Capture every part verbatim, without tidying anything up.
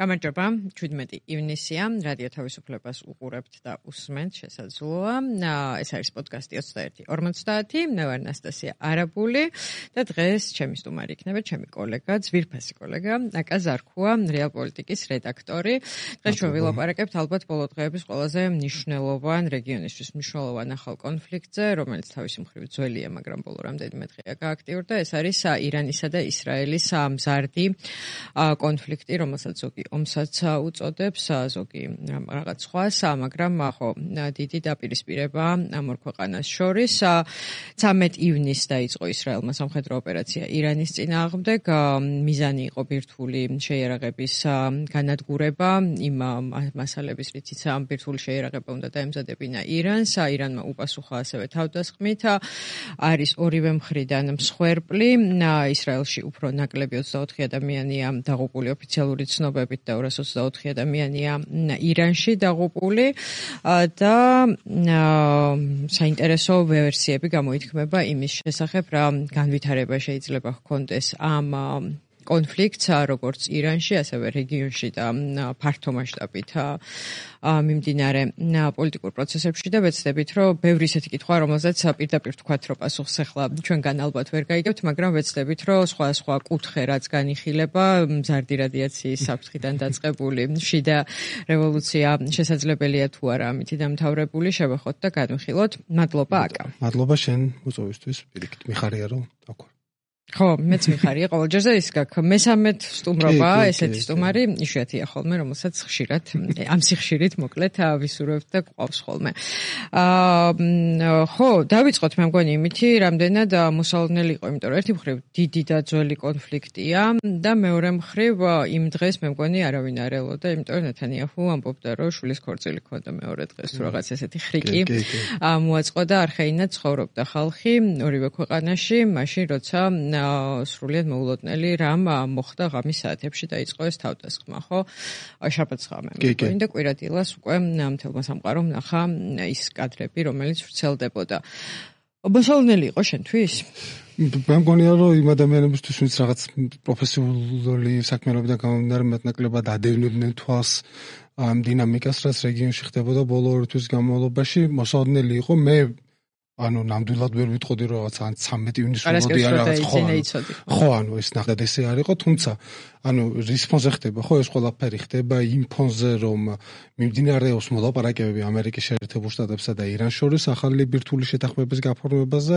გამარჯობა, შვიდმეტი ივნისია, რადიო თავისუფლებას უყურებთ და უსმენთ, შესაძლოა. ეს არის პოდკასტი ოცდაერთი ორმოცდაათი, მე ვარ ნასტასია არაბული და დღეს ჩემი სტუმარი იქნება ჩემი კოლეგა, ძვირფასი კოლეგა, აკა ზარქუა, რეალ პოლიტიკის რედაქტორი. დღეს ჩვენ ვილაპარაკებთ ალბათ ბოლო დღეების ყველაზე მნიშვნელოვან რეგიონისთვის მნიშვნელოვან ახალ კონფლიქტზე, რომელიც თავისი მხრივ ძველია, მაგრამ ბოლო რამდენიმე დღეა გააქტიურდა. ეს არის ირანისა და ისრაელის მზარდი კონფლიქტი, რომელსაც ზოგი ომსაც უწოდებს, ზოგი რაღაც სხვას, მაგრამ ხო დიდი დაპირისპირება ამ ორ ქვეყანას შორის. ცამეტ ივნისს დაიწყო ისრაელმა სამხედრო ოპერაცია ირანის წინააღმდეგ. მიზანი იყო ბირთვული შეიარაღების განადგურება, იმ მასალების რითიც ამ ბირთვული შეიარაღება უნდა დაემზადებინა ირანს. ირანმა უპასუხა ასევე თავდასხმით. არის ორივე მხრიდან მსხვერპლი. ისრაელში უფრო ნაკლები ოცდაოთხი ადამიანია დაღუპული ოფიციალური ცნობებით და ორას ოცდაოთხი ადამიანია ირანში დაღუპული და საინტერესო ვერსიები გამოითქმება იმის შესახებ, რა განვითარება შეიძლება ჰქონდეს ამ კონფლიქტს, როგორც ირანში, ასევე რეგიონში და ფართო მასშტაბით მიმდინარე პოლიტიკურ პროცესებში და ვეცდებით, რომ ბევრი ისეთი კითხვა, რომელზეც პირდაპირ თქვათ, რომ პასუხს ახლა ჩვენგან ალბათ ვერ გაიგებთ, მაგრამ ვეცდებით, რომ სხვა სხვა კუთხე რაც განიხილება, მზარდი რადიაციის საფრთხიდან დაწყებული შიდა რევოლუცია შესაძლებელია თუ არა ამითი დამთავრებული, შევეხოთ და განვიხილოთ. მადლობა აკა. მადლობა შენ მოწვევისთვის, პირიქით მიხარია რომ აქ ხო, მეც მიხარია ყოველჯერზე ის გაქვს მესამედ სტუმრობა, ესეთი სტუმარი იშვიათია ხოლმე, რომელსაც ხშირად ამ სიხშირით მოკლედ ვისურვებთ და გვყავს ხოლმე. აა ხო, დავიწყოთ მე მგონი იმითი, რამდენად მოსალოდნელი იყო, იმიტომ რომ ერთი მხრივ დიდი და ძველი კონფლიქტია და მეორე მხრივ იმ დღეს მე მგონი არავინ არ ელოდა, იმიტომ რომ ნეთანიაჰუ ამბობდა, რომ შვილის ქორწილი ქონდა მეორე დღეს, თუ რაღაც ესეთი ხრიკი მოაწყო და არხეინად ცხოვრობდა ხალხი ორივე ქვეყანაში, მაშინ როცა სრულიად მოულოდნელი რამ მოხდა ღამის საათებში დაიწყო ეს თავდასხმა, ხო? შაბათს ღამე. და კვირადილას უკვე მთელმა სამყარომ ნახა ის კადრები, რომელიც ვრცელდებოდა. მოსალოდნელი იყო შენთვის? მე მგონია, რომ იმ ადამიანებისთვის, ვინც რაღაც პროფესიული საქმიანობიდან გამომდინარე მეტნაკლებად ადევნებდნენ თვალს ამ დინამიკას, რაც რეგიონში ხდებოდა ბოლო ორი თვის განმავლობაში, მოსალოდნელი იყო. მე ანუ ნამდვილად ვერ ვიტყოდი რომ რაღაც ან ცამეტი ივნისს ვუყოდი არ რაღაც ხო ხო ანუ ეს ნახეთ ესე არ იყო, თუმცა ანუ რის ფონზე ხდება ხო ეს ყველაფერი ხდება იმ ფონზე რომ მიმდინარეობს მოლაპარაკებები ამერიკის შეერთებულ შტატებსა და ირანს შორის ახალი ბირთვული შეთანხმების გაფორმებაზე.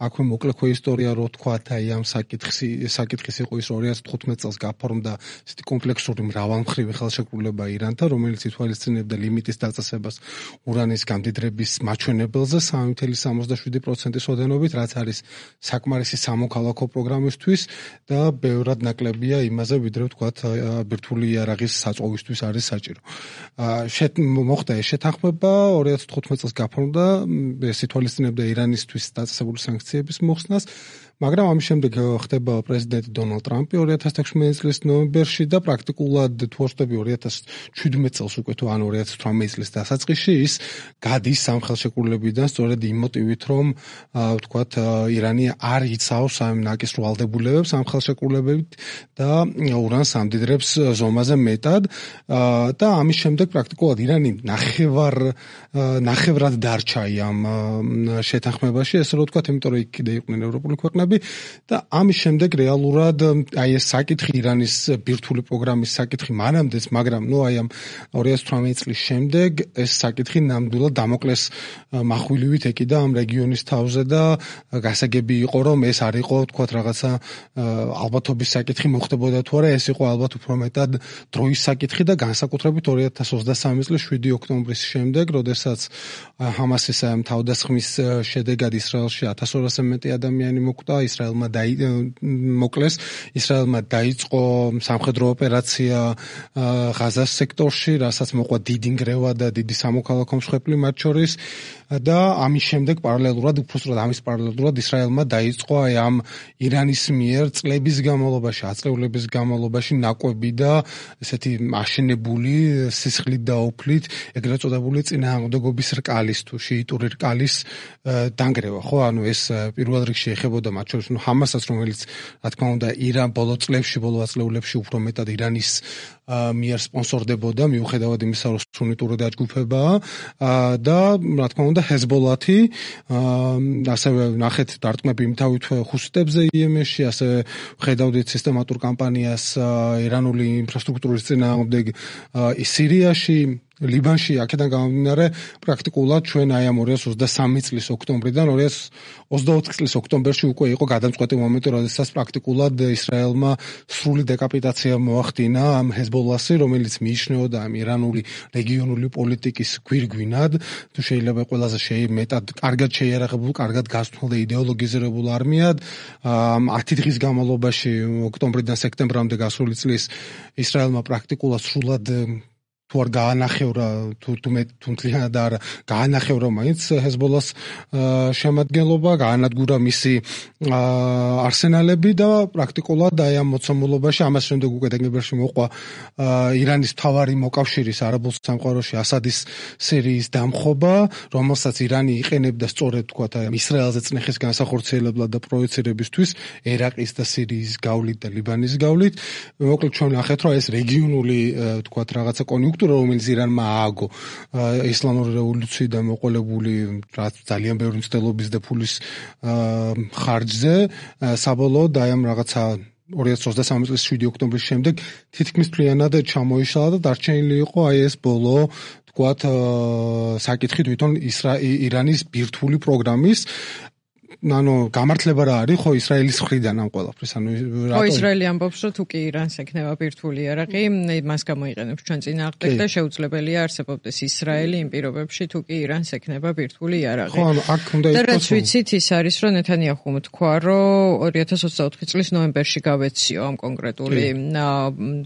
აქვე მოკლე ხო ისტორია რო თქვათ აი ამ საკითხი საკითხის იყო ის ორი ათას თხუთმეტ წელს გაფორმდა ესეთი კომპლექსური მრავალმხრივი ხელშეკრულება ირანთან, რომელიც ითვალისწინებდა ლიმიტის დაწესებას ურანის გამდიდრების მაჩვენებელზე სამი ათეული სამოცდაშვიდი პროცენტის ოდენობით, რაც არის საკმარისი სამოქალაქო პროგრამისთვის და ბევრად ნაკლებია იმაზე, ვიდრე ვთქვათ ბირთვული იარაღის საწვავისთვის არის საჭირო. მოხდა ეს შეთანხმება ორი ათას თხუთმეტ წელს გაფორმდა, ეს ითვალისწინებდა ირანისთვის დაწესებული სანქციების მოხსნას, მაგრამ ამის შემდეგ ხდება პრეზიდენტი დონალდ ტრამპი ორი ათას ექვსმეტი წლის ნოემბერში და პრაქტიკულად თუ ვხვდები ორი ათას შვიდმეტ წელს უკვე თუ ან ორი ათას თვრამეტი წლის დასაწყისში ის გადის ამ ხელშეკრულებიდან სწორედ იმ მოტივით, რომ ვთქვათ ირანი არ იცავს ამ ნაკისრო ვალდებულებებს ამ ხელშეკრულებით და ურანს ამდიდრებს ზომაზე მეტად და ამის შემდეგ პრაქტიკულად ირანი ნახევარ ნახევრად დარჩა ამ შეთანხმებაში, ესე რომ ვთქვათ, იმიტომ რომ იქ კიდე იყვნენ ევროპული ქვეყნები და ამის შემდეგ რეალურად აი ეს საკითხი ირანის ბირთვული პროგრამის საკითხი მანამდეც, მაგრამ ნუ აი ამ ორი ათას თვრამეტი წლის შემდეგ ეს საკითხი ნამდვილად დამოკლეს מחვილივით ეკიდა ამ რეგიონის თავზე და გასაგები იყო, რომ ეს არ იყო თქვათ რაღაცა ალბათობის საკითხი მოხდებოდა თუ არა, ეს იყო ალბათ უფრო მეტად დროის საკითხი და განსაკუთრებით ორი ათას ოცდასამი წლის შვიდი ოქტომბრის შემდეგ, როდესაც ჰამასის თავდასხმის შედეგად ისრაელში ათას ორასზე მეტი ადამიანი მოკვდა, ისრაელმა მოკლეს, ისრაელმა დაიწყო სამხედრო ოპერაცია ღაზას სექტორში, რასაც მოყვა დიდი ნგრევა და დიდი სამოქალაქო მსხვერპლი მათ შორის და ამის შემდეგ პარალელურად, უბრალოდ ამის პარალელურად ისრაელმა დაიწყო აი ამ ირანის მიერ წლების განმავლობაში, აწლევლების განმავლობაში ნაკვები და ესეთი აშენებული სისხლით და ოფლით ეგრეთ წოდებული წინააღმდეგობის რკალის თუ შიიტური რკალის დანგრევა, ხო? ანუ ეს პირველ რიგში ეხებოდა მათ მათ შორის ნუ ჰამასაც, რომელიც რა თქმა უნდა ირან ბოლო წლებში, ბოლო ათწლეულებში უფრო მეტად ირანის მიერ სპონსორდებოდა, მიუხედავად იმისა, რომ სუნიტური დაჯგუფებაა და რა თქმა უნდა ჰეზბოლათი, ასევე ნახეთ დარტყმები იმთავით ხუსიტებზე იემენში, ასევე ხედავდით სისტემატურ კამპანიას ირანული ინფრასტრუქტურის წინააღმდეგ სირიაში, ლიბანში, აქედან გამომდინარე, პრაქტიკულად ჩვენ აი ამ ორი ათას ოცდასამი წლის ოქტომბრიდან ორი ათას ოცდაოთხ წლის ოქტომბერში უკვე იყო გადამწყვეტი მომენტი, როდესაც პრაქტიკულად ისრაელმა სრული დეკაპიტაცია მოახდინა ამ ჰეზბოლასი, რომელიც მიიჩნეოდა ამ ირანული რეგიონული პოლიტიკის გვირგვინად, თუ შეიძლება ყველაზე მეტად კარგად შეიარაღებულ, კარგად გასწავლ და იდეოლოგიზირებულ არმიად. ათი დღის განმავლობაში, ოქტომბრიდან სექტემბრამდე გასული წლის ისრაელმა პრაქტიკულად სრულად თუ არ გაანახევრა, თუ თუ მთლიანად არ გაანახევრა მაინც ჰეზბოლას შემადგენლობა, გაანადგურა მისი არსენალები და პრაქტიკულად აი ამ მოცემულობაში ამას შემდეგ უკვე დეკემბერში მოყვა ირანის მთავარი მოკავშირის არაბულ სამყაროში ასადის სირიის დამხობა, რომელსაც ირანი იყენებდა სწორედ თქვათ ისრაელზე წნეხის განსახორციელებლად და პროექცირებისთვის ერაყის და სირიის გავლით და ლიბანის გავლით. მოკლედ ჩვენ ნახეთ, რომ ეს რეგიონული თქვათ რაღაცა კონიუნქტურა, რომელიც ირანმა ააგო ისლამური რევოლუციიდან მოყოლებული ძალიან ბევრი მცდელობის და ფულის ხარჯზე, საბოლოოდ აი ამ რაღაცა ორი ათას ოცდასამი წლის შვიდი ოქტომბრის შემდეგ თითქმის მთლიანად ჩამოიშალა და დარჩენილი იყო აი ეს ბოლო თქვათ საკითხი თვითონ ირანის ბირთვული პროგრამის. ანუ გამართლება რა არის ხო ისრაელის მხრიდან ამ ყველაფრის, ანუ რატო ისრაელი ამბობს, რომ თუ კი ირანს ექნება ბირთვული იარაღი, მას გამოიყენებს ჩვენ წინააღმდეგ და შეუძლებელია არსებობდეს ისრაელი იმ პირობებში, თუ კი ირანს ექნება ბირთვული იარაღი. ხო, ანუ აქ უნდა იყოს. და რაც ვიცით ის არის, რომ ნეთანიაჰუმ თქვა, რომ ორი ათას ოცდაოთხი წლის ნოემბერში გავეციო ამ კონკრეტული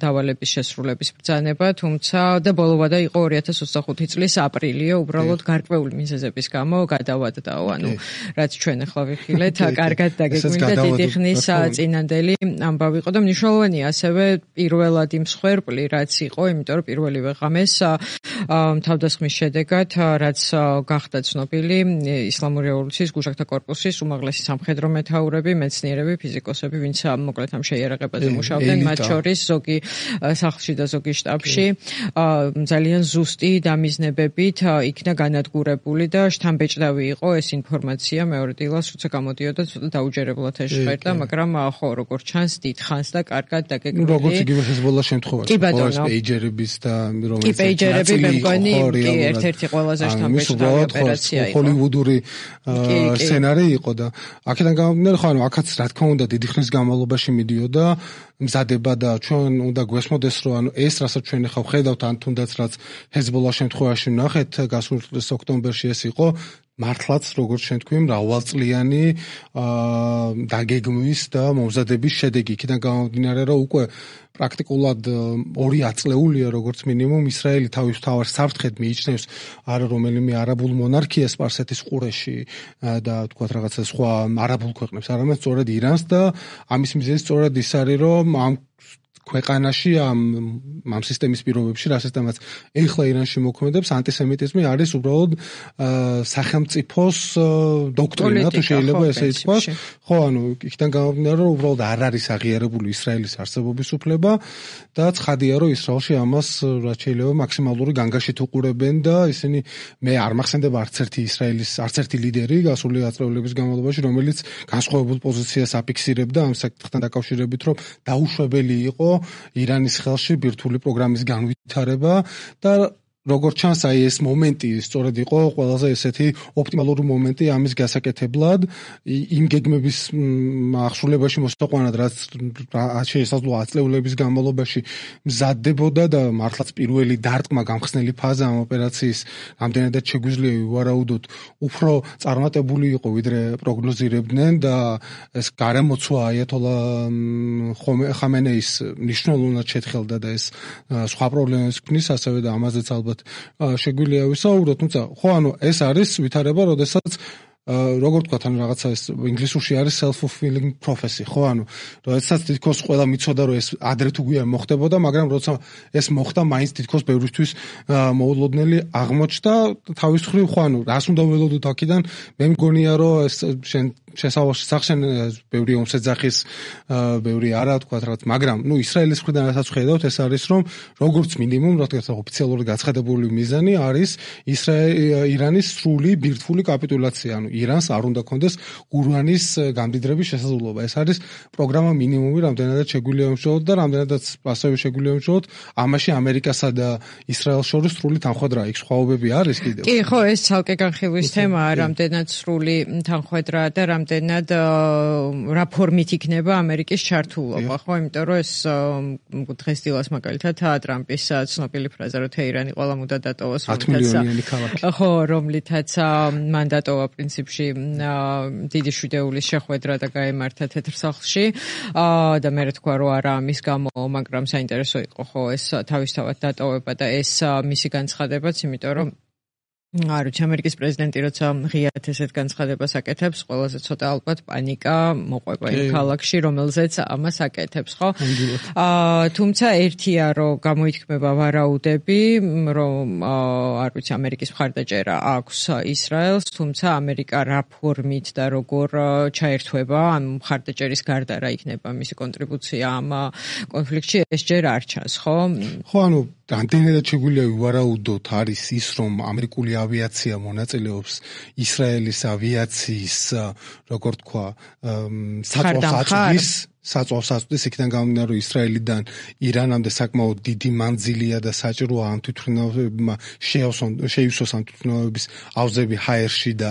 დავალების შესრულების ბრძანება, თუმცა და ბოლოვადა იყო ორი ათას ოცდახუთი წლის აპრილიო, უბრალოდ გარკვეული მიზეზების გამო გადავადდაო, ანუ რაც ჩვენ ახლა ვიხილეთ, კარგად დაგეგმილი და დიდი ხნის წინანდელი ამბავი იყო და მნიშვნელოვანია ასევე პირველად იმ მსხვერპლი, რაც იყო, იმიტომ რომ პირველივე ღამეს თავდასხმის შედეგად, რაც გახდა ცნობილი ისლამური რევოლუციის გუშაქთა კორპუსის უმაღლესი სამხედრო მეთაურები, მეცნიერები, ფიზიკოსები, ვინც მოკლედ ამ შეიარაღებაზე მუშაობდნენ, მათ შორის ზოგი სახლში და ზოგი შტაბში ძალიან ზუსტი დამიზნებებით იქნა განადგურებული და შთამბეჭდავი იყო ეს ინფორმაცია მეორე დილას, როცა გამოდიოდა ცოტა დაუჯერებლად ეშყერდა, მაგრამ ხო, როგორც ჩანს, დიდხანს და კარგად დაგეგმილი. როგორც იგივე ჰეზბოლას შემთხვევაში, ხო, პეიჯერების და რომელიც პეიჯერები მე მგონი კი ერთ-ერთი ყველაზე შთამბეჭდავი ოპერაცია იყო. ჰოლივუდური სცენარი იყო და აქედან გამომდინარე, ხო, ანუ აქაც რა თქმა უნდა დიდი ხნის განმავლობაში მიდიოდა მზადება და ჩვენ უნდა გვესმოდეს, რომ ანუ ეს რასაც ჩვენ ახლა ვხედავთ, ან თუნდაც რაც ჰეზბოლას შემთხვევაში ვნახეთ, გასული წლის ოქტომბერში ეს იყო მართლაც როგორც ჩვენ თქვი, მრავალწლიანი დაგეგმვის და მომზადების შედეგი. იქიდან გამომდინარე, რომ უკვე პრაქტიკულად ორი ათწლეულია როგორც მინიმუმ ისრაელი თავის თავარ საფრთხედ მიიჩნევს არა რომელიმე არაბულ მონარქიას სპარსეთის ყურეში და თქვათ რაღაცა სხვა არაბულ ქვეყნებს, არამედ სწორედ ირანს და ამის მიზეზი სწორედ ის არის, რომ ამ ქვეყანაში ამ ამ სისტემის პირობებში, რა სისტემაც ეხლა ირანში მოქმედებს, ანტისემიტიზმი არის უბრალოდ სახელმწიფოს დოქტრინა, თუ შეიძლება ესე ითქვას. ხო, ანუ იქიდან გამომდინარე, რომ უბრალოდ არ არის აღიარებული ისრაელის არსებობის უფლება და ცხადია, რომ ისრაელში ამას რაც შეიძლება მაქსიმალური განგაშით უყურებენ და ისინი მე არ მახსენდება არც ერთი ისრაელის არც ერთი ლიდერი გასული ათწლეულების განმავლობაში, რომელიც განსხვავებულ პოზიციას აფიქსირებდა ამ საკითხთან დაკავშირებით, რომ დაუშვებელი იყო ირანის ხელში ბირთვული პროგრამის განვითარება და როგორც ჩანს, აი ეს მომენტი სწორედ იყო ყველაზე ესეთი ოპტიმალური მომენტი ამის გასაკეთებლად, იმ გეგმების აღსრულებაში მოსაყვანად, რაც შესაძლოა ათწლეულების განმავლობაში მზადდებოდა და მართლაც პირველი დარტყმა გამხსნელი ფაზა ამ ოპერაციის რამდენადაც შეგვიძლია ვივარაუდოთ, უფრო წარმატებული იყო, ვიდრე პროგნოზირებდნენ და ეს გარემოცვა აიათოლა ხამენეის მნიშვნელოვნად შეთხელდა და ეს სხვა პრობლემებს ქმნის, ასევე და ამაზეც ალბათ შეგვიძლია ვისაუბროთ, თუმცა ხო, ანუ ეს არის ვითარება, როდესაც როგორ თქვა თან რაღაცა ეს ინგლისურში არის self-fulfilling prophecy, ხო? ანუ როდესაც თითქოს ყველა მიცოდა რომ ეს ადრე თუ გვიან მოხდებოდა, მაგრამ როცა ეს მოხდა, მაინც თითქოს ბევრისთვის მოულოდნელი აღმოჩნდა თავის მხრივ, ხო, ანუ რას უნდა ველოდოთ აქედან? მე მგონია რომ ეს შენ შესავალში სახშენ ბევრი ომსეძახის, ბევრი არა თქვა რაღაც, მაგრამ ნუ ისრაელის მხრიდან რასაც ხედავთ, ეს არის რომ როგორც მინიმუმ, რა თქმა უნდა, ოფიციალური გაცხადებული მიზანი არის ირანის სრული ბირთვული კაპიტულაცია, ანუ ირანს არ უნდა კონდეს ურანის გამდიდრების შესაძლებლობა. ეს არის პროგრამა მინიმუმი, რამდენადაც შეგვიძლია ემშოვოთ და რამდენადაც ასევე შეგვიძლია ემშოვოთ, ამაში ამერიკასა და ისრაელს შორის სრული თანხმედრა იქ სხვაობები არის კიდევ. კი, ხო, ეს ცალკე განხილვის თემაა, რამდენად სრული თანხმედრაა და რამდენად რა ფორმით იქნება ამერიკის ჩართულობა, ხო, იმიტომ რომ ეს დღესდილას მაგალითად ტრამპის ცნობილი ფრაზა რომ თეირანი ყველა მუდა დატოვოს, ხო, რომლითაც მან დატოვა პრინციპში დიდი შვიდეულის შეხვედრა და გაემართა თეთრ სახლში და მე თქვა რომ არა ამის გამო, მაგრამ საინტერესო იყო ხო ეს თავისთავად დატოვება და ეს მისი განცხადებაც, იმიტომ რომ არ ვიცი, ამერიკის პრეზიდენტი როცა ღიად ესეთ განცხადებას აკეთებს, ყველაზე ცოტა ალბათ პანიკა მოყვება იმ ქალაქში, რომელზეც ამას აკეთებს, ხო? აა თუმცა ერთია, რომ გამოითქმება ვარაუდები, რომ არ ვიცი, ამერიკის მხარდაჭერა აქვს ისრაელს, თუმცა ამერიკა რა ფორმით და როგორ ჩაერთვება, ამ მხარდაჭერის გარდა რა იქნება მისი კონტრიბუცია ამ კონფლიქტში, ეს ჯერ არ ჩანს, ხო? ხო, ანუ რამდენადაც შეგვიძლია ვივარაუდოთ არის ის, რომ ამერიკული ავიაცია მონაწილეობს ისრაელის ავიაციის, როგორ თქვა, საწვავს საწვავს იქიდან გამომდინარე, რომ ისრაელიდან ირანამდე საკმაოდ დიდი მანძილია და საჭიროა ამ თვითმფრინავებმა შეივსოს ამ თვითმფრინავების ავზები ჰაერში და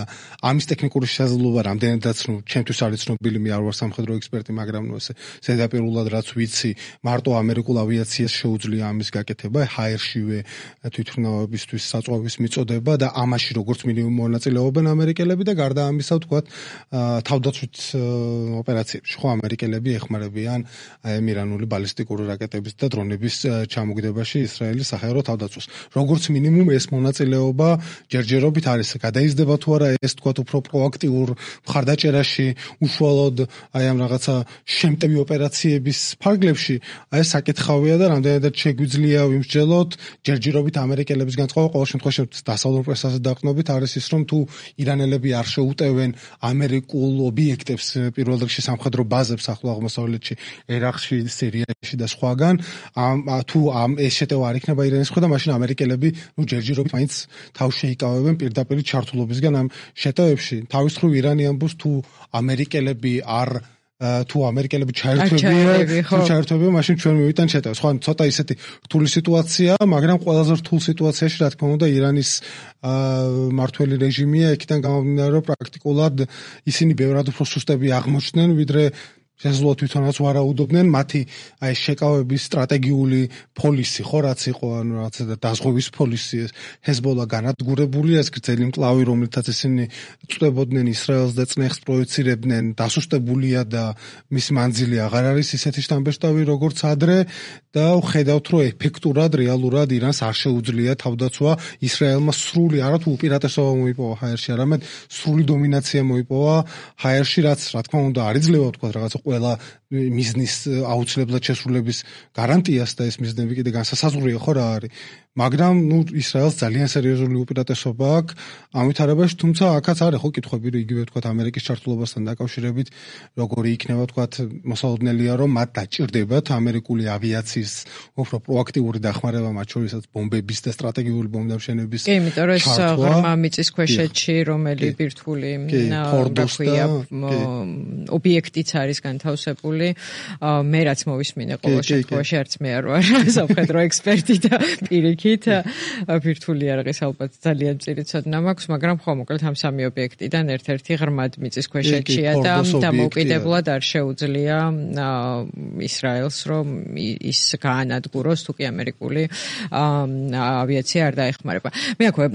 ამის ტექნიკური შესაძლებლობა რამდენადაც, ნუ, ჩემთვის არის ცნობილი, მე არ ვარ სამხედრო ექსპერტი, მაგრამ ნუ ესე ზედაპირულად რაც ვიცი, მარტო ამერიკულ ავიაციას შეუძლია ამის გაკეთება, ჰაერშივე თვითმფრინავებისთვის საწვავის მიწოდება და ამაში როგორც მინიმუმ მონაწილეობენ ამერიკელები და გარდა ამისა, ვთქვათ, თავდაცვით ოპერაციებში, ხო, ამერიკელები ეხმარებიან ირანული ბალისტიკური რაკეტების და დრონების ჩამოგდებაში ისრაელის საჰაერო თავდაცვას. როგორც მინიმუმ ეს მონაწილეობა ჯერჯერობით არის. გადაიზრდება თუ არა ეს თქვათ უფრო პროაქტიურ მხარდაჭერაში, უშუალოდ აი ამ რაღაცა შემტევი ოპერაციების ფარგლებში, აი ეს საკითხავია და რამდენადაც შეგვიძლია ვიმსჯელოთ ჯერჯერობით ამერიკელების განწყობა, ყოველ შემთხვევაში დასავლურ პრესაზე დაყრდნობით არის ის, რომ თუ ირანელები არ შეუტევენ ამერიკულ ობიექტებს, პირველ რიგში სამხედრო ბაზებს ახლო აღმოსავლეთში, ერაყში, სირიაში და სხვაგან, ამ თუ ამ ეს შეტევა არ იქნება ირანის მხრიდან, მაშინ ამერიკელები ნუ ჯერჯერობით მაინც თავს შეიკავებენ პირდაპირ ჩართულობისგან ამ შეტევებში. თავის მხრივ ირანი ამბობს, თუ ამერიკელები არ თუ ამერიკელები ჩაერთვებიან, თუ ჩაერთვებიან, მაშინ ჩვენ მივიტან შეტევას. ხო, ცოტა ისეთი რთული სიტუაცია, მაგრამ ყველაზე რთულ სიტუაციაში, რა თქმა უნდა, ირანის მართველი რეჟიმია, იქიდან გამომდინარე, რომ პრაქტიკულად ისინი ბევრად უფრო სუსტები აღმოჩნდნენ, ვიდრე შესაძლოა თვითონაც ვარაუდობდნენ, მათი აი შეკავების სტრატეგიული პოლისი, ხო, რაც იყო, ანუ რაც დაზღვევის პოლისი, ჰეზბოლა განადგურებულია, ეს გრძელი მკლავი, რომელთაც ისინი წვდებოდნენ ისრაელს და წნეხს პროექცირებდნენ, დასუსტებულია და მის მანძილი აღარ არის ისეთი შთამბეჭდავი, როგორც ადრე და ვხედავთ, რომ ეფექტურად, რეალურად ირანს არ შეუძლია თავდაცვა ისრაელმა სრული, არათუ უპირატესობა მოიპოვა ჰაერში, არამედ სრული დომინაცია მოიპოვა ჰაერში, რაც რა თქმა უნდა არ იძლევა თქვა რაღაცა ყველა მიზნის აუცილებლად შესრულების გარანტიას და ეს მიზნები კიდე განსასაზღვრია, ხო რა არის. მაგრამ ნუ ისრაელს ძალიან სერიოზული უპირატესობა აქვს ამ ვითარებაში, თუმცა აქაც არის ხო კითხვები, იგივე თქვა ამერიკის ჩართულობასთან დაკავშირებით, როგორი იქნება თქვა მოსალოდნელია, რომ მათ დაჭირდებათ ამერიკული ავიაციის უფრო პროაქტიული დახმარება, მათ შორისაც ბომბების და სტრატეგიული ბომბდამშენების. კი, იმიტომ რომ ეს ღრმა მიწისქვეშეთში, რომელი ბირთვული ფორდოსია ობიექტიც არის განთავსებული, მე რაც მოვისმინე ყოველ შემთხვევაში, არც მე არ ვარ სამხედრო ექსპერტი და პირიქით ბირთვული არაღის ალბათ ძალიან მწირი ცოდნა მაქვს, მაგრამ ხო, მოკლედ ამ სამი ობიექტიდან ერთ-ერთი ღრმად მიწისქვეშეთშია და დამოუკიდებლად არ შეუძლია ისრაელს, რომ ის გაანადგუროს, თუკი ამერიკული ავიაცია არ დაეხმარება. მე აქვე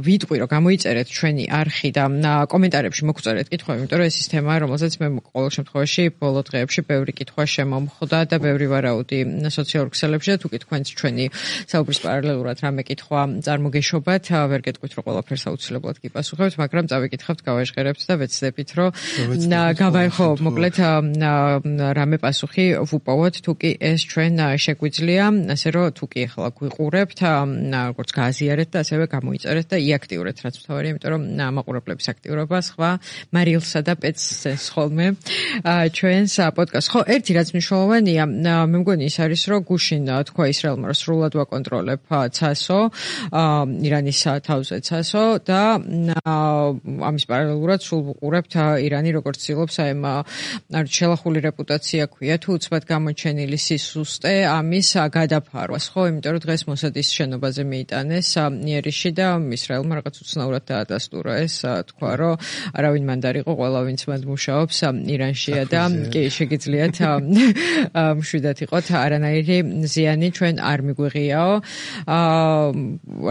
ვიტყვი, რომ გამოიწერეთ ჩვენი არხი და კომენტარებში მოგწერეთ კითხვები, იმიტომ რომ ეს ის თემაა, რომელზეც მე ყოველ შემთხვევაში ბოლო დღეებში ბევრი კითხვა შემომხვდა და ბევრი ვარაუდი სოციალურ ქსელებში და თუკი თქვენც ჩვენი საუბრის პარალელურად რამე კითხვა წარმოგეშობათ, ვერ გეტყვით რომ ყველაფერს აუცილებლად გიპასუხებთ, მაგრამ წავიკითხავთ, გავაჟღერებთ და ვეცდებით რომ გავაიხო მოკლედ რამე პასუხი ვუპოვოთ, თუკი ეს ჩვენ შეგვიძლია, ასე რომ თუკი ახლა გვიყურებთ, როგორც გააზიარეთ და ასევე გამოიწერეთ და იაქტიურეთ, რაც მთავარია, იმიტომ რომ მაყურებლების აქტიურობა სხვა მარილსა და პეცს ხოლმე ჩვენს პოდკასტს. ხო, ერთი რაც მნიშვნელოვანია, მე მგონი ის არის, რომ გუშინ თქვა ისრაელმა, რომ სრულად ვაკონტროლებ ცასო, ირანის თავზე ცასო და ამის პარალელურად სულ ვუყურებთ ირანი როგორც ცდილობს აი ამ შელახული რეპუტაცია ქვია თუ უცბად გამოჩენილი სისუსტე ამის გადაფარვას, ხო, იმიტომ რომ დღეს მოსადის შენობაზე მიიტანეს იერიში და ისრაელმა რაღაც უცნაურად დაადასტურა ეს, თქვა რომ არავინ მანდ არ იყო, ყველა ვინც მანდ მუშაობს ირანშია და კი შეგიძლიათ მშვიდად იყოთ, არანაირი ზიანი ჩვენ არ მიგვიღიაო.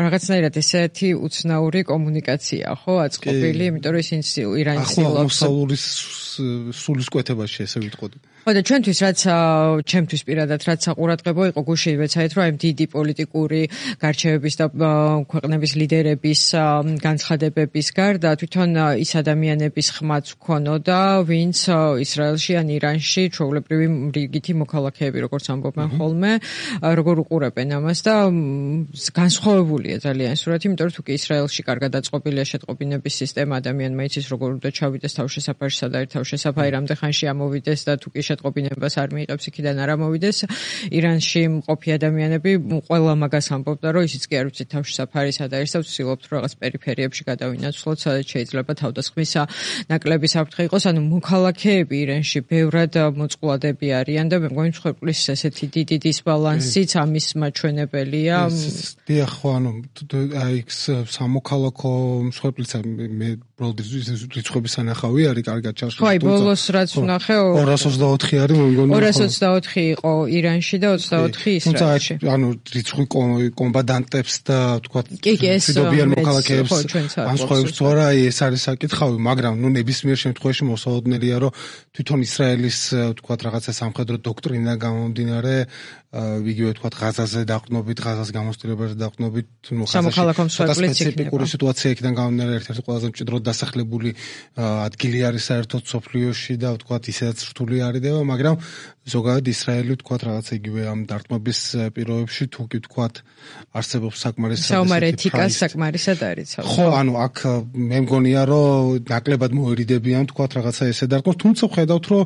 რაღაცნაირად ესეთი უცნაური კომუნიკაცია, ხო, აწყობილი, იმიტომ რომ ისინი ირანის ცდილობს სულისკვეთებაში ესე ვიტყოდი. ხო და ჩვენთვის რაც ჩემთვის პირადად რაც საყურადღებო იყო გუშინ ვეცადეთ რომ აი დიდი პოლიტიკური გარჩევების და ქვეყნების ლიდერების განცხადებების გარდა თვითონ ის ადამიანების ხმაც ვქონოდა ვინც ისრაელში ან ირანში ჩვეულებრივი რიგითი მოქალაქეები როგორც ამბობენ ხოლმე როგორ უყურებენ ამას და განსხვავებულია ძალიან სურათი იმიტომ რომ თუკი ისრაელში კარგად აწყობილია შეტყობინების სისტემა ადამიანმა იცის როგორ უნდა ჩავიდეს თავშესაფარში სად არის თავშესაფარი რამდენ ხანში ამოვიდეს და თუკი შეტყობინებას არ მიიღებს იქიდან არ ამოვიდეს ირანში მყოფი ადამიანები ყველა მაგას ამბობდა რომ ისიც კი არ ვიცით თავშესაფარი სად არის და ვცდილობთ რომ რაღაც პერიფერიებში გადავინაცვლოთ სადაც შეიძლება თავდასხმის ნაკლები საფრთხე იყოს ანუ მოქალაქეები ირანში ბევრად მოწყვლადები არიან და მე მგონი მსხვერპლის ესეთი დიდი დისბალანსიც ამის მაჩვენებელია დიახ ხო ანუ აი სამოქალაქო მსხვერპლიც მე რიცხვების ანახავი არის კარგად ჩაშლის ხო აი ბოლოს რაც ვნახე ორას ოცდაოთხი არის მე მგონი ორას ოცდაოთხი იყო ირანში და ოცდაოთხი ისრაელში ანუ რიცხვი კომბატანტებს და თქვა მშვიდობიან მოქალაქეებს განსხვავებს თუ არა ეს არის საკითხავი მაგრამ ნუ ნებისმიერ შემთხვევაში მოსაოდნელია რომ თვითონ ისრაელის თქვა რაღაცა სამხედრო დოქტრინა გამომდინარე იგივე თქვა ღაზაზე დაყრდნობით ღაზას გამოსტილებაზე დაყრდნობით ნუ სამოქალაქო მსხვერპლიც სპეციფიკური სიტუაცია იქიდან გამომდინარე ერთ-ერთი ყველაზე მჭიდროდ დასახლებული ადგილი არის საერთოდ სოფლიოში და თქვა ისედაც რთული არიდება მაგრამ ზოგადად ისრაელი თქვა რაღაცა იგივე ამ დარტყმების პირობებში თუ კი თქვა არსებობს საკმარისი საომარეთიკა საკმარისად არის ხო ანუ აქ მე მგონია რომ ნაკლებად მოერიდებიან თქვა რაღაცა ესე დარტყმოს თუმცა ხედავთ რომ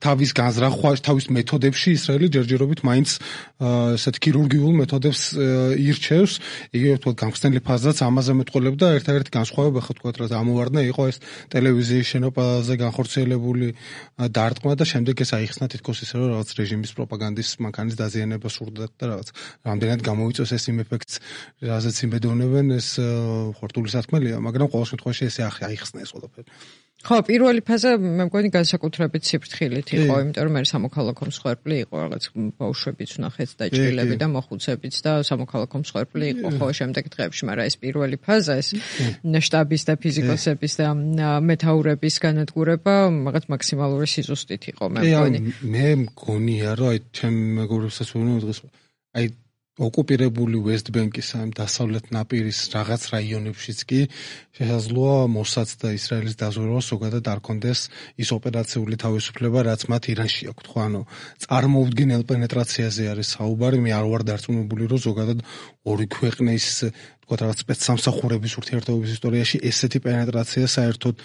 თავის განზრახვა თავის მეთოდებში ისრაელი ჯერჯერობით მაინც ესეთ ქირურგიულ მეთოდებს ირჩევს იგივე თქვა გამხსნელი ფაზაც ამაზე მეტყოლებდა ერთ-ერთი განსხვავება ხო თქვა რა ამოვარდნა იყო ეს ტელევიზიის შენობაზე განხორციელებული დარტყმა და შემდეგ ეს აიხსნა თითქოს ისე რომ რაღაც რეჟიმის პროპაგანდის მანქანის დაზიანება სურდათ და რაღაც რამდენად გამოიწვევს ეს იმ ეფექტს რაზეც იმედოვნებენ ეს ხორტული სათქმელია მაგრამ ყოველ შემთხვევაში ესე აიხსნა ეს ყველაფერი ხო, პირველი ფაზა მე მგონი განსაკუთრებით სიფრთხილით იყო, იმიტომ რომ მე სამოქალაქო მსხვერპლი იყო, რაღაც ბავშვებიც ვნახეთ და ჭრილები და მოხუცებიც და სამოქალაქო მსხვერპლი იყო, ხო, შემდეგ დღეებში, მაგრამ ეს პირველი ფაზა, ეს შტაბის და ფიზიკოსების და მეთაურების განადგურება, რაღაც მაქსიმალური სიზუსტით იყო, მე მგონი. მე მგონია, რომ აი ჩემ მეგობრებსაც ვუყურებ დღეს, აი ოკუპირებული West Bank-ის ამ დასავლეთ ნაპირის რაღაც რაიონებშიც კი შესაძლოა მოსაც და ისრაელის დაზვერვა ზოგადად არ კონდეს ის ოპერაციული თავისუფლება, რაც მათ ირანში აქვთ, ხო, ანუ წარმოუდგენელ პენეტრაციაზე არის საუბარი, მე არ ვარ დარწმუნებული, რომ ზოგადად ორი ქვეყნის თქვა რაღაც სპეცსამსახურების ურთიერთობების ისტორიაში ესეთი პენეტრაცია საერთოდ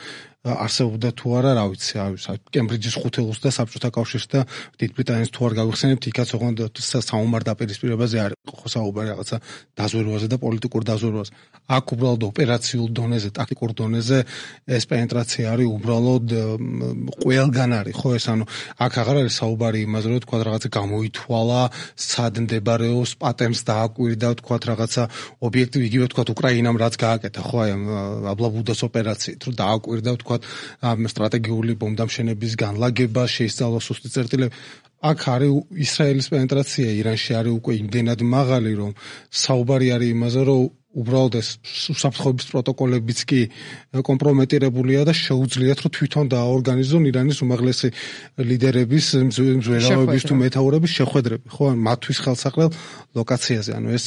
არსებობდა თუ არა, რა ვიცი, აი კემბრიჯის ხუთეულს და საბჭოთა კავშირს და დიდ ბრიტანეთს თუ არ გავიხსენებთ, იქაც ოღონდ საომარ დაპირისპირებაზე არ იყო ხო საუბარი რაღაცა დაზვერვაზე და პოლიტიკურ დაზვერვაზე. აქ უბრალოდ ოპერაციულ დონეზე, ტაქტიკურ დონეზე ეს პენეტრაცია არის უბრალოდ ყველგან არის, ხო ეს ანუ აქ აღარ არის საუბარი იმაზე, რომ თქვა რაღაცა გამოითვალა, სად მდებარეობს, პატემს დააკვირდა, თქვა რაღაცა ობიექტი იგივე თქვა უკრაინამ რაც გააკეთა, ხო აი აბლაბუდას ოპერაციით, რომ დააკვირდა თქვა ამ სტრატეგიული ბომბდამშენების განლაგება შეისწავლა სუსტი წერტილები აქ არის ისრაელის პენეტრაცია ირანში არის უკვე იმდენად მაღალი რომ საუბარი არის იმაზე რომ უბრალოდ ეს უსაფრთხოების პროტოკოლებიც კი კომპრომეტირებულია და შეუძლიათ რომ თვითონ დააორგანიზონ ირანის უმაღლესი ლიდერების მზვერავების თუ მეთაურების შეხვედრები, ხო, ან მათთვის ხელსაყრელ ლოკაციაზე. ანუ ეს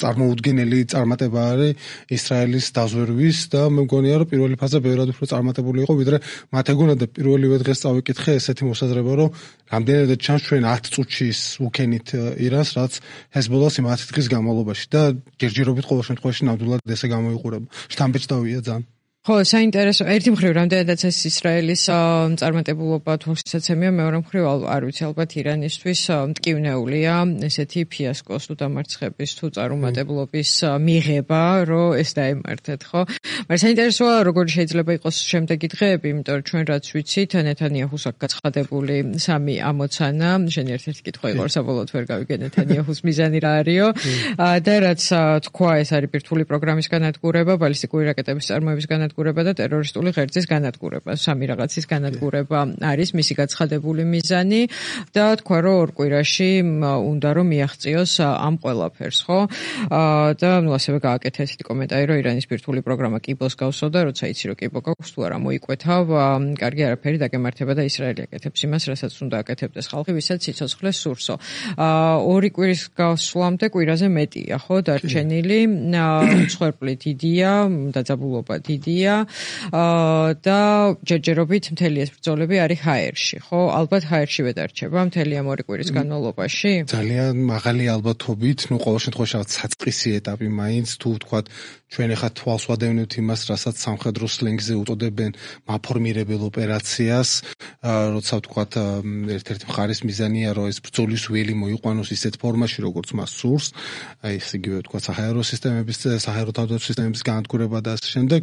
წარმოუდგენელი წარმატება არის ისრაელის დაზვერვის და მე მგონია რომ პირველი ფაზა ბევრად უფრო წარმატებული იყო ვიდრე მათ ეგონათ და პირველივე დღეს წავიკითხე ესეთი მოსაზრება რომ რამდენადაც ჩანს ჩვენ ათ წუთში უქენით ირანს რაც ჰეზბოლას იმ ათი დღის განმავლობაში და ჯერჯერობით ყოველ შემთხვევაში ნამდვილად ესე გამოიყურება. შთამბეჭდავია ძალიან. ხო, საინტერესო. ერთი მხრივ რამდენადაც ეს ისრაელის წარმატებულობა თვალსაცემია, მეორე მხრივ არ ვიცი, ალბათ ირანისთვის მტკივნეულია ესეთი ფიასკოს თუ დამარცხების თუ წარუმატებლობის მიღება, რომ ეს დაემართეთ, ხო? მაგრამ საინტერესოა, როგორ შეიძლება იყოს შემდეგი დღეები, იმიტომ რომ ჩვენ რაც ვიცით, ნეთანიაჰუს აქვს გაცხადებული სამი ამოცანა, შენ ერთ-ერთი კითხვა იყო, საბოლოოდ ვერ გავიგე ნეთანიაჰუს მიზანი რა არისო. და რაც თქვა, ეს არის ბირთვული პროგრამის განადგურება, ბალისტიკური რაკეტების წარმოების განადგურება და ტერორისტული ღერძის განადგურება, სამი რაღაცის განადგურება არის მისი გაცხადებული მიზანი და თქვა რომ ორ კვირაში უნდა რომ მიაღწიოს ამ ყველაფერს, ხო? და ნუ ასევე გააკეთა ესეთი კომენტარი, რომ ირანის ბირთვული პროგრამა კიბოს გავსო და როცა იცი რომ კიბო გაქვს თუ არა მოიკვეთავ, კარგი არაფერი დაგემართება და ისრაელი აკეთებს იმას, რასაც უნდა აკეთებდეს ხალხი, ვისაც სიცოცხლე სურსო. ორი კვირის გასვლამდე კვირაზე მეტია, ხო, დარჩენილი, მსხვერპლი დიდია, დაძაბულობა დიდია და ჯერჯერობით მთელი ეს ბრძოლები არის ჰაერში, ხო? ალბათ ჰაერშივე დარჩება მთელი ამ ორი კვირის განმავლობაში? ძალიან მაღალი ალბათობით, ნუ ყოველ შემთხვევაში რაღაც საწყისი ეტაპი მაინც, თუ ვთქვათ, ჩვენ ახლა თვალს ვადევნებთ იმას, რასაც სამხედრო სლენგზე უწოდებენ მაფორმირებელ ოპერაციას, როცა ვთქვათ, ერთ-ერთი მხარის მიზანია, რომ ეს ბრძოლის ველი მოიყვანოს ისეთ ფორმაში, როგორც მას სურს, აი ეს იგივე ვთქვათ, საჰაერო სისტემების, საჰაერო თავდაცვის სისტემების განადგურება და ასე შემდეგ.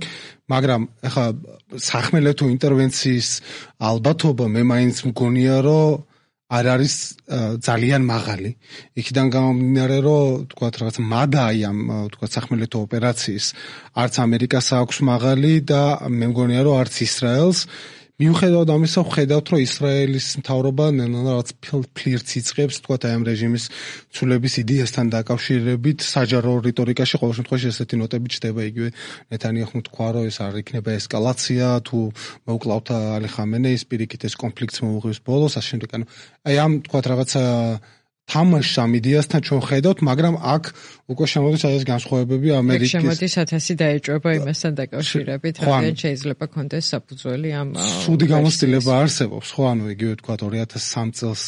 მაგრამ ახლა სახმელეთო ინტერვენციის ალბათობა მე მაინც მგონია რომ არ არის ძალიან მაღალი. იქიდან გამომდინარე რომ თქვათ რაღაც მადაი ამ თქვათ სახმელეთო ოპერაციის არც ამერიკას აქვს მაღალი და მე მგონია რომ არც ისრაელს. მიუხედავად ამისა, ვხედავთ, რომ ისრაელის მთავრობა რაღაც ფლირტს იწყებს, თქვათ, აი ამ რეჟიმის ცვლილების იდეასთან დაკავშირებით, საჯარო რიტორიკაში ყოველ შემთხვევაში ესეთი ნოტები ჩდება, იგივე ნეთანიაჰუმ თქვა, რომ ეს არ იქნება ესკალაცია, თუ მოუკლავთ ალი ხამენეის პირიქით ეს კონფლიქტს მოუღებს ბოლოს, ასე შემდეგ. ანუ აი ამ თქვათ რაღაცა თამაშს ამ იდეასთან ჩვენ ხედავთ, მაგრამ აქ უკვე შემოდის ეს განსხვავებები ამერიკის. შემოდის ათასი დაეჭვება იმასთან დაკავშირებით, რადგან შეიძლება კონდეს საფუძველი ამ სუდი გამოცდილება არსებობს, ხო, ანუ იგივე თქვა ორი ათას სამი წელს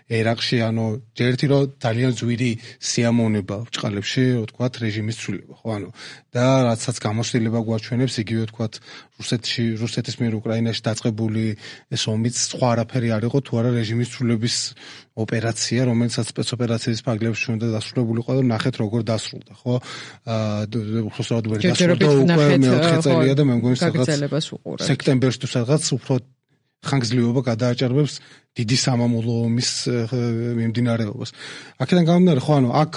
ერაყში, ანუ ერთი რომ ძალიან ძვირი სიამოვნება ბრჭყალებში, თქვა რეჟიმის ცვლილება, ხო, ანუ და რაცაც გამოცდილება გვაჩვენებს, იგივე თქვა რუსეთში, რუსეთის მიერ უკრაინაში დაწყებული ეს ომიც სხვა არაფერი არ იყო, თუ არა რეჟიმის ცვლილების ოპერაცია, რომელსაც სპეცოპერაციის ფარგლებში უნდა დასრულებულიყო და ნახეთ როგორ დასრულდა, ხო? აა უბრალოდ ვერ დასრულდა უკვე მეოთხე წელია და მე მგონი სადღაც სექტემბერში თუ სადღაც უფრო ხანგრძლივობა გადააჭარბებს დიდი სამამულო ომის მიმდინარეობას. აქედან გამომდინარე, ხო, ანუ აქ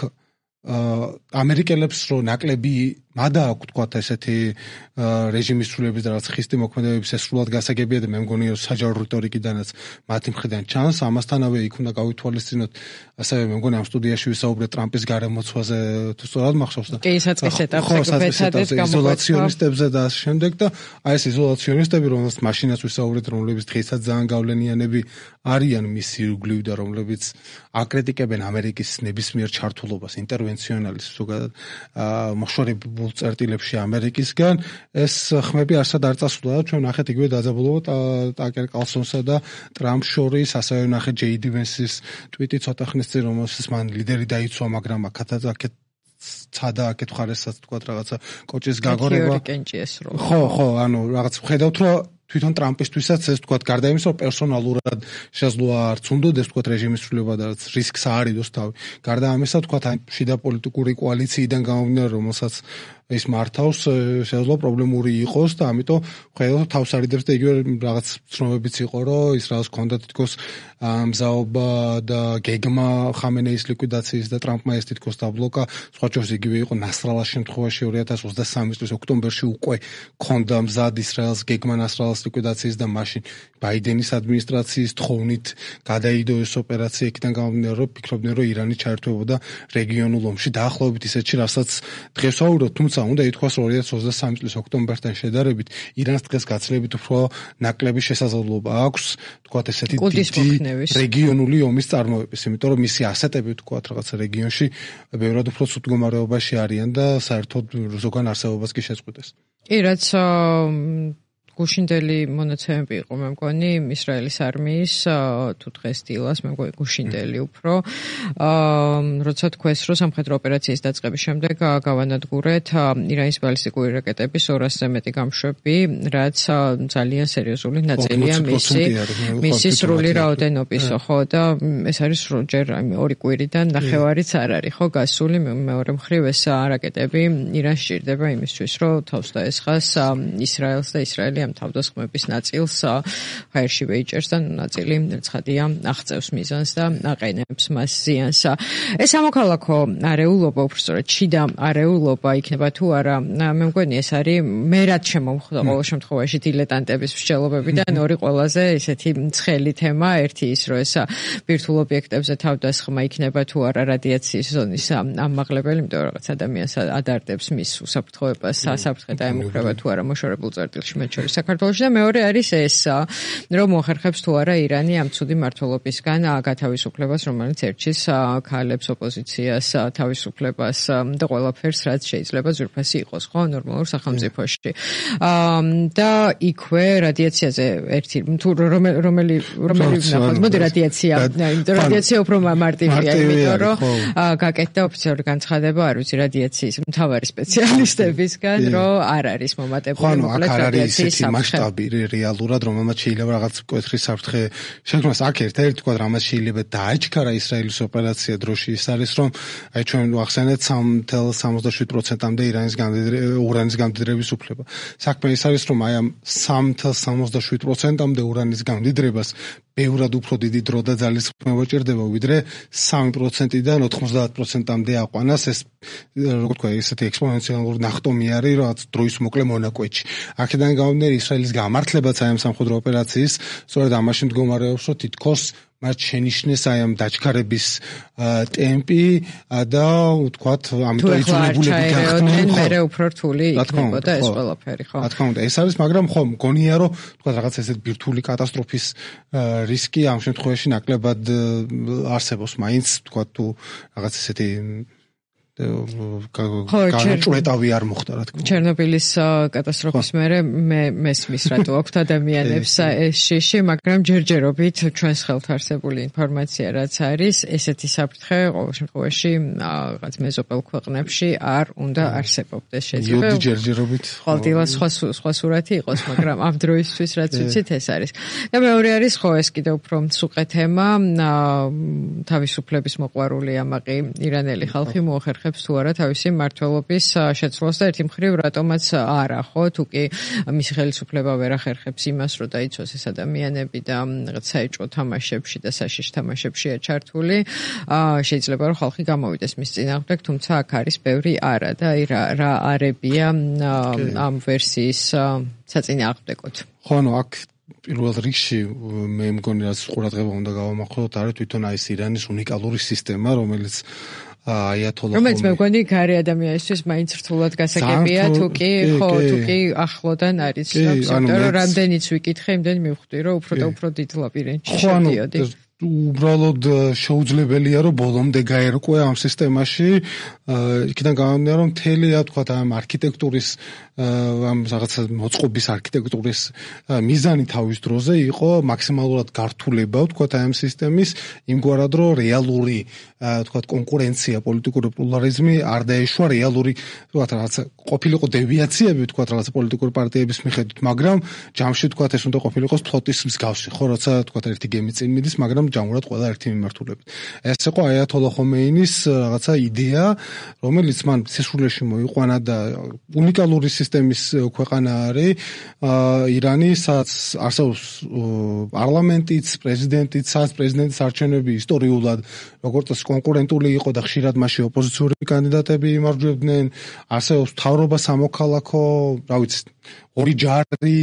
ამერიკელებს რო ნაკლები მადა აქვს თქვათ ესეთი რეჟიმის ცვლილების და რაღაც ხისტი მოქმედებების ეს სრულად გასაგებია და მე მგონი რომ საჯარო რიტორიკიდანაც მათი მხრიდან ჩანს. ამასთანავე იქ უნდა გავითვალისწინოთ, ასევე მე მგონი ამ სტუდიაში ვისაუბრეთ ტრამპის გარემოცვაზე, თუ სწორად მახსოვს და კი, საწყის ეტაპზე ვეცადეთ იზოლაციონისტებზე და ასე შემდეგ და აი ეს იზოლაციონისტები, რომელსაც მაშინაც ვისაუბრეთ, რომლებიც დღესაც ძალიან გავლენიანები არიან მის ირგვლივ და რომლებიც აკრიტიკებენ ამერიკის ნებისმიერ ჩართულობას, ინტერვენციონალის ზოგადად მოხშორებულ წერტილებში ამერიკისგან, ეს ხმები არსად არ წასულა და ჩვენ ნახეთ იგივე დაძაბულობა ტაკერ კალსონსა და ტრამპ შორის, ასევე ნახეთ ჯეი დი ვენსის ტვიტი ცოტა ხნის წინ, რომელსაც მან ლიდერი დაიცვა, მაგრამ აქაც აქეთ ცადა აქეთ ხარესაც თქვა რაღაცა კოჭის გაგორება. ხო, ხო, ანუ რაღაც ვხედავთ, რომ თვითონ ტრამპისთვისაც ეს თქვა გარდა იმისა, რომ პერსონალურად შესაძლოა არც უნდოდეს თქვა რეჟიმის ცვლილება და რაც რისკს აარიდოს თავი. გარდა ამისა, თქვა შიდა პოლიტიკური კოალიციიდან გამომდინარე, რომელსაც ის მართავს შეიძლება პრობლემური იყოს და ამიტომ ხედავთ თავს არიდებს და იგივე რაღაც ცნობებიც იყო რომ ის რაღაც ქონდა თითქოს მზაობა და გეგმა ხამენეის ლიკვიდაციის და ტრამპმა ეს თითქოს დაბლოკა სხვა ჯერს იგივე იყო ნასრალას შემთხვევაში ორი ათას ოცდასამი წლის ოქტომბერში უკვე ქონდა მზად ისრაელს გეგმა ნასრალას ლიკვიდაციის და მაშინ ბაიდენის ადმინისტრაციის თხოვნით გადაიდო ეს ოპერაცია იქიდან გამომდინარე რომ ფიქრობდნენ რომ ირანი ჩაერთვებოდა რეგიონულ ომში დაახლოებით ისეთში რასაც დღეს ვაუბრობთ თუმცა უნდა ითქვას რომ ორი ათას ოცდასამი წლის ოქტომბერთან შედარებით ირანს დღეს გაცილებით უფრო ნაკლები შესაძლებლობა აქვს თქვათ ესეთი დიდი რეგიონული ომის წარმოების იმიტომ რომ მისი ასეტები თქვათ რაღაცა რეგიონში ბევრად უფრო ცუდ მდგომარეობაში არიან და საერთოდ ზოგან არსებობას კი შეწყვეტეს კი რაც გუშინდელი მონაცემები იყო მე მგონი ისრაელის არმიის თუ დღეს დილას მე მგონი გუშინდელი უფრო როცა თქვეს რომ სამხედრო ოპერაციის დაწყების შემდეგ გავანადგურეთ ირანის ბალისტიკური რაკეტების ორასზე მეტი გამშვები რაც ძალიან სერიოზული ნაწილია მისი მისი სრული რაოდენობისო ხო და ეს არის ჯერ ორი კვირიდან ნახევარიც არ არის ხო გასული მეორე მხრივ ეს რაკეტები ირანს სჭირდება იმისთვის რომ თავს დაესხას ისრაელს და ისრაელი თავდასხმების ნაწილს ჰაერში ვეიჭერს და ნაწილი ცხადია აღწევს მიზანს და აყენებს მას ზიანს. ეს სამოქალაქო არეულობა უბრალოდ შიდა არეულობა იქნება თუ არა მე მგონი ეს არის მე რაც შემომხვდა ყოველ შემთხვევაში დილეტანტების მსჯელობებიდან ორი ყველაზე ესეთი ცხელი თემა ერთი ის რომ ეს ბირთვულ ობიექტებზე თავდასხმა იქნება თუ არა რადიაციის ზონის ამაღლებელი იმიტომ რომ რაღაც ადამიანს ადარდებს მის უსაფრთხოებას სასაფრთხე დაემუქრება თუ არა მოშორებულ წერტილში მათ შორის საქართველოში და მეორე არის ეს რომ მოახერხებს თუ არა ირანი ამ ცუდი მმართველობისგან გათავისუფლებას რომელიც ერჩის ქალებს ოპოზიციას თავისუფლებას და ყველაფერს რაც შეიძლება ზურფასი იყოს ხო ნორმალურ სახელმწიფოში და იქვე რადიაციაზე ერთი თუ რომელი რომელი ნახოთ მოდი რადიაცია რადიაცია უფრო მარტივია იმიტომ რომ გაკეთდა ოფიციალური განცხადება არ ვიცი რადიაციის მთავარი სპეციალისტებისგან რომ არ არის მომატებული მოკლედ რადიაციის მასშტაბი რეალურად რომელმაც შეიძლება რაღაც მკვეთრი საფრთხე შექმნას აქ ერთ-ერთი თქვა რამაც შეიძლება დააჩქარა ისრაელის ოპერაცია დროში ის არის რომ აი ჩვენ ვახსენეთ სამი ათას სამოცდაშვიდ პროცენტამდე ირანის ურანის გამდიდრების უფლება საქმე ის არის რომ აი ამ სამი ათას სამოცდაშვიდ პროცენტამდე ურანის გამდიდრებას ბევრად უფრო დიდი დრო და ძალისხმევა ჭირდება ვიდრე სამი პროცენტიდან ოთხმოცდაათ პროცენტამდე აყვანას ეს როგორ თქვა ესეთი ექსპონენციალური ნახტომი არის რაც დროის მოკლე მონაკვეთში აქედან გამომდინარე ისრაელის გამართლებაც აი ამ სამხედრო ოპერაციის სწორედ ამაში მდგომარეობს რომ თითქოს მათ შენიშნეს აი ამ დაჩქარების ტემპი და ვთქვათ ამიტომ იძულებულები გახდნენ მე უფრო რთული იქნებოდა ეს ყველაფერი ხო რა თქმა უნდა ეს არის მაგრამ ხო მგონია რომ ვთქვათ რაღაც ესეთ ბირთვული კატასტროფის რისკი ამ შემთხვევაში ნაკლებად არსებობს მაინც ვთქვათ თუ რაღაც ესეთი განჭვრეტავი არ მოხდა რა თქმა უნდა ჩერნობილის კატასტროფის მერე მე მესმის რატო აქვთ ადამიანებს ეს შიში მაგრამ ჯერჯერობით ჩვენს ხელთ არსებული ინფორმაცია რაც არის ესეთი საფრთხე ყოველ შემთხვევაში რაღაც მეზობელ ქვეყნებში არ უნდა არსებობდეს შეიძლება იოდი ჯერჯერობით ყოველდღიურად სხვა სხვა სურათი იყოს მაგრამ ამ დროისთვის რაც ვიცით ეს არის და მეორე არის ხო ეს კიდევ უფრო მსუყე თემა თავისუფლების მოყვარული ამაყი ირანელი ხალხი მოახერხებს თუ არა თავისი მმართველობის შეცვლას და ერთი მხრივ რატომაც არა ხო თუ კი მისი ხელისუფლება ვერ ახერხებს იმას რომ დაიცვას ეს ადამიანები და რაღაც საეჭვო თამაშებში და საშიშ თამაშებშია ჩართული შეიძლება რომ ხალხი გამოვიდეს მის წინააღმდეგ თუმცა აქ არის ბევრი არა და აი რა რა არებია ამ ვერსიის საწინააღმდეგოდ ხო ნუ აქ პირველ რიგში მე მგონი რაც ყურადღება უნდა გავამახვილოთ არის თვითონ აი ეს ირანის უნიკალური სისტემა რომელიც აიათოლა რომელიც მე მგონი გარე ადამიანისთვის მაინც რთულად გასაგებია თუ კი ხო თუ კი ახლოდან არის იმიტომ რომ რამდენიც ვიკითხე იმდენი მივხვდი რომ უფრო და უფრო დიდ ლაბირინთში შევდიოდი უბრალოდ შეუძლებელია რომ ბოლომდე გაერკვე ამ სისტემაში იქიდან გამომდინარე რომ მთელია თქვა ამ არქიტექტურის ამ რაღაცა მოწყობის არქიტექტურის მიზანი თავის დროზე იყო მაქსიმალურად გართულება თქვა ამ სისტემის იმგვარად რომ რეალური თქვა კონკურენცია პოლიტიკური პლურალიზმი არ დაეშვა რეალური თქვა რაღაცა ყოფილიყო დევიაციები თქვა რაღაცა პოლიტიკური პარტიების მიხედვით მაგრამ ჯამში თქვა ეს უნდა ყოფილიყოს ფლოტის მსგავსი ხო როცა თქვა ერთი გემი წინ მიდის მაგრამ ჯამურად ყველა ერთი მიმართულებით. ეს იყო აიათოლა ხომეინის რაღაცა იდეა, რომელიც მან სისრულეში მოიყვანა და უნიკალური სისტემის ქვეყანა არის ირანი, სადაც არსებობს პარლამენტიც, პრეზიდენტიც, სადაც პრეზიდენტის არჩევნები ისტორიულად როგორც წესი კონკურენტული იყო და ხშირად მასში ოპოზიციური კანდიდატები იმარჯვებდნენ, არსებობს მთავრობა სამოქალაქო, რა ვიცი, ორი ჯარი,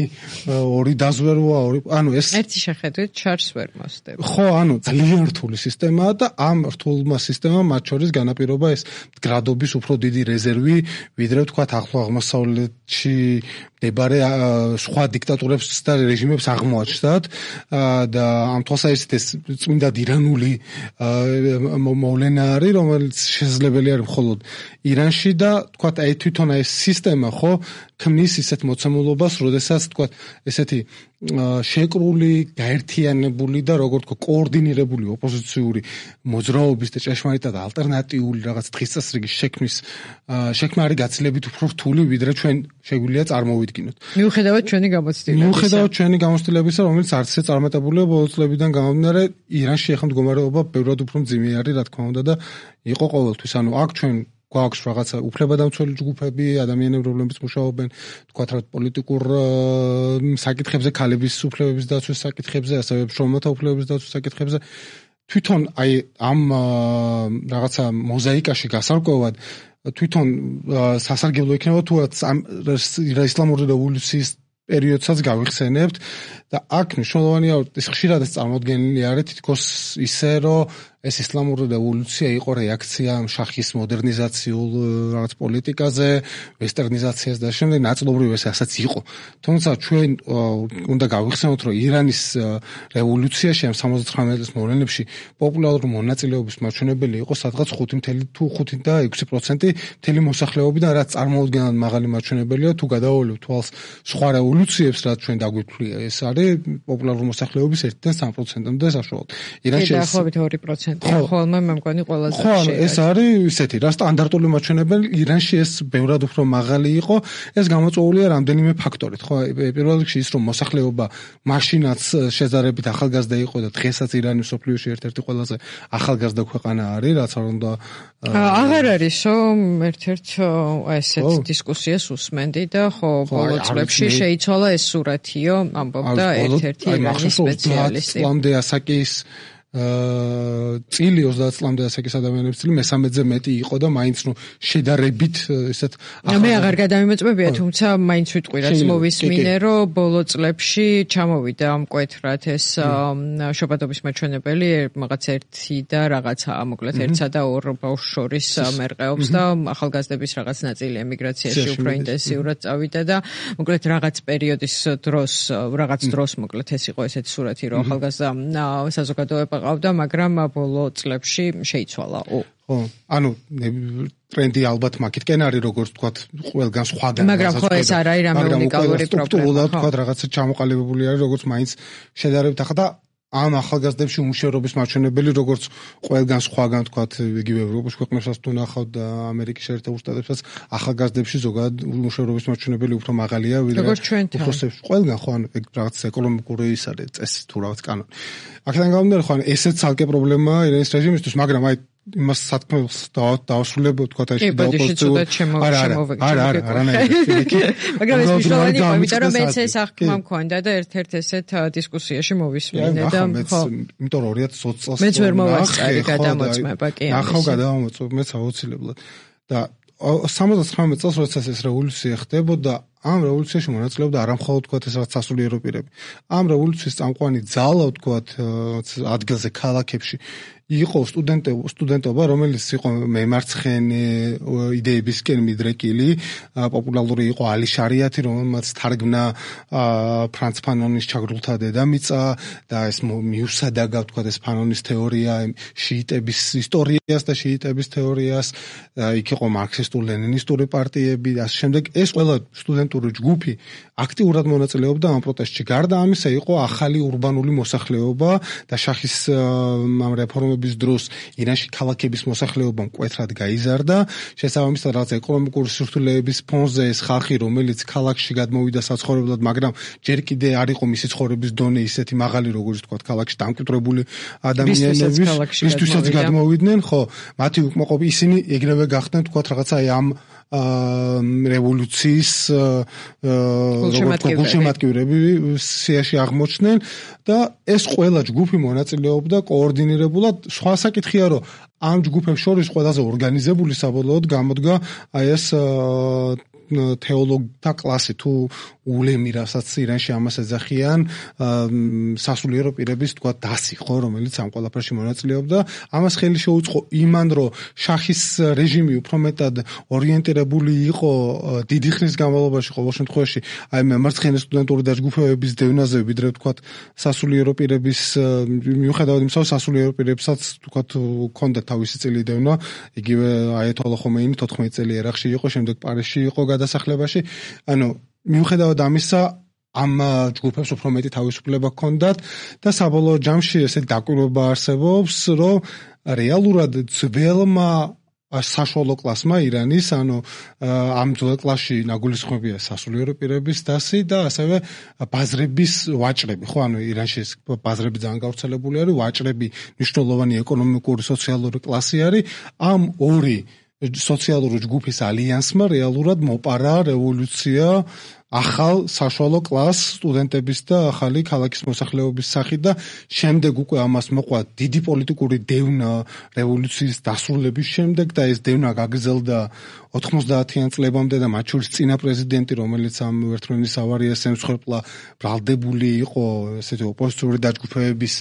ორი დაზვერვა, ორი, ანუ ეს ერთი შეხედვით ჩარს ვერ მოსდები. ხო, ანუ ძალიან რთული სისტემაა და ამ რთულმა სისტემამ მათ შორის განაპირობა ეს მდგრადობის უფრო დიდი რეზერვი, ვიდრე ვთქვათ ახლო აღმოსავლეთში მდებარე სხვა დიქტატურებს და რეჟიმებს აღმოაჩნდათ და ამ თვალსაზრისით ეს წმინდად ირანული მოვლენა არის, რომელიც შესაძლებელი არის მხოლოდ ირანში და ვთქვათ აი თვითონ ეს სისტემა ხო ქმნის ისეთ მოცემულობას, როდესაც ვთქვათ ესეთი შეკრული, გაერთიანებული და როგორ თქო კოორდინირებული ოპოზიციური მოძრაობის და ჭეშმარიტად ალტერნატიული რაღაც დღის წესრიგის შექმნის შექმნა არის გაცილებით უფრო რთული, ვიდრე ჩვენ შეგვიძლია წარმოვიდგინოთ. მიუხედავად ჩვენი გამოცდილებისა. მიუხედავად ჩვენი გამოცდილებისა, რომელიც არც ისე წარმატებულია ბოლო წლებიდან გამომდინარე, ირანში ახლა მდგომარეობა ბევრად უფრო მძიმე არის, რა თქმა უნდა და იყო ყოველთვის. ანუ აქ ჩვენ გვაქვს რაღაცა უფლებადამცველი ჯგუფები, ადამიანები, რომლებიც მუშაობენ, თქვათ რა პოლიტიკურ საკითხებზე, ქალების უფლებების დაცვის საკითხებზე, ასევე მშრომელთა უფლებების დაცვის საკითხებზე. თვითონ აი ამ რაღაცა მოზაიკაში გასარკვევად თვითონ სასარგებლო იქნება თუ ამ ისლამური რევოლუციის პერიოდსაც გავიხსენებთ და აქ მნიშვნელოვანია ეს ხშირად ეს წარმოდგენილი არის თითქოს ისე რომ ეს ისლამური რევოლუცია იყო რეაქცია შაჰის მოდერნიზაციულ რაღაც პოლიტიკაზე, ვესტერნიზაციას და შემდეგ ნაწილობრივ ეს ასაც იყო. თუმცა ჩვენ უნდა გავიხსენოთ, რომ ირანის რევოლუციაში ამ სამოცდათვრამეტ წლის მოვლენებში პოპულარული მონაწილეობის მაჩვენებელი იყო სადღაც ხუთი თუ ხუთი და ექვსი პროცენტი მთელი მოსახლეობიდან, რაც წარმოუდგენლად მაღალი მაჩვენებელია თუ გადავოლებთ თვალს სხვა რევოლუციებს, რაც ჩვენ დაგვიფლია. ეს არის პოპულარული მოსახლეობის ერთიდან სამ პროცენტამდე საშუალოდ. ირანში დაახლოებით ორი პროცენტი. ხოლმე მე მგონი ყველაზე ხშირი. ხო, ეს არის ისეთი რა სტანდარტული მაჩვენებელი, ირანში ეს ბევრად უფრო მაღალი იყო, ეს გამოწვეულია რამდენიმე ფაქტორით, ხო? პირველ რიგში ის რომ მოსახლეობა მაშინაც შეზარებით ახალგაზრდა იყო და დღესაც ირანი მსოფლიოში ერთ-ერთი ყველაზე ახალგაზრდა ქვეყანა არის, რაც არ უნდა აღარ არის რომ ერთ-ერთ ესეთ დისკუსიას უსმენდი და ხო ბოლო წლებში შეიცვალა ეს სურათიო, ამბობდა ერთ-ერთი ირანის სპეციალისტი. ლამდე ასაკის წილი ოცდაათ წლამდე ასაკის ადამიანების წილი მესამედზე მეტი იყო და მაინც ნუ შედარებით ესეთ მე აღარ გადამიმეწმებია, თუმცა მაინც ვიტყვი რაც მოვისმინე, რომ ბოლო წლებში ჩამოვიდა მკვეთრად ეს შობადობის მაჩვენებელი, რაღაც ერთი და რაღაცა, მოკლედ ერთსა და ორ ბავშვს შორის მერყეობს და ახალგაზრდების რაღაც ნაწილი ემიგრაციაში უფრო ინტენსიურად წავიდა და მოკლედ რაღაც პერიოდის დროს, რაღაც დროს მოკლედ ეს იყო ესეთი სურათი, რომ ახალგაზრდა საზოგადოება ყავდა, მაგრამ ბოლო წლებში შეიცვალა. ხო, ანუ ტრენდი ალბათ მაგითკენ არის, როგორც ვთქვათ, ყველგან სხვაგან. მაგრამ ხო ეს არ არის რამე უნიკალური პრობლემა. ვთქვათ, რაღაცა ჩამოყალიბებული არის, როგორც მაინც შედარებით ახლა და ამ ახალგაზრდებში უმუშევრობის მაჩვენებელი, როგორც ყველგან სხვაგან, ვთქვათ, იგივე ევროპის ქვეყნებსაც თუ ნახავთ და ამერიკის შეერთებულ შტატებსაც, ახალგაზრდებში ზოგადად უმუშევრობის მაჩვენებელი უფრო მაღალია, ვიდრე უფროსებში. ყველგან ხო, ანუ ეგ რაღაც ეკონომიკური ის არის წესი თუ რაღაც კანონი. აქედან გამომდინარე, ხო, ესეც ცალკე პრობლემაა ირანის რეჟიმისთვის, მაგრამ აი იმას სათქმელს დავასრულებ, ვთქვათ, აი შედაოპოზიციურ არა არა არა არანაირად. მაგრამ ეს მნიშვნელოვანი იყო, იმიტომ რომ მეც ეს აღქმა მქონდა და ერთ-ერთ ესეთ დისკუსიაში მოვისმინე და ხო. იმიტომ რომ ორი ათას ოცი წელს მეც ვერ მოვაწყარი გადამოწმება, კი ამის. ახალ გადამოწმებ მეც აუცილებლად. და სამოცდათვრამეტ წელს როდესაც ეს რევოლუცია ხდებოდა, ამ რევოლუციაში მონაწილეობდა არა მხოლოდ თქვათ ეს რაღაც სასულიერო პირები. ამ რევოლუციის წამყვანი ძალა თქვათ ადგილზე ქალაქებში იყო სტუდენტები, სტუდენტობა, რომელიც იყო მემარცხენე იდეებისკენ მიდრეკილი, პოპულარული იყო ალი შარიათი, რომელმაც თარგმნა ფრანც ფანონის ჩაგრულთა დედამიწა და ეს მიუსადაგა თქვათ ეს ფანონის თეორია, შიიტების ისტორიას და შიიტების თეორიას, იქ იყო მარქსისტულ-ლენინისტური პარტიები და ასე შემდეგ. ეს ყველა სტუდენტური ჯგუფი აქტიურად მონაწილეობდა ამ პროტესტში. გარდა ამისა, იყო ახალი ურბანული მოსახლეობა და შაჰის ამ რეფორმების რეჟიმების დროს ირანში ქალაქების მოსახლეობა მკვეთრად გაიზარდა. შესაბამისად, რაღაც ეკონომიკური სირთულეების ფონზე ეს ხალხი, რომელიც ქალაქში გადმოვიდა საცხოვრებლად, მაგრამ ჯერ კიდე არ იყო მისი ცხოვრების დონე ისეთი მაღალი, როგორც თქვა, ქალაქში დამკვიდრებული ადამიანების, ვისთვისაც გადმოვიდნენ, ხო, მათი უკმაყოფილება ისინი ეგრევე გახდნენ, თქვა, რაღაცა აი ამ რევოლუციის გულშემატკივრები სიაში აღმოჩნდნენ და ეს ყველა ჯგუფი მონაწილეობდა კოორდინირებულად. სხვა საკითხია, რომ ამ ჯგუფებს შორის ყველაზე ორგანიზებული საბოლოოდ გამოდგა აი ეს თეოლოგთა კლასი თუ ულემი, რასაც ირანში ამას ეძახიან, სასულიერო პირების თქვა დასი, ხო, რომელიც ამ ყველაფერში მონაწილეობდა. ამას ხელი შეუწყო იმან, რომ შაჰის რეჟიმი უფრო მეტად ორიენტირებული იყო დიდი ხნის განმავლობაში ყოველ შემთხვევაში აი მემარცხენე სტუდენტური დაჯგუფებების დევნაზე, ვიდრე თქვა სასულიერო პირების, მიუხედავად იმისა, რომ სასულიერო პირებსაც თქვა ჰქონდა თავისი წილი დევნა, იგივე აიათოლა ხომეინი თოთხმეტი წელი ერაყში იყო, შემდეგ პარიზში იყო გადასახლებაში. ანუ მიუხედავად ამისა, ამ ჯგუფებს უფრო მეტი თავისუფლება ჰქონდათ და საბოლოო ჯამში ესე დაკვირვება არსებობს, რომ რეალურად ძველმა საშუალო კლასმა ირანის, ანუ ამ ძველ კლასში ნაგულისხმებია სასულიერო პირების დასი და ასევე ბაზრების ვაჭრები, ხო, ანუ ირანში ბაზრები ძალიან გავრცელებული არის, ვაჭრები მნიშვნელოვანი ეკონომიკური, სოციალური კლასი არის. ამ ორი სოციალური ჯგუფის ალიანსმა რეალურად მოპარა რევოლუცია ახალ საშუალო კლას სტუდენტების და ახალი ქალაქის მოსახლეობის სახით და შემდეგ უკვე ამას მოყვა დიდი პოლიტიკური დევნა რევოლუციის დასრულების შემდეგ და ეს დევნა გაგრძელდა ოთხმოცდაათიან წლებამდე და მათ შორის წინა პრეზიდენტი, რომელიც ამ ვერტმფრენის ავარიას ემსხვერპლა, ბრალდებული იყო ესეთი ოპოზიციური დაჯგუფებების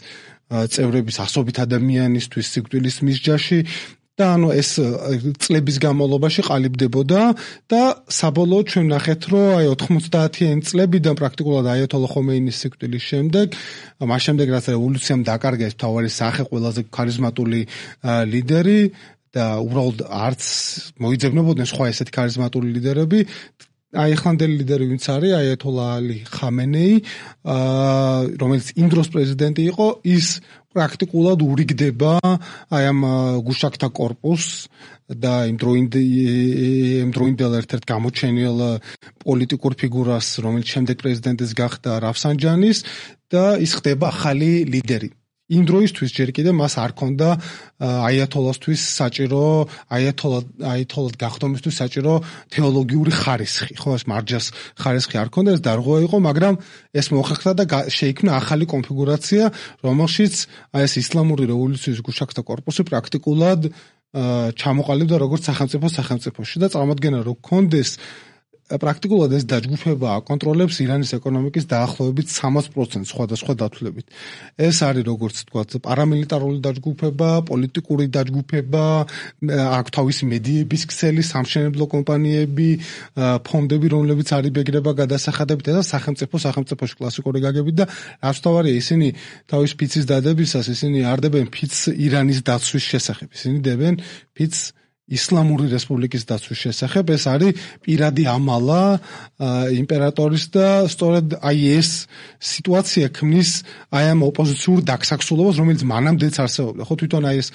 წევრების ასობით ადამიანისთვის სიკვდილის მისჯაში. და ანუ ეს წლების განმავლობაში ყალიბდებოდა და საბოლოოდ ჩვენ ნახეთ, რომ აი ოთხმოცდაათიანი წლებიდან პრაქტიკულად აიათოლა ხომეინის სიკვდილის შემდეგ, მას შემდეგ რაც რევოლუციამ დაკარგა ეს მთავარი სახე, ყველაზე ქარიზმატული ლიდერი და უბრალოდ არც მოიძებნებოდნენ სხვა ესეთი ქარიზმატული ლიდერები. აი ახლანდელი ლიდერი ვინც არის, აიათოლა ალი ხამენეი, რომელიც იმ დროს პრეზიდენტი იყო, ის პრაქტიკულად ურიგდება აი ამ გუშაქთა კორპუსს და იმ დროინდელ ერთ-ერთ გამოჩენილ პოლიტიკურ ფიგურას, რომელიც შემდეგ პრეზიდენტის გახდა რაფსანჯანის და ის ხდება ახალი ლიდერი. იმ დროისთვის ჯერ კიდე მას არ ქონდა აიათოლასთვის საჭირო, აიათოლა აიათოლად გახდომისთვის საჭირო თეოლოგიური ხარისხი, ხო, ეს მარჯას ხარისხი არ ქონდა, ეს დარღვევა იყო, მაგრამ ეს მოხერხდა და შეიქმნა ახალი კონფიგურაცია, რომელშიც აი ეს ისლამური რევოლუციის გუშაქთა კორპუსი პრაქტიკულად ჩამოყალიბდა როგორც სახელმწიფო სახელმწიფოში და წარმოადგენა რომ ქონდეს პრაქტიკულად ეს დაჯგუფება აკონტროლებს ირანის ეკონომიკის დაახლოებით სამას პროცენტს სხვადასხვა დათვლებით. ეს არის როგორც თქვათ პარამილიტარული დაჯგუფება, პოლიტიკური დაჯგუფება, აქვს თავისი მედიების ქსელი, სამშენებლო კომპანიები, ფონდები, რომლებიც არიბეგრება გადასახადებით და სახელმწიფო სახელმწიფოში კლასიკური გაგებით და რაც თავარია ისინი თავის ფიცის დადებისას ისინი არ დებენ ფიცს ირანის დაცვის შესახებ, ისინი დებენ ფიცს ისლამური რესპუბლიკის დაცვის შესახებ. ეს არის პირადი ამალა იმპერატორის და სწორედ აი ეს სიტუაცია ქმნის აი ამ ოპოზიციურ დაგსაქსულობას, რომელიც მანამდეც არსებობდა. ხო, თვითონ აი ეს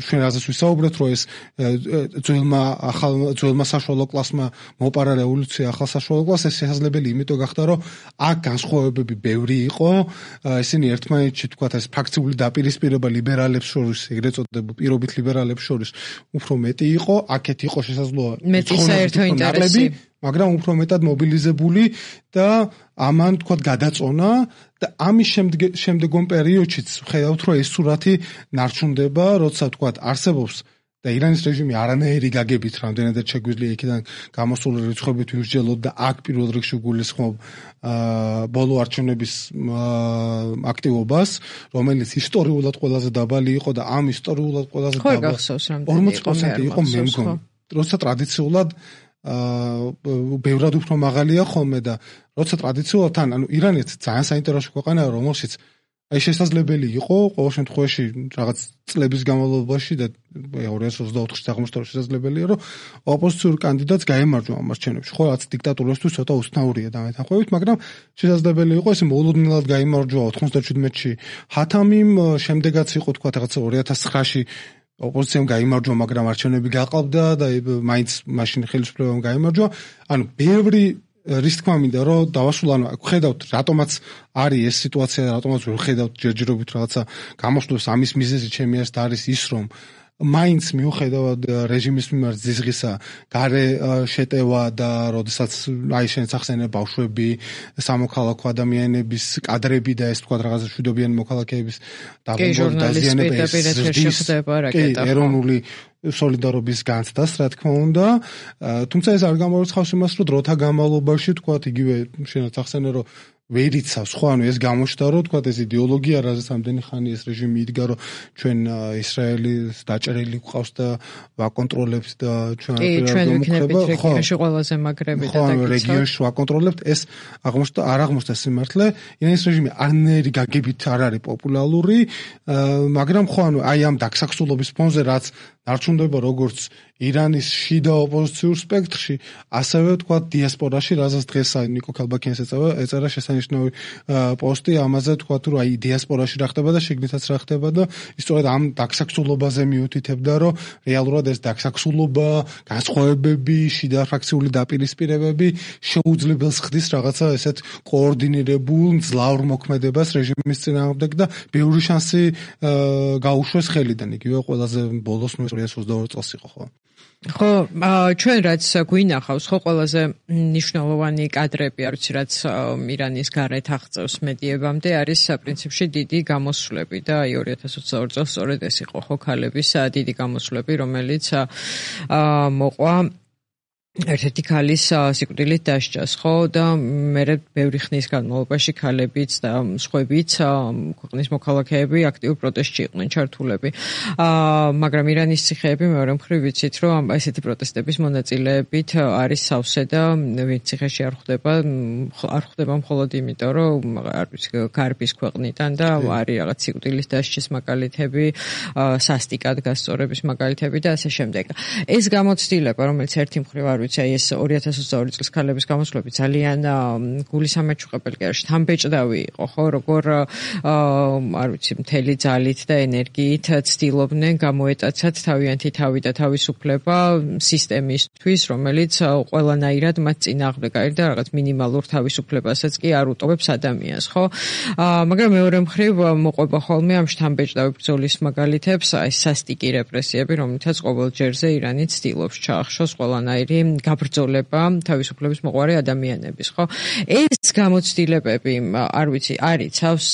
ჩვენ რაზეც ვისაუბრეთ, რომ ეს ძველმა ახალ ძველმა საშუალო კლასმა მოპარა რევოლუცია ახალ საშუალო კლასს, ეს შესაძლებელი იმიტომ გახდა, რომ აქ განსხვავებები ბევრი იყო. ისინი ერთმანეთში თქვათ ეს ფრაქციული დაპირისპირება ლიბერალებს შორის, ეგრეთ წოდებულ პირობით ლიბერალებს შორის უფრო მეტი იყო, აქეთ იყო შესაძლოა მეტი საერთო ინტერესი, მაგრამ უფრო მეტად მობილიზებული და ამან თქვათ გადაწონა და ამის შემდეგომ პერიოდშიც ხედავთ, რომ ეს სურათი ნარჩუნდება, როცა თქვათ არსებობს და ირანის რეჟიმი არანაირი გაგებით რამდენადაც შეგვიძლია იქიდან გამოსული რიცხვებით ვიმსჯელოთ და აქ პირველ რიგში გულისხმობ ბოლო არჩევნების აქტივობას, რომელიც ისტორიულად ყველაზე დაბალი იყო და ამ ისტორიულად ყველაზე დაბალი ორმოცი პროცენტი იყო მე მგონი. როცა ტრადიციულად ბევრად უფრო მაღალია ხოლმე და როცა ტრადიციულად თან, ანუ ირანი ძალიან საინტერესო ქვეყანაა, რომელშიც აი შესაძლებელი იყო ყოველ შემთხვევაში რაღაც წლების განმავლობაში და ორი ათას ოცდაოთხში აღმოჩნდა რომ შესაძლებელია რომ ოპოზიციურ კანდიდატს გაემარჯვა ამ არჩევნებში. ხო, რაც დიქტატურისთვის ცოტა უცნაურია დამეთანხმებით, მაგრამ შესაძლებელი იყო ესე მოულოდნელად გაემარჯვა ოთხმოცდაჩვიდმეტში ჰათამიმ, შემდეგაც იყო თქვა რაღაც ორი ათას ცხრაში ოპოზიციამ გაიმარჯვა, მაგრამ არჩევნები გაყავდა და მაინც მაშინ ხელისუფლებამ გაიმარჯვა. ანუ ბევრი რის თქმა მინდა რომ დავასრულო, ანუ ხედავთ რატომაც არის ეს სიტუაცია, რატომაც ვერ ხედავთ ჯერჯერობით რაღაცა გამოშლებს. ამის მიზეზი ჩემი აზრით არის ის, რომ მაინც მიუხედავად რეჟიმის მიმართ ზიზღისა გარე შეტევა და როდესაც აი შენ სახსენე ბავშვები, სამოქალაქო ადამიანების კადრები და ეს თქვა რაღაცა მშვიდობიანი მოქალაქეების დაბომბვა დაზიანება ეს ეროვნული სოლიდარობის განცდას, რა თქმა უნდა. თუმცა ეს არ გამორიცხავს იმას, რომ დროთა განმავლობაში თქვა იგივე შენაც ახსენე რომ ვერ იცავს, ხო, ანუ ეს გამოჩნდა რომ თქვა ეს იდეოლოგია, რაზეც ამდენი ხანი ეს რეჟიმი იდგა, რომ ჩვენ ისრაელის დაჭერილი გვყავს და ვაკონტროლებთ და ჩვენ ჩვენ ვიქნებით რეგიონში ყველაზე მაგრები და დაკიცავთ. ხო, რეგიონში ვაკონტროლებთ, ეს აღმოჩნდა, არ აღმოჩნდა სიმართლე. ირანის რეჟიმი არნაირი გაგებით არ არის პოპულარული, მაგრამ ხო, ანუ აი ამ დაქსაქსულობის ფონზე რაც დარჩუნდება როგორც ირანის შიდა ოპოზიციურ სპექტრში, ასევე თქვა დიასპორაში, რაზეც დღეს ნიკო ქალბაქიანს ეწევა, ეწერა შესანიშნავი პოსტი ამაზე, თქვა რომ აი დიასპორაში რა ხდება და შიგნითაც რა ხდება და ისწორედ ამ დაქსაქსულობაზე მიუთითებდა, რომ რეალურად ეს დაქსაქსულობა, განსხვავებები, შიდა ფრაქციული დაპირისპირებები შეუძლებელს ხდის რაღაცა ესეთ კოორდინირებულ ძლავრ მოქმედებას რეჟიმის წინააღმდეგ და ბევრი შანსი გაუშვეს ხელიდან. იგივე ყველაზე ბოლოს ორი ათას ოცდაორი წელს იყო, ხო? ხო, ჩვენ რაც გვინახავს, ხო, ყველაზე მნიშვნელოვანი კადრები, არ ვიცი, რაც ირანის გარეთ აღწევს მედიებამდე, არის პრინციპში დიდი გამოსვლები და აი ორი ათას ოცდაორი წელს სწორედ ეს იყო, ხო, ქალების დიდი გამოსვლები, რომელიც მოყვა ერთ-ერთი ქალის სიკვდილით დასჯას, ხო, და მერე ბევრი ხნის განმავლობაში ქალებიც და სხვაებიც ქვეყნის მოქალაქეები აქტიურ პროტესტში იყვნენ ჩართულები. მაგრამ ირანის ციხეები მეორე მხრივ ვიცით, რომ ესეთი პროტესტების მონაწილეებით არის სავსე და ვინც ციხეში არ ხვდება, არ ხვდება მხოლოდ იმიტომ, რომ არ ვიცი, გარბის ქვეყნიდან და არის რაღაც სიკვდილის დასჯის მაგალითები, სასტიკად გასწორების მაგალითები და ასე შემდეგ. ეს გამოცდილება, რომელიც ერთი მხრივ არ ვიცი, ეს ორი ათას ოცდაორი წლის ქალების გამოსვლები ძალიან გულისამაჩუყებელი კი არის, თამბეჭდავი იყო, ხო, როგორ არ ვიცი, მთელი ძალით და ენერგიით ცდილობდნენ გამოეტაცათ თავიანთი თავი და თავისუფლება სისტემისთვის, რომელიც ყველანაირად მათ წინააღმდეგ არის და რაღაც მინიმალურ თავისუფლებასაც კი არ უტოვებს ადამიანს, ხო? მაგრამ მეორე მხრივ მოყვება ხოლმე ამ შთამბეჭდავი ბრძოლის მაგალითებს, აი სასტიკი რეპრესიები, რომლითაც ყოველ ჯერზე ირანი ცდილობს ჩაახშოს ყველანაირი გაბრძოლება თავისუფლების მოყვარე ადამიანების, ხო? ეს გამოცდილებები, არ ვიცი, არიცავს,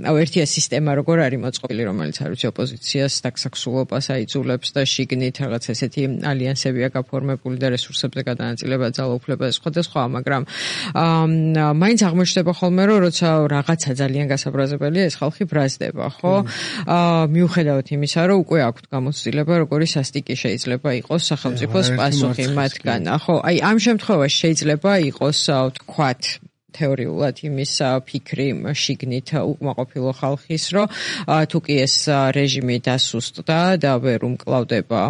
აუ ერთია სისტემა როგორ არის მოწყობილი, რომელიც არ ვიცი ოპოზიციას დაქსაქსულობას აიძულებს და შიგნით რაღაც ესეთი ალიანსებია გაფორმებული და რესურსებზე გადანაწილება, ძალაუფლება სხვადასხვა, მაგრამ მაინც აღმოჩნდება ხოლმე, რომ როცა რაღაცა ძალიან გასაბრაზებელია, ეს ხალხი ბრაზდება, ხო? მიუხედავად იმისა, რომ უკვე აქვთ გამოცდილება, როგორი სასტიკი შეიძლება იყოს სახელმწიფოს პასუხი მათგან. ხო, აი ამ შემთხვევაში შეიძლება იყოს თქვათ თეორიულად იმის ფიქრი შიგნით უკმაყოფილო ხალხის, რომ თუ კი ეს რეჟიმი დასუსტდა და ვერ უმკლავდება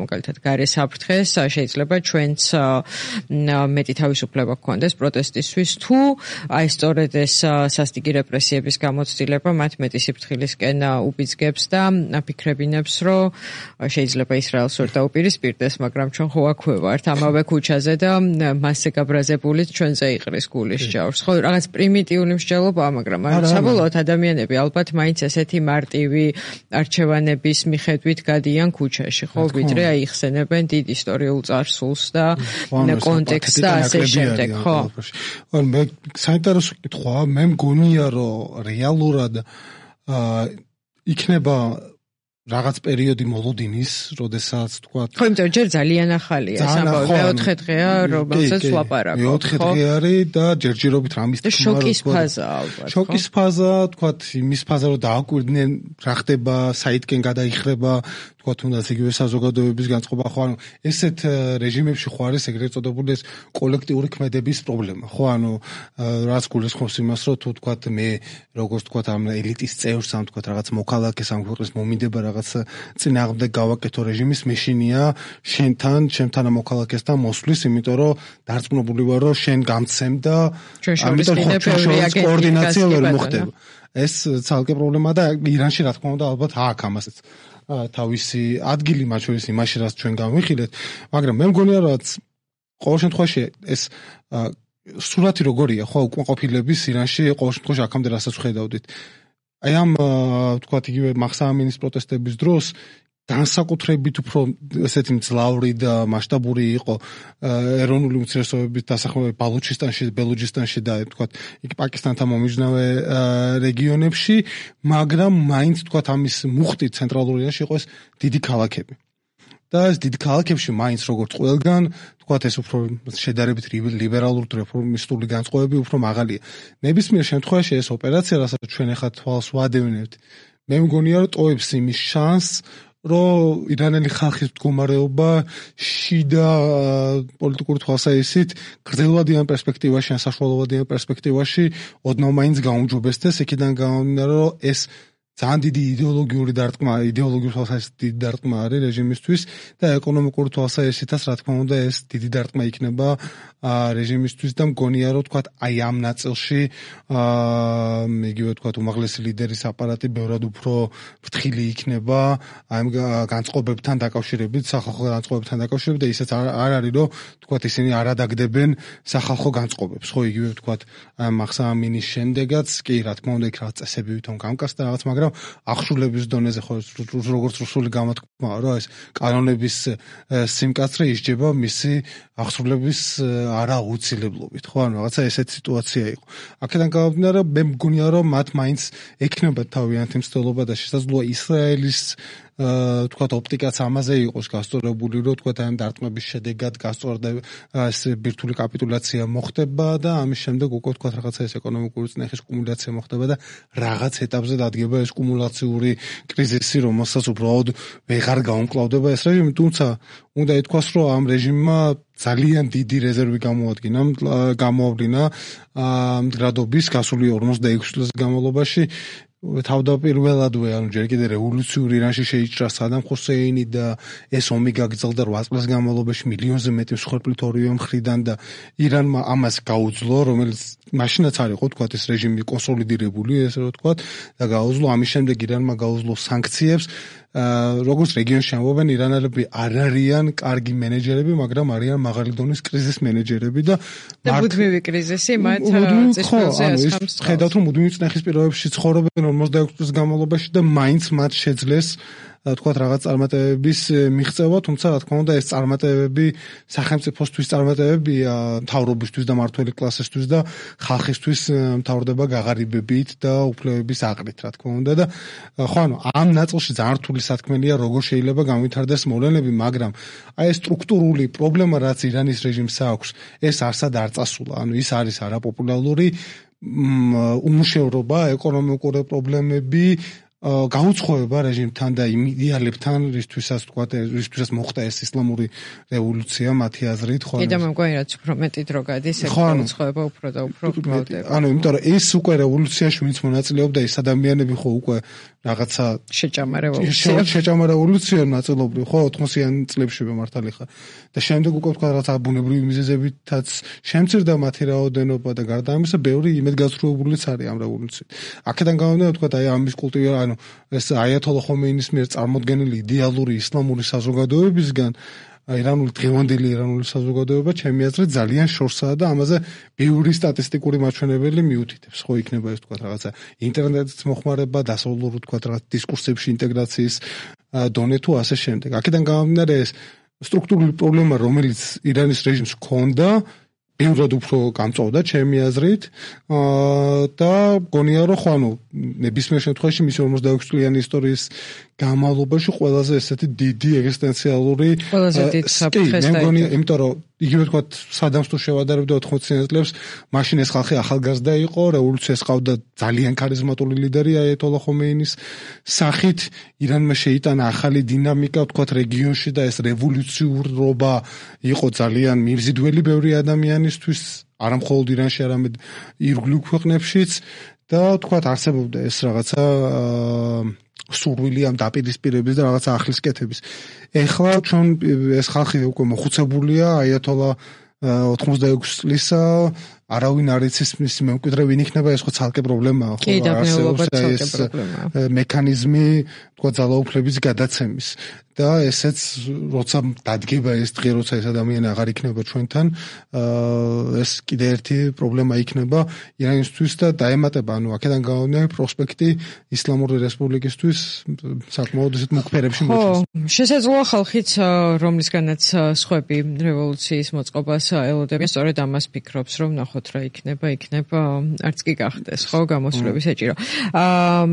მაგალითად გარე საფრთხეს, შეიძლება ჩვენც მეტი თავისუფლება გქონდეს პროტესტისთვის, თუ აი სწორედ ეს სასტიკი რეპრესიების გამოცდილება მათ მეტი სიფრთხილისკენ უბიძგებს და ფიქრებინებს, რომ შეიძლება ისრაელს ვერ დაუპირისპირდეს, მაგრამ ჩვენ ხო აქვე ვართ ამავე ქუჩაზე და მასზე გაბრაზებული ჩვენზე იყრის გულის ჭავრს. ხო, რაღაც პრიმიტიული მსჯელობაა, მაგრამ საბოლოოდ ადამიანები ალბათ მაინც ესეთი მარტივი არჩევანების მიხედვით გადიან ქუჩაში, ხო, ვიდრე აი იხსენებენ დიდ ისტორიულ წარსულს და კონტექსტს და ასე შემდეგ, ხო. მე საინტერესო კითხვაა, მე მგონია, რომ რეალურად იქნება რაღაც პერიოდი მოლოდინის, როდესაც თქვა. ხო, იმიტომ ჯერ ძალიან ახალია ეს ამბავი, მეოთხე დღეა, რომელსაც ვლაპარაკობ. მეოთხე დღე არის და ჯერჯერობით რამის თქმა შოკის ფაზა ალბათ. შოკის ფაზა, თქვა, იმის ფაზა, რომ დააკვირდნენ რა ხდება, საითკენ გადაიხრება, თქვა თუნდაც იგივე საზოგადოების განწყობა, ხო, ანუ ესეთ რეჟიმებში ხო არის ეგრეთ წოდებული ეს კოლექტიური ქმედების პრობლემა, ხო, ანუ რაც გულისხმობს იმას, რომ თუ თქვა მე როგორც თქვა ამ ელიტის წევრს, ამ თქვა რაღაც მოქალაქეს ამ ქვეყნის მომინდება რაღაც წინააღმდეგ გავაკეთო რეჟიმის, მეშინია შენთან, ჩემთან მოქალაქესთან მოსვლის, იმიტომ რომ დარწმუნებული ვარ, რომ შენ გამცემ და ამიტომ კოორდინაცია ვერ მოხდება. ეს ცალკე პრობლემაა და ირანში რა თქმა უნდა ალბათ აქვს ამასაც თავისი ადგილი მათ შორის იმაში რაც ჩვენ გავიხილეთ, მაგრამ მე მგონია რომ ყოველ შემთხვევაში ეს სურათი როგორია, ხო, უკმაყოფილების ირანში ყოველ შემთხვევაში აქამდე რასაც ხედავდით. აი ამ თქვათ იგივე მახსა ამინის პროტესტების დროს განსაკუთრებით უფრო ესეთი მძლავრი და მასშტაბური იყო ეროვნული უმცირესობების დასახმარება ბალუჩისტანში, ბელუჯისტანში და თქვათ იქ პაკისტანთან მომიჯნავე რეგიონებში, მაგრამ მაინც თქვათ ამის მუხტი ცენტრალურ ირანში იყო ეს დიდი ქალაქები. და ეს დიდ ქალაქებში მაინც როგორც ყველგან თქვათ ეს უფრო შედარებით ლიბერალური რეფორმისტული განწყობები უფრო მაღალია. ნებისმიერ შემთხვევაში ეს ოპერაცია, რასაც ჩვენ ახლა თვალს ვადევნებთ, მე მგონია რომ ტოვებს იმის შანსს, რომ ირანელი ხალხის მდგომარეობა შიდა პოლიტიკური თვალსაზრისით გრძელვადიან პერსპექტივაში, ან საშუალოვადიან პერსპექტივაში ოდნავ მაინც გაუმჯობესდეს, იქიდან გამომდინარე, რომ ეს ძალიან დიდი იდეოლოგიური დარტყმა, იდეოლოგიური თვალსაზრისით დიდი დარტყმა არის რეჟიმისთვის და ეკონომიკური თვალსაზრისითაც რა თქმა უნდა ეს დიდი დარტყმა იქნება რეჟიმისთვის და მგონია რომ თქვათ აი ამ ნაწილში იგივე თქვათ უმაღლესი ლიდერის აპარატი ბევრად უფრო ფრთხილი იქნება აი განწყობებთან დაკავშირებით, სახალხო განწყობებთან დაკავშირებით და ისეც არ არის რომ თქვათ ისინი არ ადაგდებენ სახალხო განწყობებს, ხო, იგივე თქვათ მახსა ამინის შემდეგაც კი რა თქმა უნდა იქ რაღაც წესები ვითომ გამკასდა რაღაც, მაგრამ ახშულების დონეზე ხო როგორც რუსული გამოთქმაა რომ ეს კანონების სიმკაცრე ისჯება მისი ახსრულების არააუცილებლობით, ხო, ანუ რაღაცა ესეთი სიტუაცია იყო. აქედან გამომდინარე, მე მგონია რომ მათ მაინც ექნება თავიანთი მცდელობა და შესაძლოა ისრაელის თქვათ ოპტიკაც ამაზე იყოს გასწორებული, რომ თქვათ ამ დარტყმების შედეგად გასწორდა ეს ბირთვული კაპიტულაცია მოხდება და ამის შემდეგ უკვე თქვათ რაღაცა ეს ეკონომიკური წნეხის კუმულაცია მოხდება და რაღაც ეტაპზე დადგება ეს კუმულაციური კრიზისი, რომელსაც უბრალოდ ვეღარ გაუმკლავდება ეს რეჟიმი, თუმცა უნდა ითქვას, რომ ამ რეჟიმმა ძალიან დიდი რეზერვი გამოადგინა, გამოავლინა მდგრადობის გასული ორმოცდაექვსი წლის განმავლობაში. თავდაპირველადვე, ანუ ჯერ კიდე რევოლუციური ირანში შეიჭრა სადამ ხუსეინი და ეს ომი გაგრძელდა რვა წლის განმავლობაში მილიონზე მეტი მსხვერპლით ორივე მხრიდან და ირანმა ამას გაუძლო, რომელიც მაშინაც არ იყო თქვათ ეს რეჟიმი კონსოლიდირებული, ესე რომ თქვათ, და გაუძლო, ამის შემდეგ ირანმა გაუძლო სანქციებს. როგორც რეგიონში ამბობენ, ირანელები არ არიან კარგი მენეჯერები, მაგრამ არიან მაღალი დონის კრიზის მენეჯერები და მუდმივი კრიზისი მათ წესრიგზე ასხამს. ხედავთ, რომ მუდმივი წნეხის პირობებში ცხოვრობენ ორმოცდაექვსი წლის განმავლობაში და მაინც მათ შეძლეს თქვათ რაღაც წარმატებების მიღწევა, თუმცა რა თქმა უნდა ეს წარმატებები სახელმწიფოსთვის წარმატებებია, მთავრობისთვის და მმართველი კლასისთვის და ხალხისთვის მთავრდება გაღარიბებით და უფლებების აყრით, რა თქმა უნდა და ხო, ანუ ამ ნაწილში ძალიან რთული სათქმელია, როგორ შეიძლება განვითარდეს მოვლენები, მაგრამ აი ეს სტრუქტურული პრობლემა, რაც ირანის რეჟიმს აქვს, ეს არსად არ წასულა, ანუ ის არის არაპოპულარული უმუშევრობა, ეკონომიკური პრობლემები, გაუცხოება რეჟიმთან და იმ იდეალებთან, რისთვისაც თქვა, რისთვისაც მოხდა ეს ისლამური რევოლუცია მათი აზრით, ხო. კიდევ მგონი რაც უფრო მეტი დრო გადის, ეს გაუცხოება უფრო და უფრო გრძელდება. ანუ იმიტომ რომ ეს უკვე რევოლუციაში ვინც მონაწილეობდა, ეს ადამიანები ხო უკვე რაღაცა შეჭამა რევოლუცია. შეჭამა რევოლუცია ნაწილობრივ, ხო, ოთხმოციან წლებში მართალი ხარ. და შემდეგ უკვე თქვა რაღაცა ბუნებრივი მიზეზებითაც შემცირდა მათი რაოდენობა და გარდა ამისა, ბევრი იმედგაცრუებულიც არის ამ რევოლუციით. აქედან გამომდინარე, თქვა, აი ამის კულტივირება, ანუ ეს აიათოლა ხომეინის მიერ წარმოდგენილი იდეალური ისლამური საზოგადოებისგან ირანული დღევანდელი ირანული საზოგადოება ჩემი აზრით ძალიან შორსაა და ამაზე ბევრი სტატისტიკური მაჩვენებელი მიუთითებს, ხო, იქნება ეს თქვა რაღაცა ინტერნეტის მოხმარება, დასავლური თქვა რაღაც დისკურსებში ინტეგრაციის დონე თუ ასე შემდეგ. აქედან გამომდინარე ეს სტრუქტურული პრობლემა, რომელიც ირანის რეჟიმს ჰქონდა, ბევრად უფრო გამწოვდა ჩემი აზრით და მგონია რომ ხო, ანუ ნებისმიერ შემთხვევაში მისი ორმოცდაექვსი წლიანი ისტორიის განმავლობაში ყველაზე ესეთი დიდი ეგზისტენციალური ყველაზე დიდ საფრთხეს მე მგონი, იმიტომ რომ იგივე თქვა სადამს თუ შევადარებდა ოთხმოციან წლებს, მაშინ ეს ხალხი ახალგაზრდა იყო, რევოლუციას ყავდა ძალიან ქარიზმატული ლიდერი აიათოლა ხომეინის სახით, ირანმა შეიტანა ახალი დინამიკა, თქვა რეგიონში და ეს რევოლუციურობა იყო ძალიან მიბზიდველი ბევრი ადამიანისთვის, არა მხოლოდ ირანში, არამედ ირგვლივ ქვეყნებშიც და თქვა არსებობდა ეს რაღაცა სურვილი ამ დაპირისპირების და რაღაცა ახლისკეთების. ეხლა ჩვენ ეს ხალხი უკვე მოხუცებულია აიათოლა ოთხმოცდაექვსი წლისა, არავინ არ იცის მის მემკვიდრე ვინ იქნება, ეს ხო ცალკე პრობლემაა, ხო, არსებობს ეს მექანიზმი, თქვა ძალაუფლების გადაცემის და ესეც როცა დადგება ეს დღე, როცა ეს ადამიანი აღარ იქნება ჩვენთან, ეს კიდე ერთი პრობლემა იქნება ირანისთვის და დაემატება, ანუ აქედან გამომდინარე პროსპექტი ისლამური რესპუბლიკისთვის საკმაოდ ისეთ მუქ ფერებში მოდის. ხო, შესაძლოა ხალხიც, რომლისგანაც სხვები რევოლუციის მოწყობას ელოდებიან, სწორედ ამას ფიქრობს, რომ ნახოთ რა იქნება, იქნება, არც კი გახდეს, ხო, გამოსვლების ეჭირო. აა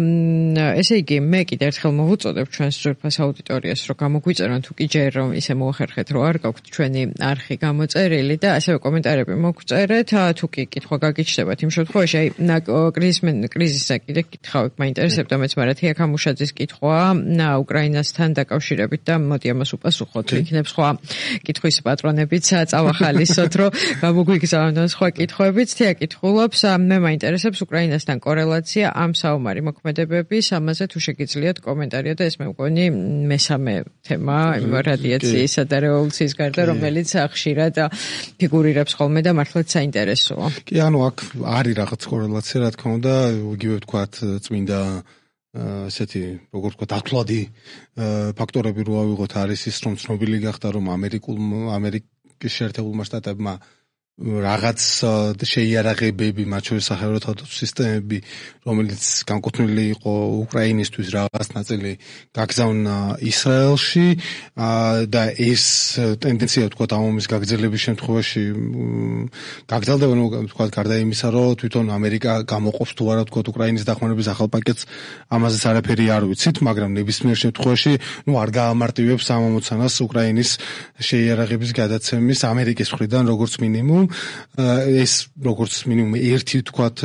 ესე იგი, მე კიდე ერთხელ მოვუწოდებ ჩვენს ძვირფას აუდიტორიას, რომ გამოგვიწერონ თუ კი ჯერ რომ ისე მოახერხეთ, რომ არ გაქვთ ჩვენი არხი გამოწერილი და ასევე კომენტარები მოგწერეთ, თუ კი კითხვა გაგიჩნდებათ იმ შემთხვევაში, აი კრიზისზე კიდე კითხავით, მაინტერესებდა მეც, მაგრამ თია ქამუშაძის კითხვა უკრაინასთან დაკავშირებით და მოდი ამას უპასუხოთ, იქნებ სხვა კითხვის პატრონებიც წავახალისოთ, რომ გამოგვიგზავნონ სხვა კითხვებიც. თია კითხულობს, მე მაინტერესებს უკრაინასთან კორელაცია ამ საომარი მოქმედებების, ამაზე თუ შეგიძლიათ კომენტარია და ეს მე მგონი მესამე თემა რადიაციისა და რევოლუციის გარდა, რომელიც ხშირად ფიგურირებს ხოლმე და მართლაც საინტერესოა. კი, ანუ აქ არის რაღაც კორელაცია, რა თქმა უნდა, იგივე ვთქვათ, წმინდა ესეთი, როგორ ვთქვათ, ათვლადი ფაქტორები რო ავიღოთ, არის ის, რომ ცნობილი გახდა, რომ ამერიკულ ამერიკის შეერთებულმა შტატებმა რაღაც შეიარაღებები, მათ შორის სახელმწიფო სისტემები, რომელიც განკუთვნილი იყო უკრაინისთვის, რაღაც ნაწილი გაგზავნა ისრაელში და ეს ტენდენცია, ვთქვათ, ამომის გაგრძელების შემთხვევაში გაგრძელდება, ნუ ვთქვათ, გარდა იმისა, რომ თვითონ ამერიკა გამოყოფს თუ არა, ვთქვათ, უკრაინის დახმარების ახალ პაკეტს, ამაზეც არაფერი არ ვიცით, მაგრამ ნებისმიერ შემთხვევაში, ნუ არ გაამარტივებს ამ ამოცანას უკრაინის შეიარაღების გადაცემის ამერიკის მხრიდან, როგორც მინიმუმ. ეს როგორც მინიმუმ ერთი თქვათ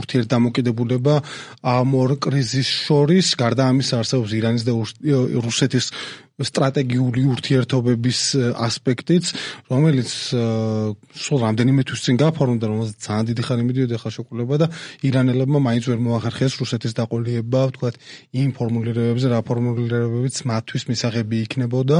ურთიერთდამოკიდებულება ამ ორ კრიზისს შორის, გარდა ამისა არსებობს ირანის და რუსეთის სტრატეგიული ურთიერთობების ასპექტიც, რომელიც სულ რამდენიმე თვის წინ გაფორმდა, რომელზეც ძალიან დიდი ხანი მიდიოდა ხელშეკრულება და ირანელებმა მაინც ვერ მოახერხეს რუსეთის დაყოლება, ვთქვათ, იმ ფორმულირებებზე, რა ფორმულირებებიც მათთვის მისაღები იქნებოდა.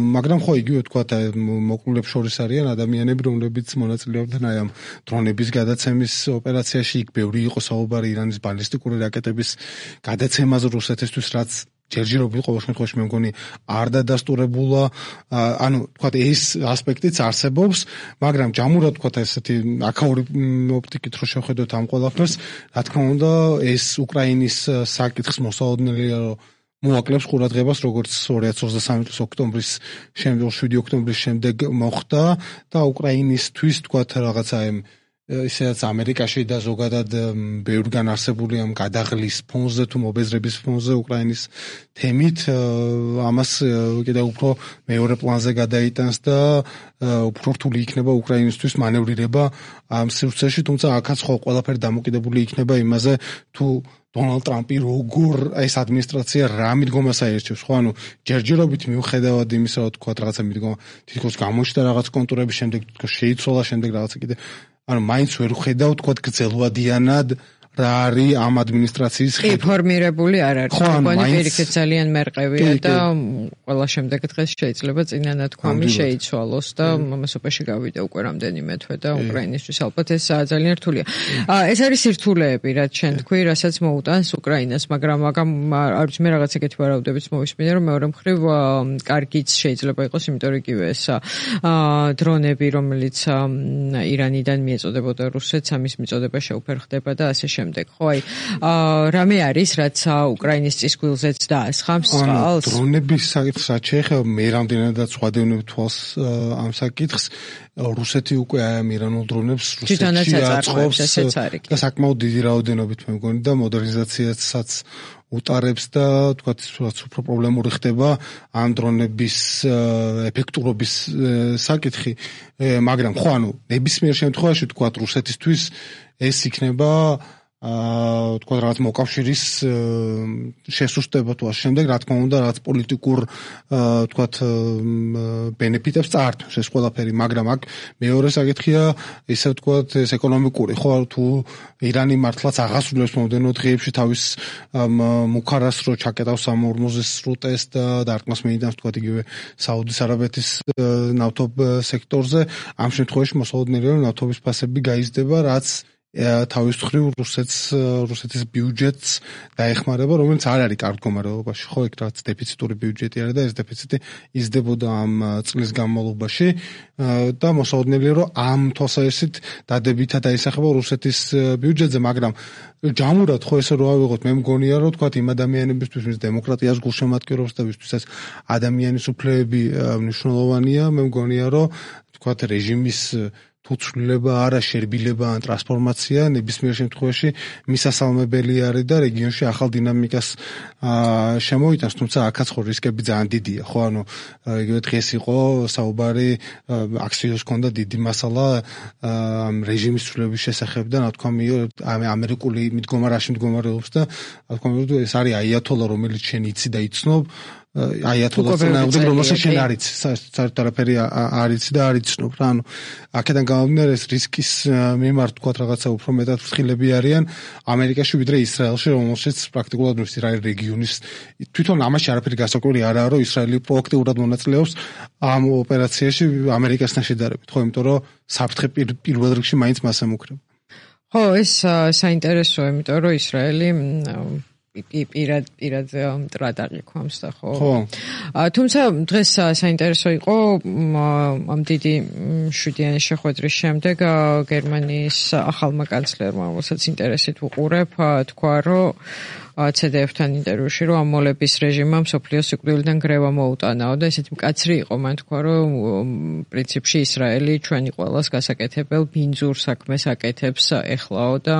მაგრამ ხო, იგივე ვთქვათ, მოკლულებს შორის არიან ადამიანები, რომლებიც მონაწილეობდნენ აი ამ დრონების გადაცემის ოპერაციაში. იქ ბევრი იყო საუბარი ირანის ბალისტიკური რაკეტების გადაცემაზე რუსეთისთვის, რაც ჯერჯერობით ყოველ შემთხვევაში მე მგონი არ დადასტურებულა, ანუ თქვათ ეს ასპექტიც არსებობს, მაგრამ ჯამურად თქვათ ესეთი აქაური ოპტიკით რო შევხედოთ ამ ყველაფერს, რა თქმა უნდა ეს უკრაინის საკითხის მოსაოდნელია, რომ მოაკლებს ყურადღებას, როგორც ორი ათას ოცდასამი წლის ოქტომბრის შემდეგ, შვიდი ოქტომბრის შემდეგ მოხდა და უკრაინისთვის თქვათ რაღაცა ამ ისედაც ამერიკაში და ზოგადად ბევრგან არსებული ამ გადაღლის ფონზე თუ მობეზრების ფონზე უკრაინის თემით ამას კიდევ უფრო მეორე პლანზე გადაიტანს და უფრო რთული იქნება უკრაინისთვის მანევრირება ამ სივრცეში, თუმცა აქაც ხო ყველაფერი დამოკიდებული იქნება იმაზე, თუ დონალდ ტრამპი როგორ ეს ადმინისტრაცია რა მიდგომას აერჩევს, ხო, ანუ ჯერჯერობით მიუხედავად იმისა, რომ თქვა რაღაცა მიდგომა თითქოს გამოჩნდა რაღაც კონტურების შემდეგ, თითქოს შეიცვალა შემდეგ რაღაცა კიდე, ანუ მაინც ვერ ხედავ, თქვა გრძელვადიანად რა არის ამ ადმინისტრაციის ხედვა. ფორმირებული არ არის. მგონი პირიქით ძალიან მერყევია და ყველა შემდეგ დღეს შეიძლება წინანათქვამი შეიცვალოს და ამასობაში გავიდა უკვე რამდენიმე თვე და უკრაინისთვის ალბათ ეს ძალიან რთულია. ეს არის სირთულეები, რაც შენ თქვი, რასაც მოუტანს უკრაინას, მაგრამ მაგამ არ ვიცი მე რაღაც ეგეთი ვარაუდებიც მოვისმინე, რომ მეორე მხრივ კარგიც შეიძლება იყოს, იმიტომ რომ იგივე ეს დრონები, რომელიც ირანიდან მიეწოდებოდა რუსეთს, ამის მიწოდება შეუფერხდება და ასე შემდეგ. ხო, აი, რამე არის, რაც უკრაინის წისქვილზეც დაასხამს წყალს? დრონების საკითხს რაც შეეხება, მე რამდენადაც ვადევნებ თვალს ამ საკითხს, რუსეთი უკვე აი ამ ირანულ დრონებს რუსეთში აწყობს და საკმაოდ დიდი რაოდენობით მე მგონი და მოდერნიზაციასაც უტარებს და თქვათ უფრო პრობლემური ხდება ამ დრონების ეფექტურობის საკითხი, მაგრამ ხო ანუ ნებისმიერ შემთხვევაში თქვათ რუსეთისთვის ეს იქნება აა თქვა რაღაც მოკავშირის შესუსტება თუ ამ შემდეგ რა თქმა უნდა რაღაც პოლიტიკურ თქვა ბენეფიტებს წაართმევს ეს ყველაფერი, მაგრამ აქ მეორე საკითხია ისე თქვა ეს ეკონომიკური, ხო თუ ირანი მართლაც აღასრულებს მომდენო დღეებში თავის მუქარას რო ჩაკეტავს ამ ორმოზის სრუტეს და დარტყმას მეიდანს თქვა იგივე საუდის არაბეთის ნავთობ სექტორზე, ამ შემთხვევაში მოსალოდნელია რომ ნავთობის ფასები გაიზრდება, რაც თავის მხრივ რუსეთს რუსეთის ბიუჯეტს დაეხმარება, რომელიც არ არის კარგ მდგომარეობაში, ხო, ეგ რაც დეფიციტური ბიუჯეტი არის და ეს დეფიციტი იზრდებოდა ამ წლის განმავლობაში და მოსალოდნელია რომ ამ თვალსაზრისით დადებითად დაისახება რუსეთის ბიუჯეტზე, მაგრამ ჯამურად ხო ესე რო ავიღოთ, მე მგონია რომ თქვა იმ ადამიანებისთვის, ვინც დემოკრატიას გულშემატკივრობს და ვისთვისაც ადამიანის უფლებები მნიშვნელოვანია, მე მგონია რომ თქვა რეჟიმის თუ ცვლილება არა შერბილება ან ტრანსფორმაცია ნებისმიერ შემთხვევაში მისასალმებელი არის და რეგიონში ახალ დინამიკას შემოიტანს, თუმცა აქაც ხო რისკები ძალიან დიდია, ხო ანუ იგივე დღეს იყო საუბარი აქციებს ჰქონდა დიდი მასალა ამ რეჟიმის ცვლილების შესახებ და რა თქმა უნდა ამერიკული მიდგომა რაში მდგომარეობს და რა თქმა უნდა ეს არის აიათოლა, რომელიც შენ იცი და იცნობ აიათოლას წინააღმდეგ, რომელსაც შენ არ იცი, საერთოდ არაფერი არ იცი და არ იცნობ რა, ანუ აქედან გამომდინარე ეს რისკის მიმართ თქვა რაღაცა უფრო მეტად ფრთხილები არიან ამერიკაში ვიდრე ისრაელში, რომელშიც პრაქტიკულად ის რა რეგიონის თვითონ ამაში არაფერი გასაკვირი არაა, რომ ისრაელი პროაქტიულად მონაწილეობს ამ ოპერაციაში ამერიკასთან შედარებით, ხო, იმიტომ რომ საფრთხე პირველ რიგში მაინც მას ემუქრება. ხო, ეს საინტერესოა, იმიტომ რომ ისრაელი პირად პირად მტრად აღიქვამს და ხო. თუმცა დღეს საინტერესო იყო ამ დიდი შვიდიანის შეხვედრის შემდეგ გერმანიის ახალმა კანცლერმა, რომელსაც ინტერესით ვუყურებ, თქვა რომ ცე დე ეფ-თან ინტერვიუში, რომ ამ მოლების რეჟიმმა მსოფლიოს სიკვდილიდან გრევა მოუტანაო და ესეთი მკაცრი იყო, მან თქვა, რომ პრინციპში ისრაელი ჩვენი ყველას გასაკეთებელ ბინძურ საქმეს აკეთებს ეხლაო და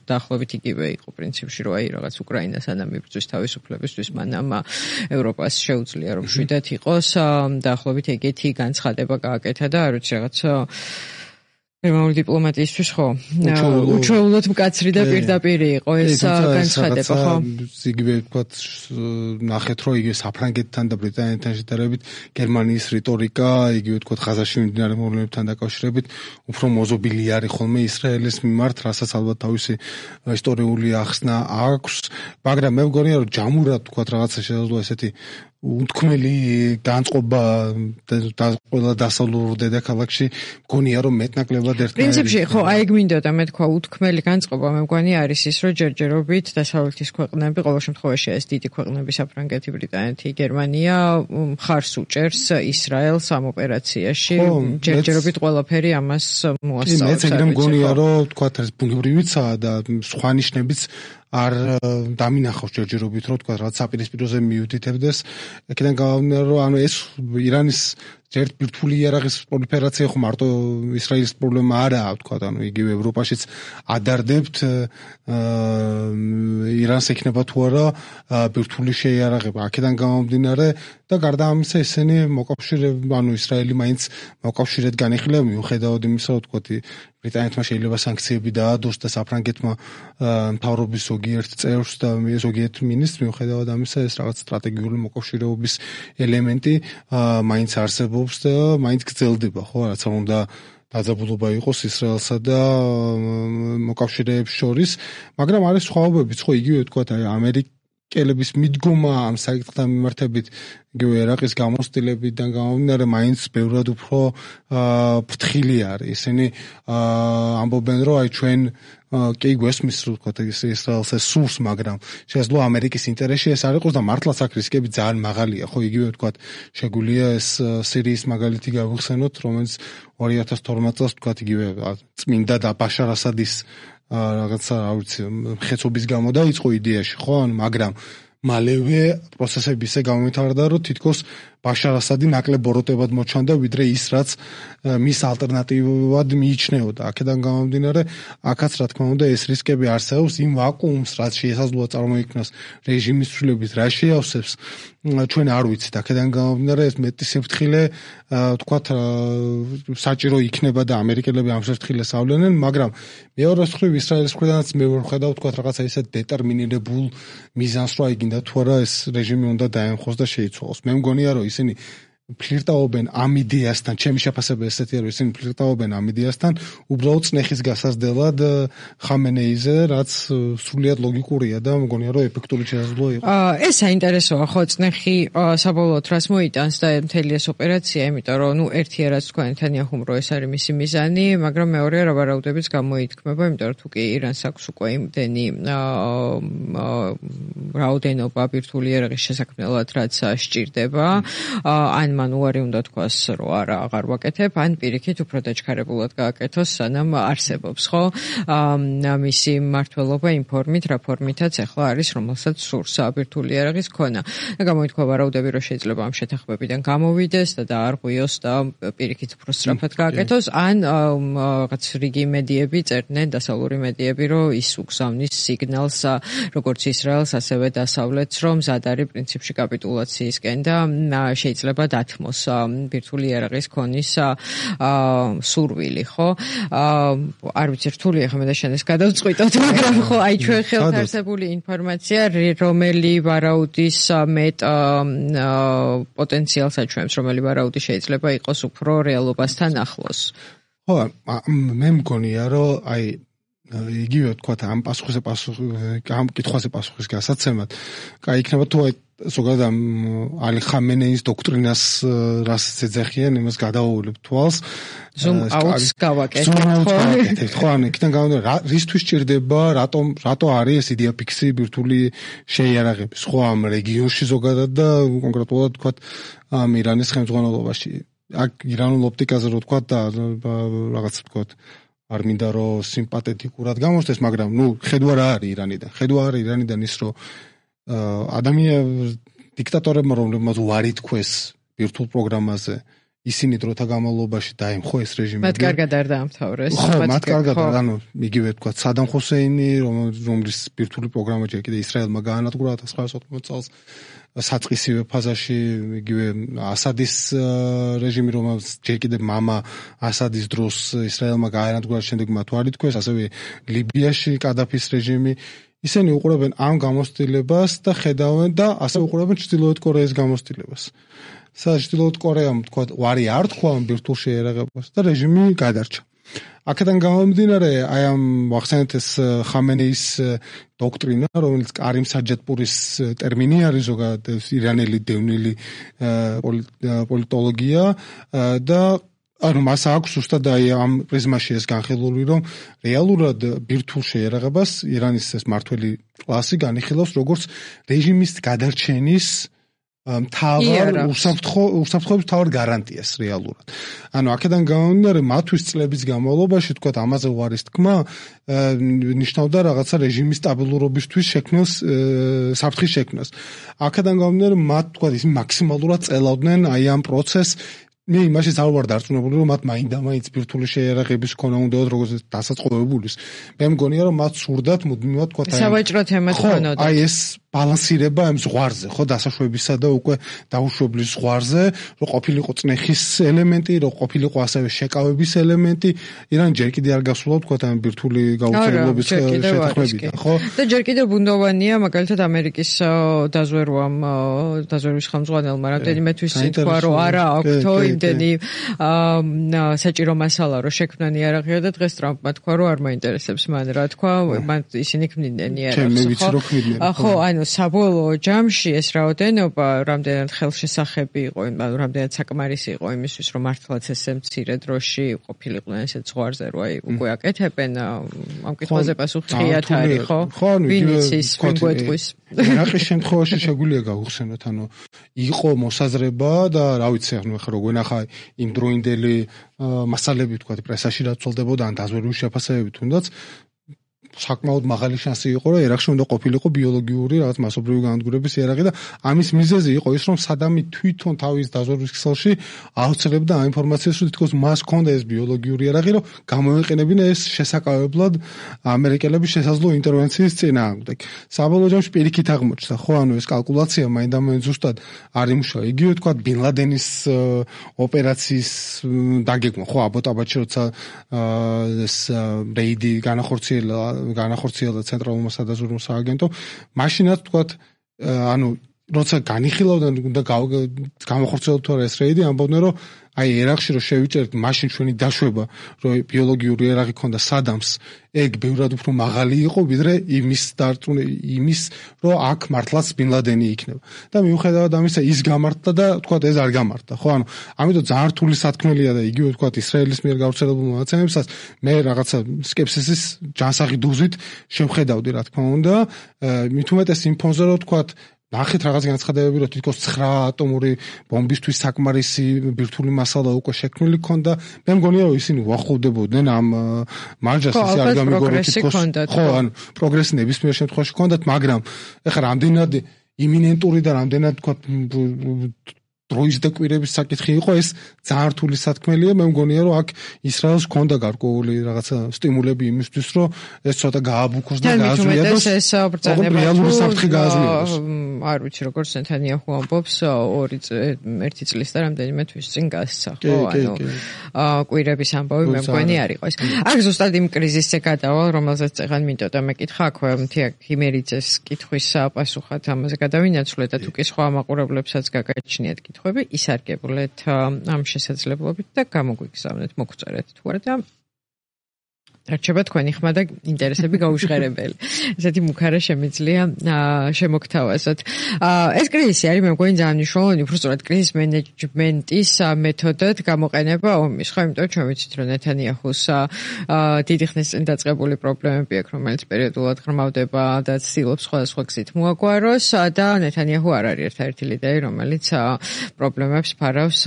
დაახლოებით იგივე იყო პრინციპში, რომ აი რაღაც უკრაინას ანამ იბრძვის თავისუფლებისთვის, მანამ ევროპას შეუძლია რომ შვიდად იყოს, დაახლოებით ეგეთი განცხადება გააკეთა და არ ვიცი რაღაც გერმანული დიპლომატიისთვის ხო უჩვეულოდ მკაცრი და პირდაპირი იყო ეს განცხადება, ხო? იგივე ვთქვათ ნახეთ რომ იგივე საფრანგეთთან და ბრიტანეთთან შედარებით გერმანიის რიტორიკა, იგივე ვთქვათ ღაზაში მიმდინარე მოვლენებთან დაკავშირებით უფრო მოზობილი არის ხოლმე ისრაელის მიმართ, რასაც ალბათ თავისი ისტორიული ახსნა აქვს, მაგრამ მე მგონია რომ ჯამურად ვთქვათ რაღაცა შესაძლოა ესეთი უთქმელი განწყობა და ყველა დასავლურ დედაქალაქში მგონია რომ მეტნაკლებად ერთნაირი. პრინციპში ხო, აი ეგ მინდოდა მე თქვა უთქმელი განწყობა, მე მგონი არის ის რომ ჯერჯერობით დასავლეთის ქვეყნები, ყოველ შემთხვევაში ეს დიდი ქვეყნები საფრანგეთი, ბრიტანეთი, გერმანია მხარს უჭერს ისრაელს ამ ოპერაციაში, ჯერჯერობით ყველაფერი ამას მოასწავებს. მეც ეგრე მგონია რომ თქვა ეს ბუნებრივიცაა და სხვა ნიშნებიც არ დამინახავს ჯერჯერობით რომ თქვა რაღაც საპირისპიროზე მიუთითებდეს. აქედან გამომდინარე რომ ანუ ეს ირანის ერთ ბირთვული იარაღის პროლიფერაცია ხო მარტო ისრაელის პრობლემა არაა, თქვა ანუ იგივე ევროპაშიც ადარდებთ ირანს ექნება თუ არა ბირთვული შეიარაღება. აქედან გამომდინარე და გარდა ამისა ესენი მოკავშირე, ანუ ისრაელი მაინც მოკავშირედ განიხილება, მიუხედავად იმისა, რომ თქვა ბრიტანეთმა შეიძლება სანქციები დაადოს და საფრანგეთმა მთავრობის ზოგიერთ წევრს და ზოგიერთ მინისტრს, მიუხედავად ამისა ეს რაღაც სტრატეგიული მოკავშირეობის ელემენტი მაინც არსებობს და მაინც გრძელდება, ხო, რაც უნდა დაძაბულობა იყოს ისრაელსა და მოკავშირეებს შორის, მაგრამ არის სხვაობებიც, ხო, იგივე თქვა ამერიკელების მიდგომა ამ საკითხთან მიმართებით იგივე ერაყის გამოცდილებიდან გამომდინარე მაინც ბევრად უფრო ფრთხილი არის. ისინი ამბობენ რომ აი ჩვენ კი გვესმის რომ თქვა ისრაელს სურს, მაგრამ შესაძლოა ამერიკის ინტერესში ეს არ იყოს და მართლაც აქ რისკები ძალიან მაღალია, ხო, იგივე თქვა შეგვიძლია ეს სირიის მაგალითი გავიხსენოთ, რომელიც ორი ათას თორმეტ წელს თქვა იგივე წმინდა და ბაშარ ასადის რაღაცა, რა ვიცი, მხეცობის გამო დაიწყო იდეაში, ხო, მაგრამ მალევე პროცესები ისე გამომვითარდა, რომ თითქოს ბაშარ ასადი ნაკლებ ბოროტებად მოჩანდა, ვიდრე ის, რაც მის ალტერნატივად მიიჩნეოდა. აქედან გამომდინარე, აქაც რა თქმა უნდა ეს რისკები არსებობს, იმ ვაკუუმს, რაც შესაძლოა წარმოიქმნას რეჟიმის ცვლილების, რა შეავსებს, ჩვენ არ ვიცით. აქედან გამომდინარე, ეს მეტი სიფრთხილე, თქვათ, საჭირო იქნება და ამერიკელები ამ სიფრთხილეს ავლენენ, მაგრამ მეორე მხრივ ისრაელის მხრიდანაც მე ვერ ვხედავ, თქვათ, რაღაცა ისე დეტერმინირებულ მიზანს, რომ აიგინდა თუ არა ეს რეჟიმი უნდა დაემხოს და შეიცვალოს. მე მგონია, რომ ისინი ფლირტაობენ ამ იდეასთან, ჩემი შეფასება ესეთია, რომ ისინი ფლირტაობენ ამ იდეასთან, უბრალოდ წნეხის გასაზრდელად ხამენეიზე, რაც სრულიად ლოგიკურია და მგონია, რომ ეფექტური შესაძლოა იყოს. ეს საინტერესოა, ხო, წნეხი საბოლოოდ რას მოიტანს და მთელი ეს ოპერაცია, იმიტომ რომ ნუ ერთია რაც თქვა ნეთანიაჰუმ, რომ ეს არის მისი მიზანი, მაგრამ მეორეა რა ვარაუდებიც გამოითქმება, იმიტომ რომ თუ კი ირანს აქვს უკვე იმდენი რაოდენობა ბირთვული იარაღის შესაქმნელად, რაც სჭირდება, ან მან უარი უნდა თქვას, რომ არა, აღარ ვაკეთებ, ან პირიქით უფრო დაჩქარებულად გააკეთოს, სანამ არსებობს, ხო? მისი მმართველობა იმ ფორმით, რა ფორმითაც ახლა არის, რომელსაც სურს ბირთვული იარაღის ქონა. და გამოითქვა ვარაუდები, რომ შეიძლება ამ შეთანხმებიდან გამოვიდეს და დაარღვიოს და პირიქით უფრო სწრაფად გააკეთოს, ან რაღაც რიგი მედიები წერდნენ, დასავლური მედიები, რომ ის უგზავნის სიგნალს როგორც ისრაელს, ასევე დასავლეთს, რომ მზად არის პრინციპში კაპიტულაციისკენ და შეიძლება დათმოს ბირთვული იარაღის ქონის სურვილი, ხო? არ ვიცი, რთულია ხომ და შენ ეს გადავწყვიტოთ, მაგრამ ხო, აი ჩვენ ხელთ არსებული ინფორმაცია, რომელი ვარაუდის მეტ პოტენციალს აჩვენებს, რომელი ვარაუდი შეიძლება იყოს უფრო რეალობასთან ახლოს. ხო, მე მგონია, რომ აი იგივე თქვა ამ პასუხზე პასუხი ამ კითხვაზე პასუხის გასაცემად, კაი იქნება თუ აი ზოგადად ამ ალი ხამენეის დოქტრინას რასაც ეძახიან, იმას გადავაუვლებ თვალს. ზუმ აუტს გავაკეთებ, ხო, ანუ იქიდან გამომდინარე, რისთვის ჭირდება, რატომ რატო არის ეს იდეა ფიქსი ბირთვული შეიარაღების, ხო, ამ რეგიონში ზოგადად და კონკრეტულად თქვა ამ ირანის ხელმძღვანელობაში. აქ ირანულ ოპტიკაზე რო თქვა და რაღაც თქვა არ მინდა რომ სიმპათეთიკურად გამოსდეს, მაგრამ ნუ ხედვა რა არის ირანიდან. ხედვა არის ირანიდან ის, რომ ადამიანები დიქტატორებმა რომლებმაც უარი თქვეს ბირთვულ პროგრამაზე, ისინი დროთა განმავლობაში დაემხო ეს რეჟიმი. მათ კარგად არ დაამთავრეს. ხო, მათ კარგად, ანუ იგივე თქვა სადამ ხუსეინი, რომლის ბირთვული პროგრამა ჯერ კიდე ისრაელმა გაანადგურა ათას ცხრაასი ოცდაოთხ წელს, საწყისივე ფაზაში იგივე ასადის რეჟიმი, რომელსაც ჯერ კიდე მამა ასადის დროს ისრაელმა გაანადგურა, შემდეგ მათ უარი თქვეს, ასევე ლიბიაში კადაფის რეჟიმი. ისინი უყურებენ ამ გამოცდილებას და ხედავენ და ასე უყურებენ ჩრდილოეთ კორეის გამოცდილებას. საჩრდილოეთ კორეამ თქვა უარი არ თქვა ამ ბირთვულ შეიარაღებას და რეჟიმი გადარჩა. აქედან გამომდინარე, აი ამ ვახსენეთ ეს ხამენეის დოქტრინა, რომელიც კარიმ საჯადპურის ტერმინი არის ზოგადად ირანელი დევნილი პოლიტოლოგია და ანუ მას აქვს უბრალოდ აი ამ პრიზმაში ეს განხილული, რომ რეალურად ბირთვულ შეიარაღებას ირანის ეს მართველი კლასი განიხილავს როგორც რეჟიმის გადარჩენის მთავარ უსაფრთხოების მთავარ გარანტიას რეალურად. ანუ აქედან გამომდინარე, მათთვის წლების განმავლობაში თქვა ამაზე უარის თქმა ნიშნავდა რაღაცა რეჟიმის სტაბილურობისთვის შექმნას საფრთხის შექმნას. აქედან გამომდინარე, მათ თქვა ის მაქსიმალურად წელავდნენ აი ამ პროცესს. მე იმაშიც არ ვარ დარწმუნებული, რომ მათ მაინდა-მაინც ბირთვული შეიარაღების ქონა უნდათ როგორც დასაწყობებულის. მე მგონია, რომ მათ სურდათ მუდმივად თქვა აი სავაჭრო თემად ქონოდა. აი ეს ბალანსირება ამ ზღვარზე, ხო, დასაშვებისა და უკვე დაუშვებლის ზღვარზე, რომ ყოფილიყო წნეხის ელემენტი, რომ ყოფილიყო ასევე შეკავების ელემენტი, ირანი ჯერ კიდე არ გასულა თქვა ამ ბირთვული გაუცემლობის შეთანხმებიდან, ხო? და ჯერ კიდე ბუნდოვანია, მაგალითად ამერიკის დაზვერვამ, დაზვერვის ხელმძღვანელმა რამდენიმე თვის თქვა, რომ არა აქვთო იმდენი საჭირო მასალა, რომ შექმნან იარაღია და დღეს ტრამპმა თქვა, რომ არ მაინტერესებს მან რა თქვა, მან ისინი ქმნიდნენ იარაღს, ხო? ხო, ანუ საბოლოო ჯამში ეს რაოდენობა, რამდენად ხელშესახები იყო, ანუ რამდენად საკმარისი იყო იმისთვის, რომ მართლაც ესე მცირე დროში ყოფილიყვნენ ესეთ ზღვარზე, რომ აი უკვე აკეთებენ ამ კითხვაზე პასუხი ღიათ არის, ხო? ვინ იცის, ვინ გვეტყვის? რაყის შემთხვევაში შეგვიძლია გავხსენოთ, ანუ იყო მოსაზრება და რა ვიცი, ანუ ახლა რო გვენახა იმ დროინდელი მასალები თქვა პრესაში რაც ცოლდებოდა ან დაზვერვის შეფასებები თუნდაც საკმაოდ მაღალი შანსი იყო, რომ ერაყში უნდა ყოფილიყო ბიოლოგიური რაღაც მასობრივი განადგურების იარაღი და ამის მიზეზი იყო ის, რომ სადამი თვითონ თავის დაზვერვის ქსელში აუცილებდა ამ ინფორმაციას, რომ თითქოს მას ჰქონდა ეს ბიოლოგიური იარაღი, რომ გამოეყენებინა ეს შესაკავებლად ამერიკელების შესაძლო ინტერვენციის წინააღმდეგ. საბოლოო ჯამში პირიქით აღმოჩნდა, ხო, ანუ ეს კალკულაცია მაინდამაინც ზუსტად არ იმუშავა. იგივე თქვა ბინ ლადენის ოპერაციის დაგეგმა, ხო, აბოტაბადში როცა ეს რეიდი განახორციელა განახორციელა ცენტრალურმა სადაზვერვო სააგენტომ, მაშინაც თქვა, ანუ როცა განიხილავდნენ უნდა გამოხორციელოთ თუ არა ეს რეიდი, ამბობდნენ რომ აი ერაყში რომ შევიჭერთ მაშინ ჩვენი დაშვება, რომ ბიოლოგიური იარაღი ქონდა სადამს, ეგ ბევრად უფრო მაღალი იყო ვიდრე იმის დარწმუნ იმის, რომ აქ მართლაც ბინ ლადენი იქნება. და მიუხედავად ამისა ის გამართდა და თქვა ეს არ გამართდა, ხო? ანუ ამიტომ ძალიან რთული სათქმელია და იგივე თქვა ისრაელის მიერ გავრცელებულ მონაცემებსაც მე რაღაცა სკეპსისის ჯანსაღი დოზით შევხედავდი, რა თქმა უნდა, მით უმეტეს იმ ფონზე რომ თქვა ნახეთ რაღაც განცხადებები, რომ თითქოს ცხრა ატომური ბომბისთვის საკმარისი ბირთვული მასალა უკვე შექმნილი ქონდა. მე მგონია, რომ ისინი უახლოვდებოდნენ ამ მარჯას, ისე არ გამიგორო თითქოს. ხო, ანუ პროგრესი ნებისმიერ შემთხვევაში ქონდათ, მაგრამ ეხლა რამდენად იმინენტური და რამდენად თქვა დროის დაკვირების საკითხი იყო, ეს ძალიან რთული სათქმელია. მე მგონია, რომ აქ ისრაელს ქონდა გარკვეული რაღაცა სტიმულები იმისთვის, რომ ეს ცოტა გააბუქოს და გააზრიადოს. ეს ბრძანება რეალური საფრთხე გააზრიადოს. არ ვიცი, როგორც ნეთანიაჰუ ამბობს, ორი ერთი წლის და რამდენიმე თვის წინ გასცა, ხო, ანუ კვირების ამბავი მე მგონი არ იყო ეს. აქ ზუსტად იმ კრიზისზე გადავალ, რომელზეც წეგან მინდოდა მეკითხა, აქვე მთია ქიმერიძეს კითხვის პასუხად ამაზე გადავინაცვლე და თუ კი სხვა მაყურებლებსაც გაგაჩნიათ კითხვები, ისარგებლეთ ამ შესაძლებლობით და გამოგვიგზავნეთ, მოგწერეთ თუ არა და რჩება თქვენი ხმა და ინტერესები გაუჟღერებელი. ესეთი მუქარა შემიძლია შემოგთავაზოთ. ეს კრიზისი არის მე მგონი ძალიან მნიშვნელოვანი, უბრალოდ კრიზის მენეჯმენტის მეთოდად გამოყენება ომის. ხო, იმიტომ ჩვენ ვიცით, რომ ნეთანიაჰუს დიდი ხნის წინ დაწყებული პრობლემები აქვს, რომელიც პერიოდულად ღრმავდება და ცდილობს სხვადასხვა გზით მოაგვაროს და ნეთანიაჰუ არ არის ერთ-ერთი ლიდერი, რომელიც პრობლემებს ფარავს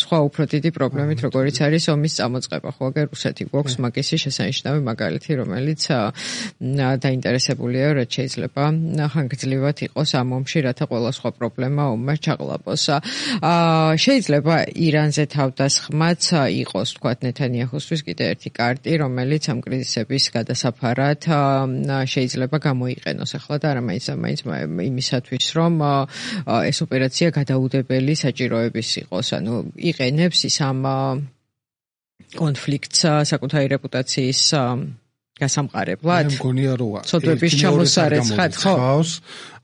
სხვა უფრო დიდი პრობლემით, როგორიც არის ომის წამოწყება. ხო, აგერ რუსეთი გვაქვს მაგისი შესანიშნავი ნიშნავი მაგალითი, რომელიც დაინტერესებულია, რაც შეიძლება ხანგრძლივად იყოს ამ ომში, რათა ყველა სხვა პრობლემა ომმა ჩაღლაპოს. შეიძლება ირანზე თავდასხმაც იყოს, თქვათ, ნეთანიაჰუსთვის კიდე ერთი კარტი, რომელიც ამ კრიზისების გადასაფარად შეიძლება გამოიყენოს ახლა და არა მაინც მაინც იმისათვის, რომ ეს ოპერაცია გადაუდებელი საჭიროების იყოს, ანუ იყენებს ის ამ კონფლიქტს საკუთარი რეპუტაციის გასამყარებლად. მე მგონია, რომ ცოდვების ჩამოსარეცხად, ხო?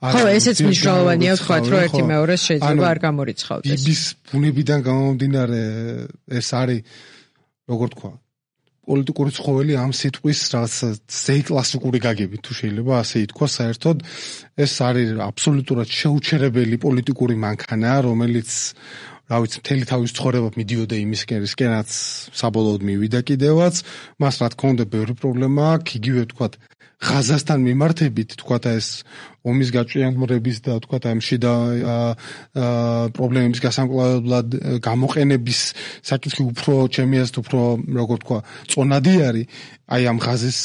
ხო, ესეც მნიშვნელოვანია ვთქვათ, რომ ერთი მეორეს შეიძლება არ გამორიცხავდეს. ბიბის ბუნებიდან გამომდინარე ეს არის, როგორ თქვა, პოლიტიკური ცხოველი ამ სიტყვის რაღაც ზეი კლასიკური გაგებით თუ შეიძლება ასე ითქვას, საერთოდ ეს არის აბსოლუტურად შეუჩერებელი პოლიტიკური მანქანა, რომელიც რა ვიცი, მთელი თავის ცხოვრება მიდიოდა იმისკენაც, საბოლოოდ მივიდა კიდევაც, მას რა თქმა უნდა ბევრი პრობლემა აქვს, იგივე თქვათ ღაზასთან მიმართებით, თქვათ ეს ომის გაჭიანურების და თქვათ ამ შიდა პრობლემების გასამკლავებლად გამოყენების საკითხი უფრო ჩემი აზრით უფრო როგორ თქვა, წონადი არის აი ამ ღაზის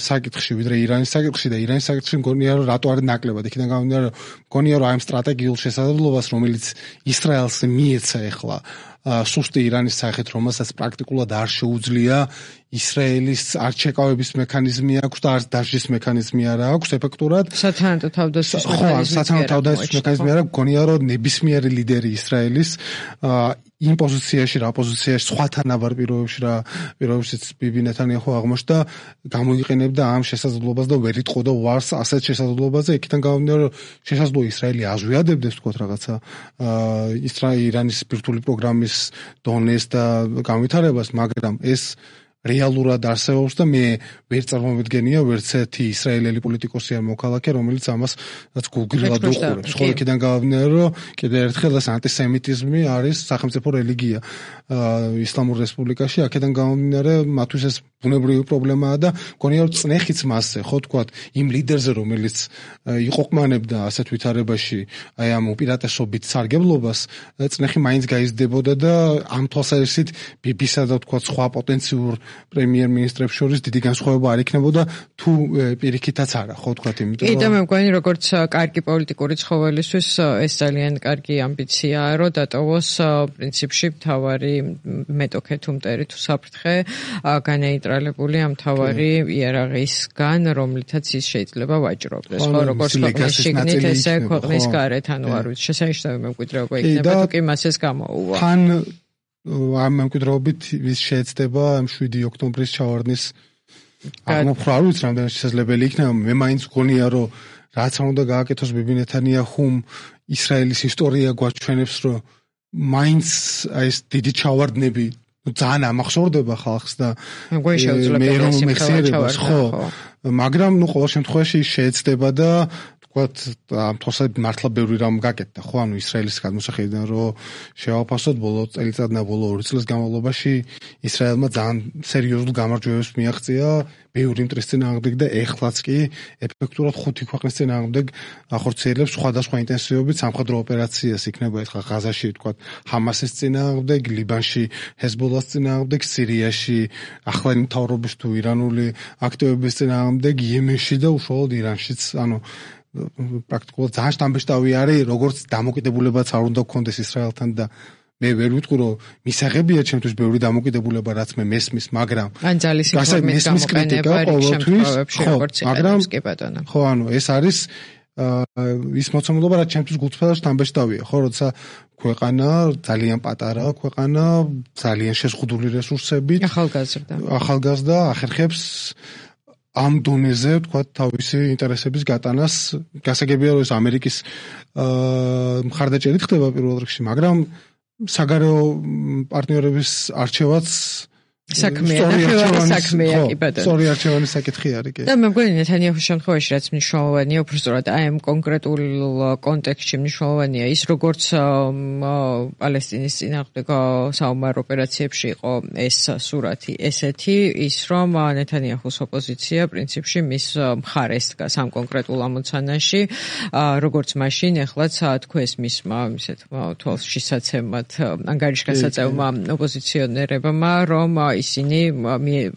საკითხში, ვიდრე ირანის საკითხში და ირანის საკითხში მგონია, რომ რატო არის ნაკლებად. იქიდან გამომდინარე, მგონია, რომ აი ამ სტრატეგიულ შესაძლებლობას, რომელიც ისრაელს მიეცა ახლა სუსტი ირანის სახით, რომელსაც პრაქტიკულად არ შეუძლია ისრაელის არ ჩეკავების მექანიზმი აქვს და არც დაშლის მექანიზმი არ აქვს ეფექტურად. სათანადო თავდასხმის მექანიზმი. ხო, სათანადო თავდასხმის მექანიზმი არ აქვს. მგონია, რომ ნებისმიერი ლიდერი ისრაელის იმ პოზიციაში, რა პოზიციაში, სხვა თანაბარ პირობებში, რა პირობებშიც ბიბი ნეთანიაჰუ აღმოჩნდა, გამოიყენებდა ამ შესაძლებლობას და ვერ იტყოდა ვარს ასეთ შესაძლებლობაზე. იქიდან გამომდინარე, რომ შესაძლოა ისრაელი აზვიადებდეს თქვათ რაღაცა ისრაელის ბირთვული პროგრამის დონეს და განვითარებას, მაგრამ ეს რეალურად არსებობს და მე ვერ წარმოვიდგენია ვერც ერთი ისრაელელი პოლიტიკოსი ან მოქალაქე, რომელიც ამას რაც გულგრილად უყურებს. ხო, იქიდან გამომდინარე, რომ კიდევ ერთხელ ეს ანტისემიტიზმი არის სახელმწიფო რელიგია ისლამურ რესპუბლიკაში. აქედან გამომდინარე, მათთვის ეს ბუნებრივი პრობლემაა და მგონია, რომ წნეხიც მასზე, ხო თქვათ, იმ ლიდერზე, რომელიც იყოყმანებდა ასეთ ვითარებაში აი ამ უპირატესობით სარგებლობას, წნეხი მაინც გაიზრდებოდა და ამ თვალსაზრისით ბიბისა და თქვათ სხვა პოტენციურ პრემიერ-მინისტრებს შორის დიდი განსხვავება არ იქნებოდა თუ პირიქითაც არა, ხო თქვათ, იმიტომ რომ მე მგონი როგორც კარგი პოლიტიკური ცხოველისთვის ეს ძალიან კარგი ამბიციაა, რომ დატოვოს პრინციპში მთავარი მეტოქე თუ მტერი თუ საფრთხე განეიტრალებული ამ მთავარი იარაღისგან, რომლითაც ის შეიძლება ვაჭრობდეს, ხო, როგორც ქვეყნის შიგნით, ესე ქვეყნის გარეთ, ანუ არ ვიცი, შესანიშნავი მემკვიდრეობა იქნება თუ კი მას ეს გამოუვა. თან ამ მემკვიდრეობით ვის შეეცდება ამ შვიდი ოქტომბრის ჩავარდნის აღმოფხვრა, არ ვიცი რამდენად შესაძლებელი იქნება. მე მაინც გონია, რომ რაც არ უნდა გააკეთოს ბიბი ნეთანიაჰუმ ისრაელის ისტორია გვაჩვენებს, რომ მაინც ეს დიდი ჩავარდნები ძალიან ამახსოვრდება ხალხს და მე რომ მეხსიერებას, ხო, მაგრამ ნუ ყოველ შემთხვევაში შეეცდება და ვთქვათ, ამ თვალსაზრისით მართლა ბევრი რამ გაკეთდა, ხო, ანუ ისრაელის გადმოსახედიდან რომ შევაფასოთ ბოლო წელიწადნა ბოლო ორი წლის განმავლობაში ისრაელმა ძალიან სერიოზულ გამარჯვებებს მიაღწია ბევრი მტრის წინააღმდეგ და ეხლაც კი ეფექტურად ხუთი ქვეყნის წინააღმდეგ ახორციელებს სხვადასხვა ინტენსივობით სამხედრო ოპერაციას, იქნება ეს ღაზაში, ვთქვათ, ჰამასის წინააღმდეგ, ლიბანში ჰეზბოლას წინააღმდეგ, სირიაში ახლანი მთავრობის თუ ირანული აქტივების წინააღმდეგ, იემენში და უშუალოდ ირანშიც, ანუ პრაქტიკულად ძალიან შთამბეჭდავი არის, როგორც დამოკიდებულებაც არ უნდა გქონდეს ისრაელთან და მე ვერ ვიტყვი, რომ მისაღებია ჩემთვის ბევრი დამოკიდებულება, რაც მე მესმის, მაგრამ ან ძალის ინფორმის გამოყენება რიგშემთხვევებში, როგორც იყენებს კი ბატონო. ხო, ანუ ეს არის ის მოცემულობა, რაც ჩემთვის გულწრფელად შთამბეჭდავია, ხო, როცა ქვეყანა ძალიან პატარა, ქვეყანა ძალიან შეზღუდული რესურსებით, ახალგაზრდა. ახალგაზრდა ახერხებს ამ დონეზე, ვთქვათ, თავისი ინტერესების გატანას. გასაგებია, რომ ეს ამერიკის მხარდაჭერით ხდება პირველ რიგში, მაგრამ საგარეო პარტნიორების არჩევაც საქმეა, ნახევარი საქმეა, კი ბატონო. სწორი არჩევანის საკითხი არის, კი. და მე მგონი ნეთანიაჰუს შემთხვევაში რაც მნიშვნელოვანია, უბრალოდ აი ამ კონკრეტულ კონტექსტში მნიშვნელოვანია ის, როგორც პალესტინის წინააღმდეგ საომარ ოპერაციებში იყო ეს სურათი ესეთი, ის რომ ნეთანიაჰუს ოპოზიცია პრინციპში მის მხარეს დგას ამ კონკრეტულ ამოცანაში, როგორც მაშინ ეხლაც თქვეს მისმა ისეთ თვალშისაცემად ანგარიშგასაწევმა ოპოზიციონერებმა, რომ ისინი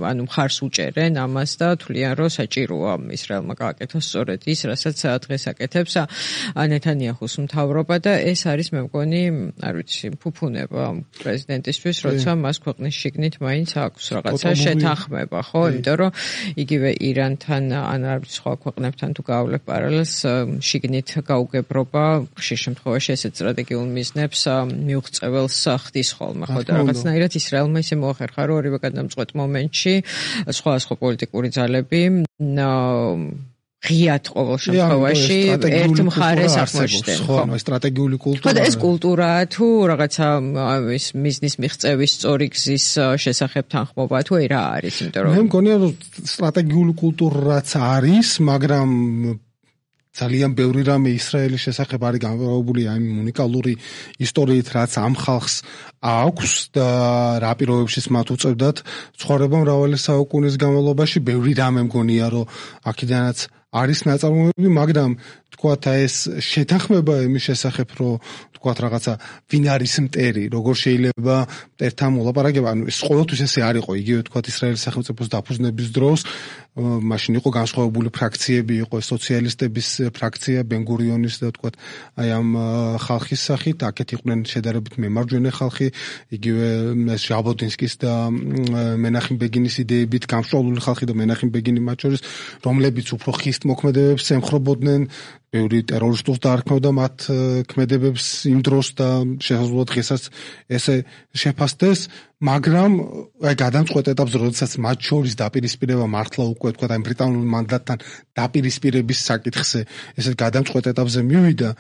ანუ მხარს უჭერენ ამას და თვლიან, რომ საჭიროა ისრაელმა გააკეთოს სწორედ ის, რასაც დღეს აკეთებს ნეთანიაჰუს მთავრობა და ეს არის მე მგონი, არ ვიცი, ფუფუნება პრეზიდენტისთვის, როცა მას ქვეყნის შიგნით მაინც აქვს რაღაცა შეთანხმება, ხო? იმიტომ რომ იგივე ირანთან ან არ ვიცი სხვა ქვეყნებთან თუ გავავლებ პარალელს, შიგნით გაუგებრობა ხშირ შემთხვევაში ესეთ სტრატეგიულ მიზნებს მიუღწეველს ხდის ხოლმე, ხო და რაღაცნაირად ისრაელმა ისე მოახერხა, რომ ორივე გადამწყვეტ მომენტში სხვა სხვა პოლიტიკური ძალები ღიად ყოველ შემთხვევაში ერთ მხარეს აღმოჩნდნენ. ხო, სტრატეგიული კულტურა. ხო, ეს კულტურაა თუ რაღაცა ის მიზნის მიღწევის სწორი გზის შესახებ თანხმობა თუ რა არის, იმიტომ რომ მე მგონია, რომ სტრატეგიული კულტურაც არის, მაგრამ ძალიან ბევრი რამე ისრაელის შესახებ არის გამორებული ამ უნიკალური ისტორიით, რაც ამ ხალხს აქვს და რა პირობებშიც მათ უწევდათ ცხოვრება მრავალი საუკუნის განმავლობაში. ბევრი რამე მგონია, რომ აქედანაც არის ნაწარმოებები, მაგრამ თქვათ ეს შეთანხმება იმის შესახებ, რომ თქვათ რაღაცა ვინ არის მტერი, როგორ შეიძლება მტერთან მოლაპარაკება, ანუ ეს ყოველთვის ესე არ იყო, იგივე თქვათ ისრაელის სახელმწიფოს დაფუძნების დროს, მაშინ იყო განსხვავებული ფრაქციები, იყო სოციალისტების ფრაქცია, ბენ-გურიონის და თქვათ აი ამ ხალხის სახით, აქეთ იყვნენ შედარებით მემარჯვენე ხალხი, იგივე ჟაბოდინსკის და მენახემ ბეგინის იდეებით გამსჭვალული ხალხი და მენახემ ბეგინი მათ შორის, რომლებიც უფრო ხისტ მოქმედებებს ემხრობოდნენ, ბევრი ტერორისტულს დაარქმევდა მათ ქმედებებს იმ დროს და შესაძლოა დღესაც ესე შეფასდეს, მაგრამ აი გადამწყვეტ ეტაპზე, როდესაც მათ შორის დაპირისპირება მართლა უკვე თქვა აი ბრიტანულ მანდატთან დაპირისპირების საკითხზე, ესე გადამწყვეტ ეტაპზე მივიდა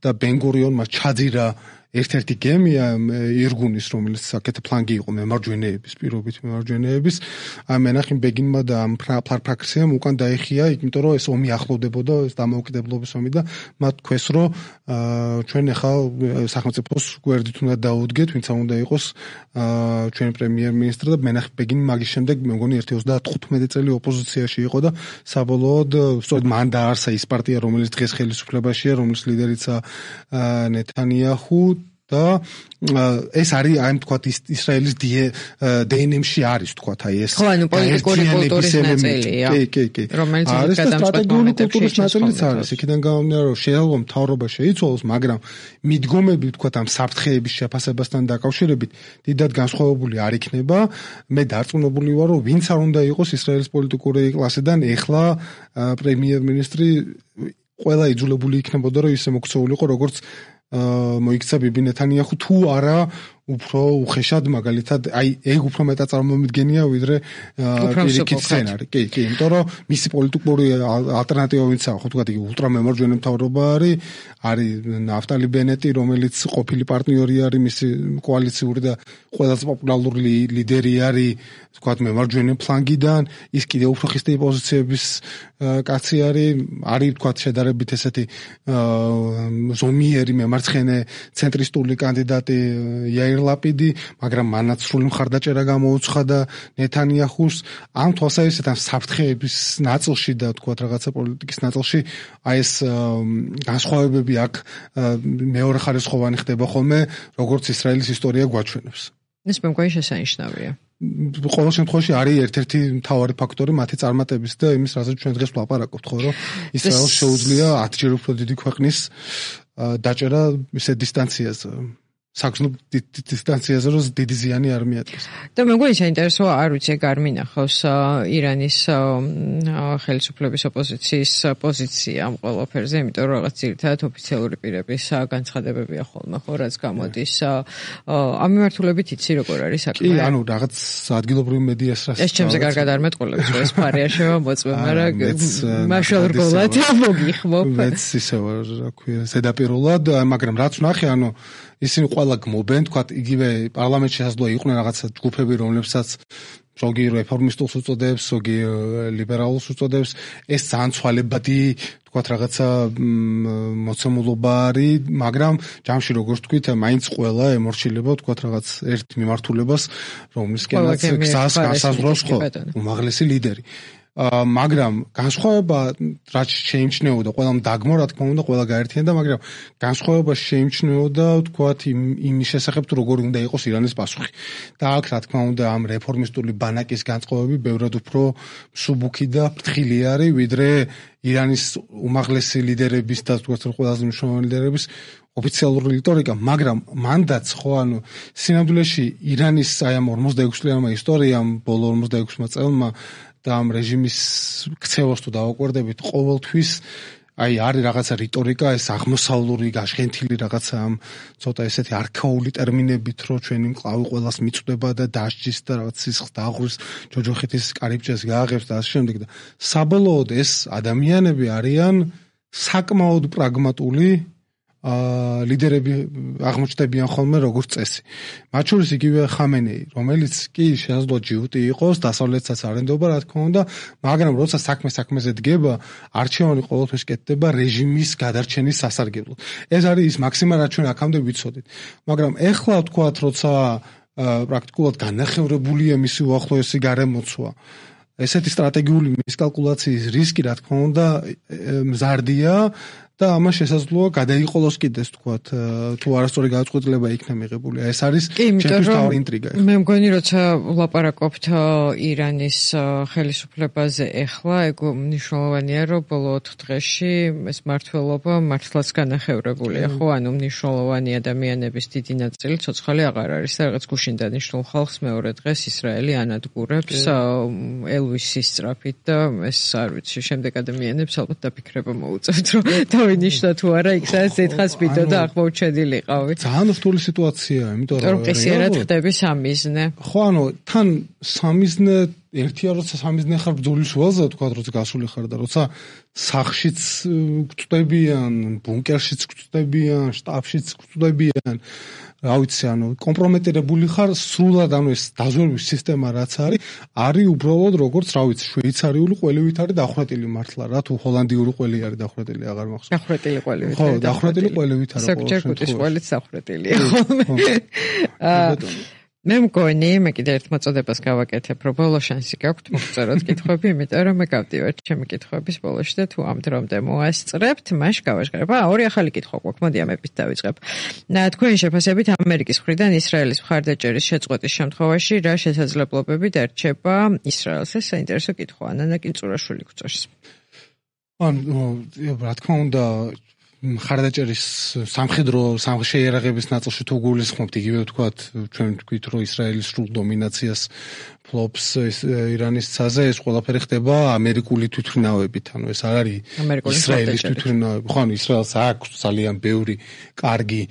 და ბენ-გურიონმა ჩაძირა ერთ-ერთი გემია ირგუნის, რომელიც საკეთე ფლანგი იყო მემარჯვენეების, პირობით მემარჯვენეების, აი მენახემ ბეგინმა და ამ ფრაქციამ უკან დაიხია, იმიტომ რომ ეს ომი ახლოვდებოდა, ეს დამოუკიდებლობის ომი და მათ თქვეს, რომ ჩვენ ახლა სახელმწიფოს გვერდით უნდა დაუდგეთ, ვინც უნდა იყოს ჩვენი პრემიერ-მინისტრი და მენახემ ბეგინი მაგის შემდეგ მე მგონი ერთი ოცდათხუთმეტი წელი ოპოზიციაში იყო და საბოლოოდ სწორედ მან დააარსა ის პარტია, რომელიც დღეს ხელისუფლებაშია, რომლის ლიდერიცაა ნეთანიაჰუ და ეს არის აი თქვათ ისრაელის დი εν ემ-ში არის თქვათ აი ეს ხო ანუ პოლიტიკური კულტურის ნაწილია კი კი კი რომელიც არის სტრატეგიული კულტურის ნაწილიც არის იქიდან გამომდინარე რომ შეიძლება მთავრობა შეიცვალოს მაგრამ მიდგომები თქვათ ამ საფრთხეების შეფასებასთან დაკავშირებით დიდად განსხვავებული არ იქნება მე დარწმუნებული ვარ რომ ვინც არ უნდა იყოს ისრაელის პოლიტიკური კლასიდან ეხლა პრემიერ-მინისტრი ყველა იძულებული იქნებოდა რომ ისე მოქცეულიყო როგორც მოიქცა ბიბი ნეთანიაჰუ თუ არა უფრო უხეშად მაგალითად აი ეგ უფრო მეტად წარმომიდგენია ვიდრე პირიქით სცენარი კი კი იმიტომ რომ მისი პოლიტიკური ალტერნატივა ვინც აქვს ხო თქვა იგი ულტრამემარჯვენე მთავრობა არის არის ნაფტალი ბენეტი რომელიც ყოფილი პარტნიორი არის მისი კოალიციური და ყველაზე პოპულარული ლიდერი არის თქვა მემარჯვენე ფლანგიდან ის კიდევ უფრო ხისტი პოზიციების კაცი არის არის თქვა შედარებით ესეთი ზომიერი მემარცხენე ცენტრისტული კანდიდატი იაირ ლაპიდი, მაგრამ მანაც სრული მხარდაჭერა გამოუცხადა ნეთანიაჰუს ამ თვალსაზრისით ამ საფრთხეების ნაწილში და თქვათ რაღაცა პოლიტიკის ნაწილში აი ეს განსხვავებები აქ მეორე ხარისხოვანი ხდება ხოლმე როგორც ისრაელის ისტორია გვაჩვენებს. ეს მეგონი შესანიშნავია. ყოველ შემთხვევაში არის ერთ-ერთი მთავარი ფაქტორი მათი წარმატების და იმის რასაც ჩვენ დღეს ვლაპარაკობთ ხო რომ ისრაელს შეუძლია ათჯერ უფრო დიდი ქვეყნის დაჭერა ისე დისტანციაზე საგზნობ დისტანციაზე რომ დიდი ზიანი არ მიადგეს. და მეგონი საინტერესოა არ ვიცი ეგ არ მინახავს ირანის ხელისუფლების ოპოზიციის პოზიცია ამ ყველაფერზე, იმიტომ რომ რაღაც ძირითადად ოფიციალური პირების განცხადებებია ხოლმე ხო რაც გამოდის ამ მიმართულებით იცი როგორ არის საქმე? კი, ანუ რაღაც ადგილობრივი მედიას რას ეს ჩემზე კარგად არ მეტყოლებს რომ ეს ფარია შემოწმე, მაგრამ მაშალრგოლად მოგიხმობ. მეც ისე ვარ, რა ქვია, ზედაპირულად, მაგრამ რაც ვნახე, ანუ ისინი ყველა გმობენ, თქვათ, იგივე პარლამენტში შესაძლოა იყვნენ რაღაცა ჯგუფები, რომლებსაც ზოგი რეფორმისტულს უწოდებს, ზოგი ლიბერალურს უწოდებს, ეს ძალიან ცვალებადი, თქვათ, რაღაცა მოცემულობა არის, მაგრამ ჯამში როგორც თქვით, მაინც ყველა ემორჩილება, თქვათ, რაღაც ერთ მიმართულებას, რომლისკენაც გზას განსაზღვრავს ხო, უმაღლესი ლიდერი. მაგრამ განსხვავება რაც შეიმჩნეოდა ყველამ დაგმო რა თქმა უნდა ყველა გაერთიანდა მაგრამ განსხვავება შეიმჩნეოდა თქვათ იმის შესახებ თუ როგორ უნდა იყოს ირანის პასუხი და აქ რა თქმა უნდა ამ რეფორმისტული ბანაკის განწყობები ბევრად უფრო მსუბუქი და ფრთხილი არის ვიდრე ირანის უმაღლესი ლიდერების და თქვათ ყველაზე მნიშვნელოვანი ლიდერების ოფიციალური რიტორიკა მაგრამ მანდაც ხო ანუ სინამდვილეში ირანის აი ამ ორმოცდაექვსი წლიანმა ისტორიამ ბოლო ორმოცდაექვსი წელმა და ამ რეჟიმის ქცევას თუ დავაკვირდებით ყოველთვის აი არის რაღაცა რიტორიკა ეს აღმოსავლური გაშხენთილი რაღაცა ამ ცოტა ესეთი არქაული ტერმინებით რო ჩვენი მკლავი ყოველას მიწვდება და დასჯის და რაღაც სისხლს დააღურის ჯოჯოხეთის კარიბჭეს გააღებს და ასე შემდეგ და საბოლოოდ ეს ადამიანები არიან საკმაოდ პრაგმატული აა ლიდერები აღმოჩნდებიან ხოლმე როგორც წესი. მათ შორის იგივე ხამენეი, რომელიც კი შესაძლოა ჯიუტი იყოს, დასავლეთსაც არენდობა, რა თქმა უნდა, მაგრამ როცა საქმე საქმეზე დგება, არჩევანი ყოველთვის კეთდება რეჟიმის გადარჩენის სასარგებლოდ. ეს არის ის მაქსიმა, რაც ჩვენ აქამდე ვიცოდით. მაგრამ ეხლა ვთქვათ, როცა პრაქტიკულად განახევრებულია მისი უახლოესი გარემოცვა, ესეთი სტრატეგიული მისკალკულაციის რისკი, რა თქმა უნდა, მზარდია და ამას შესაძლოა გადაიყოლოს კიდეს თქვათ თუ არასწორი გადაწყვეტილება იქნა მიღებული. ეს არის ჩემთვის თავი ინტრიგა. მე მგონი როცა ვლაპარაკობთ ირანის ხელისუფლებაზე ეხლა, ეგ მნიშვნელოვანია რომ ბოლო ოთხ დღეში ეს მართლობა მართლაც განახევრებულია, ხო? ანუ მნიშვნელოვანი ადამიანების დიდი ნაწილი ცოცხალი აღარ არის და რაღაც გუშინ დანიშნულ ხალხს მეორე დღეს ისრაელი ანადგურებს ელვისის სწრაფით და ეს არ ვიცი, შემდეგ ადამიანებს ალბათ დაფიქრება მოუწევთ რომ ნიშნა თუ არა იქ სადაც ეთხას ვიდეო და აღმოჩენილიყავი. ძალიან რთული სიტუაციაა, იმიტომ რომ ყისიერად ხდები სამიზნე. ხო, ანუ თან სამიზნე ერთია როცა სამიზნე ხარ ბრძოლის ველზე, თქვა როცა გასული ხარ და როცა სახშიც გვწვდებიან, ბუნკერშიც გვწვდებიან, შტაბშიც გვწვდებიან. რა ვიცი, ანუ კომპრომეტირებული ხარ სრულად, ანუ ეს დაზვერვის სისტემა რაც არის, არის უბრალოდ როგორც, რა ვიცი, შვეიცარიული ყველივით არის დახვრეტილი მართლა, რა თუ ჰოლანდიური ყველი არის დახვრეტილი, აღარ მახსოვს. დახვრეტილი ყველივით. ხო, დახვრეტილი ყველივით არის. საკუთარ კუտის ყველიც დახვრეტილია ხოლმე. აა მე მგონი, მე კიდე ერთ მოწოდებას გავაკეთებ, რომ ბოლო შანსი გაქვთ მოგწეროთ კითხვები, იმიტომ რომ მე გავდივართ ჩემი კითხვების ბოლოში და თუ ამ დრომდე მოასწრებთ, მაშ გავაჟღერებ. აა, ორი ახალი კითხვა გვაქვს, მოდი ამებით დავიწყებ. თქვენი შეფასებით ამერიკის მხრიდან ისრაელის მხარდაჭერის შეწყვეტის შემთხვევაში რა შესაძლებლობები დარჩება ისრაელს? ეს საინტერესო კითხვაა. ნანა კინწურაშვილი გვწევს. ანუ, რა თქმა უნდა, მხარდაჭერის სამხედრო შეიარაღების ნაწილში თუ გულისხმობთ, იგივე ვთქვათ, ჩვენ ვთქვით, რომ ისრაელის სრულ დომინაციას ფლობს ირანის ცაზე, ეს ყველაფერი ხდება ამერიკული თვითმფრინავებით. ანუ ეს არ არის ისრაელის თვითმფრინავები. ხო, ანუ ისრაელს აქვს ძალიან ბევრი კარგი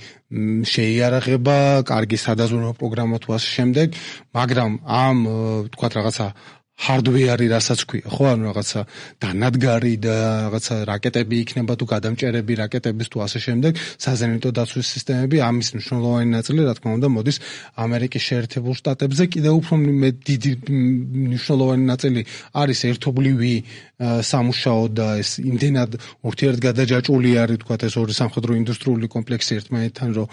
შეიარაღება, კარგი სადაზვერვო პროგრამა თუ ასე შემდეგ, მაგრამ ამ ვთქვათ რაღაცა hardware-ი რასაც ქვია, ხო, ანუ რაღაცა დანადგარი და რაღაცა რაკეტები იქნება თუ გადამჭერები რაკეტების თუ ასე შემდეგ, საზენიტო დაცვის სისტემები, ამის მნიშვნელოვანი ნაწილი, რა თქმა უნდა, მოდის ამერიკის შეერთებულ შტატებზე, კიდევ უფრო დიდი მნიშვნელოვანი ნაწილი არის ერთობლივი სამუშაო და ეს იმდენად ურთიერთგადაჯაჭვული არის, თქვათ, ეს ორი სამხედრო ინდუსტრიული კომპლექსი ერთმანეთთან, რომ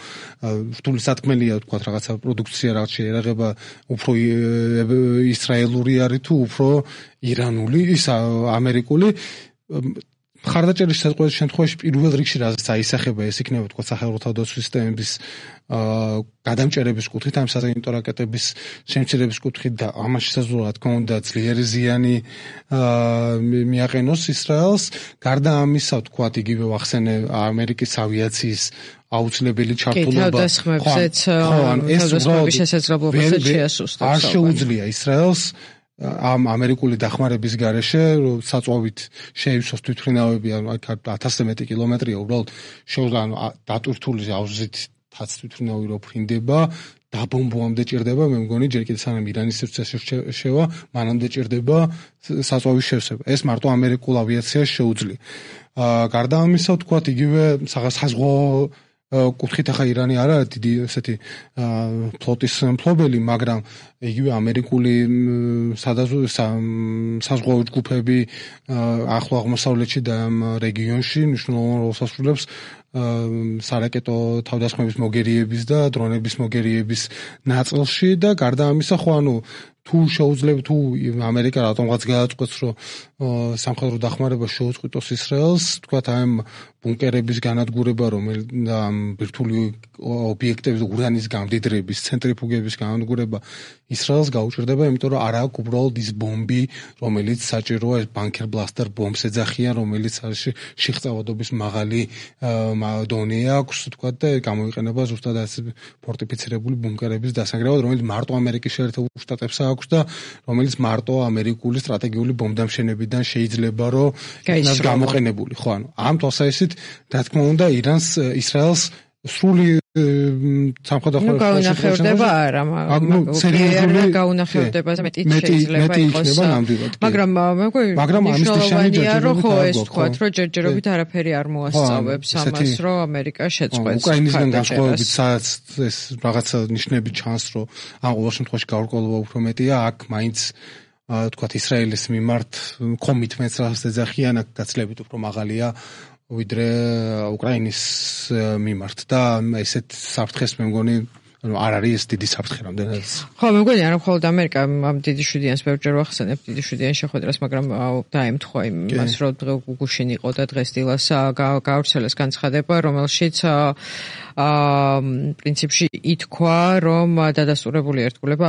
რთული სათქმელია, თქვათ, რაღაცა პროდუქცია, რაღაც შეერაღება უფრო ისრაელური არის თუ უფრო ირანული, ის ამერიკული. მხარდაჭერის შეწყვეტის შემთხვევაში პირველ რიგში რაც აისახება, ეს იქნება თქვა სახელმწიფო თავდაცვის სისტემების გადამჭერების კუთხით, ამ საზენიტო რაკეტების შემცირების კუთხით და ამაში შესაძლოა, რა თქმა უნდა, ძლიერი ზიანი მიაყენოს ისრაელს. გარდა ამისა, თქვა, იგივე ვახსენე ამერიკის ავიაციის აუცილებელი ჩართულობა. კი, თავდასხმებზეც, თავდასხმების შესაძლებლობასაც შეასუსტებს. არ შეუძლია ისრაელს ამ ამერიკული დახმარების გარეშე საწვავით შეივსოს თვითმფრინავები, ანუ ათასზე მეტი კილომეტრია უბრალოდ შეუძლია, ანუ დატვირთული ავზით თაც თვითმფრინავი რო ფრინდება, დაბომბვამდე ჭირდება, მე მგონი ჯერ კიდევ სანამ ირანის სივრცეში შევა, მანამდე ჭირდება საწვავის შევსება. ეს მარტო ამერიკულ ავიაციას შეუძლია. გარდა ამისა, ვთქვათ, იგივე საზღვაო კუთხით ახლა ირანი არ არის დიდი ესეთი ფლოტის მფლობელი, მაგრამ იგივე ამერიკული საზღვაო ჯგუფები ახლო აღმოსავლეთში და ამ რეგიონში მნიშვნელოვან როლს ასრულებს სარაკეტო თავდასხმების მოგერიების და დრონების მოგერიების ნაწილში და გარდა ამისა, ხო, ანუ თუ შეუძლებ თუ ამერიკა რატომღაც გადაწყვეტს, რომ სამხედრო დახმარება შეუწყვიტოს ისრაელს, თქვათ, ამ ბუნკერების განადგურება, რომელიც ამ ბირთვული ობიექტების ურანის გამდიდრების, ცენტრიფუგების განადგურება ისრაელს გაუჭირდება, იმიტომ რომ არ აქვს უბრალოდ ის ბომბი, რომელიც საჭიროა, ეს ბანკერ ბლასტერ ბომბს ეძახიან, რომელიც არის შეღწევადობის მაღალი დონე აქვს, თქვათ, და გამოიყენება ზუსტად ეს ფორტიფიცირებული ბუნკერების დასანგრევად, რომელიც მარტო ამერიკის შეერთებულ შტატებს აქვს და რომელიც მარტო ამერიკული სტრატეგიული ბომბდამშენებიდან შეიძლება რომ იქნას გამოყენებული. ხო, ანუ ამ თვალსაზრისით, რა თქმა უნდა, ირანს, ისრაელს სრული სამხედრო გაუნახევრდება არა, მაგრამ გაუნახევრდება მეტი შეიძლება იყოს. მაგრამ მე მგონი მაგრამ ამის ნიშნავენია, რომ ხო ეს თქვათ, რომ ჯერჯერობით არაფერი არ მოასწავებს ამას, რომ ამერიკა შეწყვეტს. უკრაინისგან განსხვავებით, სადაც ეს რაღაცა ნიშნები ჩანს, რომ ამ ყოველ შემთხვევაში გაურკვევლობა უფრო მეტია, აქ მაინც თქვათ ისრაელის მიმართ კომიტმენტს რაც ეძახიან, აქ გაცილებით უფრო მაღალია ვიდრე უკრაინის მიმართ და ესეთ საფრთხეს მე მგონი ანუ არ არის ეს დიდი საფრთხე რამდენად. ხო, მე მგონი არა მხოლოდ ამერიკა ამ დიდი შვიდიანს ბევრჯერ ვახსენებ დიდი შვიდიან შეხვედრას, მაგრამ დაემთხვა იმას, რომ დღე გუშინ იყო და დღეს დილას გაავრცელეს განცხადება, რომელშიც აა პრინციპში ითქვა, რომ დადასტურებული ერთგულება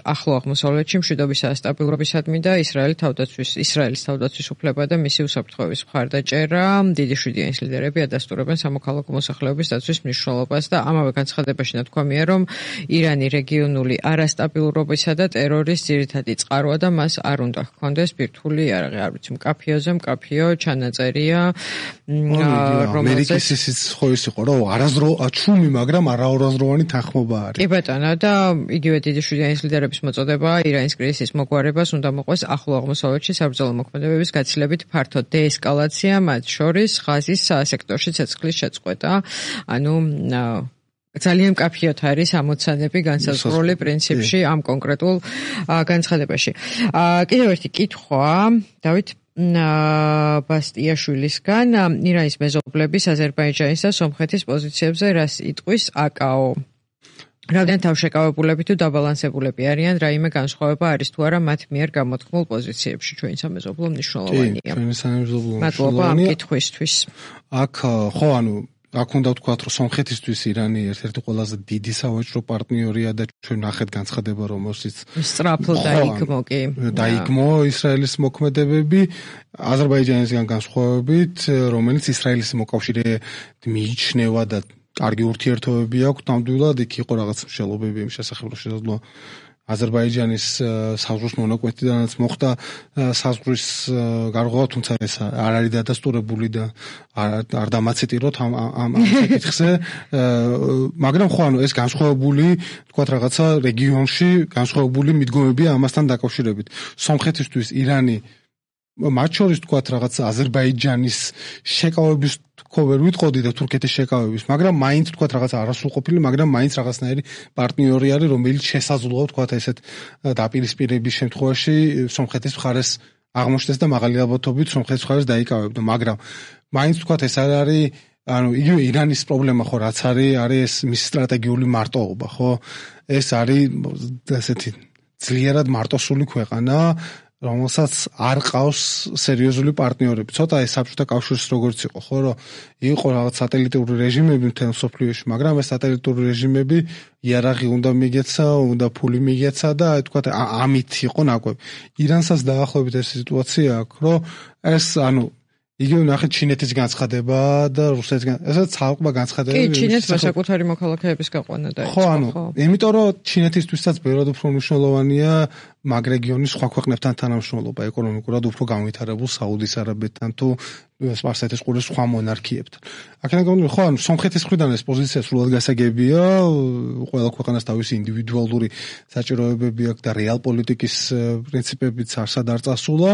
ახლო აღმოსავლეთში მშვიდობის სტაბილურობისადმი და ისრაელის თავდაცვის ისრაელის თავდაცვის უფლება და მისი უსაფრთხოების მხარდაჭერა დიდი შვიდიანის ლიდერები ადასტურებენ სამოქალაქო მოსახლეობის დაცვის მნიშვნელობას და ამავე განცხადებაში ნათქვამია, რომ ირანი რეგიონული არასტაბილურობისა და ტერორის ძირითადი წყაროა და მას არ უნდა ჰქონდეს ბირთვული იარაღი, არ ვიცი, მკაფიოზე მკაფიო ჩანაწერია, რომელზეც ისიც ხო ის იყო, რომ არაზრო ჩუმი, მაგრამ არაორაზროვანი თანხმობა არის. კი ბატონო, და იგივე დიდი შვიდიანის ლიდერების მოწოდება ირანის კრიზისის მოგვარებას უნდა მოყვეს ახლო აღმოსავლეთში საბრძოლო მოქმედებების გაცილებით ფართო დეესკალაცია, მათ შორის ღაზის სექტორში ცეცხლის შეწყვეტა, ანუ ძალიან მკაფიოდ არის ამოცანები განსაზღვრული პრინციპში ამ კონკრეტულ განცხადებაში. კიდევ ერთი კითხვა, დავით ბასტიაშვილისგან, ირანის მეზობლების აზერბაიჯანის და სომხეთის პოზიციებზე რას იტყვის აკაო? რამდენ თავშეკავებულები თუ დაბალანსებულები არიან, რაიმე განსხვავება არის თუ არა მათ მიერ გამოთქმულ პოზიციებში ჩვენ სამეზობლო მნიშვნელოვანია. კი, ჩვენი სამეზობლო მადლობა ამ კითხვისთვის. აქ ხო, ანუ აქ უნდა ვთქვათ, რომ სომხეთისთვის ირანი ერთ-ერთი ყველაზე დიდი სავაჭრო პარტნიორია და ჩვენ ნახეთ განცხადება, რომელშიც სწრაფო დაიგმო კი. დაიგმო ისრაელის მოქმედებები აზერბაიჯანისგან განსხვავებით, რომელიც ისრაელის მოკავშირედ მიიჩნევა და კარგი ურთიერთობები აქვს, ნამდვილად იქ იყო რაღაც მსჯელობები იმ შესახებ, რომ შესაძლოა აზერბაიჯანის საზღვრის მონაკვეთიდანაც მოხდა საზღვრის გარღვევა, თუმცა ეს არ არის დადასტურებული და არ დამაციტიროთ ამ ამ საკითხზე, მაგრამ ხო, ანუ ეს განსხვავებული, თქვათ რაღაცა რეგიონში განსხვავებული მიდგომებია ამასთან დაკავშირებით. სომხეთისთვის ირანი მათ შორის თქვათ რაღაცა აზერბაიჯანის შეკავების თქო ვერ ვიტყოდი და თურქეთის შეკავების, მაგრამ მაინც თქვათ რაღაცა არასრულყოფილი, მაგრამ მაინც რაღაცნაირი პარტნიორი არის, რომელიც შესაძლოა თქვათ ესეთ დაპირისპირების შემთხვევაში სომხეთის მხარეს აღმოჩნდეს და მაღალი ალბათობით სომხეთის მხარეს დაიკავებდა, მაგრამ მაინც თქვათ ეს არ არის, ანუ იგივე ირანის პრობლემა ხო რაც არის, არის ეს მის სტრატეგიული მარტოობა, ხო? ეს არის ესეთი ძლიერად მარტოსული ქვეყანა, რომელსაც არ ყავს სერიოზული პარტნიორები. ცოტა ეს საბჭოთა კავშირის როგორც იყო, ხო, რომ იყო რაღაც სატელიტური რეჟიმები მთელ მსოფლიოში, მაგრამ ეს სატელიტური რეჟიმები იარაღი უნდა მიგეცა, უნდა ფული მიგეცა და აი თქვა ამით იყო ნაკვები. ირანსაც დაახლოებით ეს სიტუაცია აქვს, რომ ეს ანუ იგივე ნახეთ ჩინეთის განცხადება და რუსეთს ესაც ცალკე განცხადებები. კი, ჩინეთს საკუთარი მოქალაქეების გაყვანა დაიწყო. ხო, ანუ იმიტომ რომ ჩინეთისთვისაც ბევრად უფრო მნიშვნელოვანია მაგ რეგიონის სხვა ქვეყნებთან თანამშრომლობა, ეკონომიკურად უფრო განვითარებულ საუდის არაბეთთან თუ სპარსეთის ყურის სხვა მონარქიებთან. აქედან გამომდინარე, ხო, ანუ სომხეთის მხრიდან ეს პოზიცია სრულად გასაგებია, ყველა ქვეყანას თავისი ინდივიდუალური საჭიროებები აქვს და რეალ პოლიტიკის პრინციპებიც არსად არ წასულა.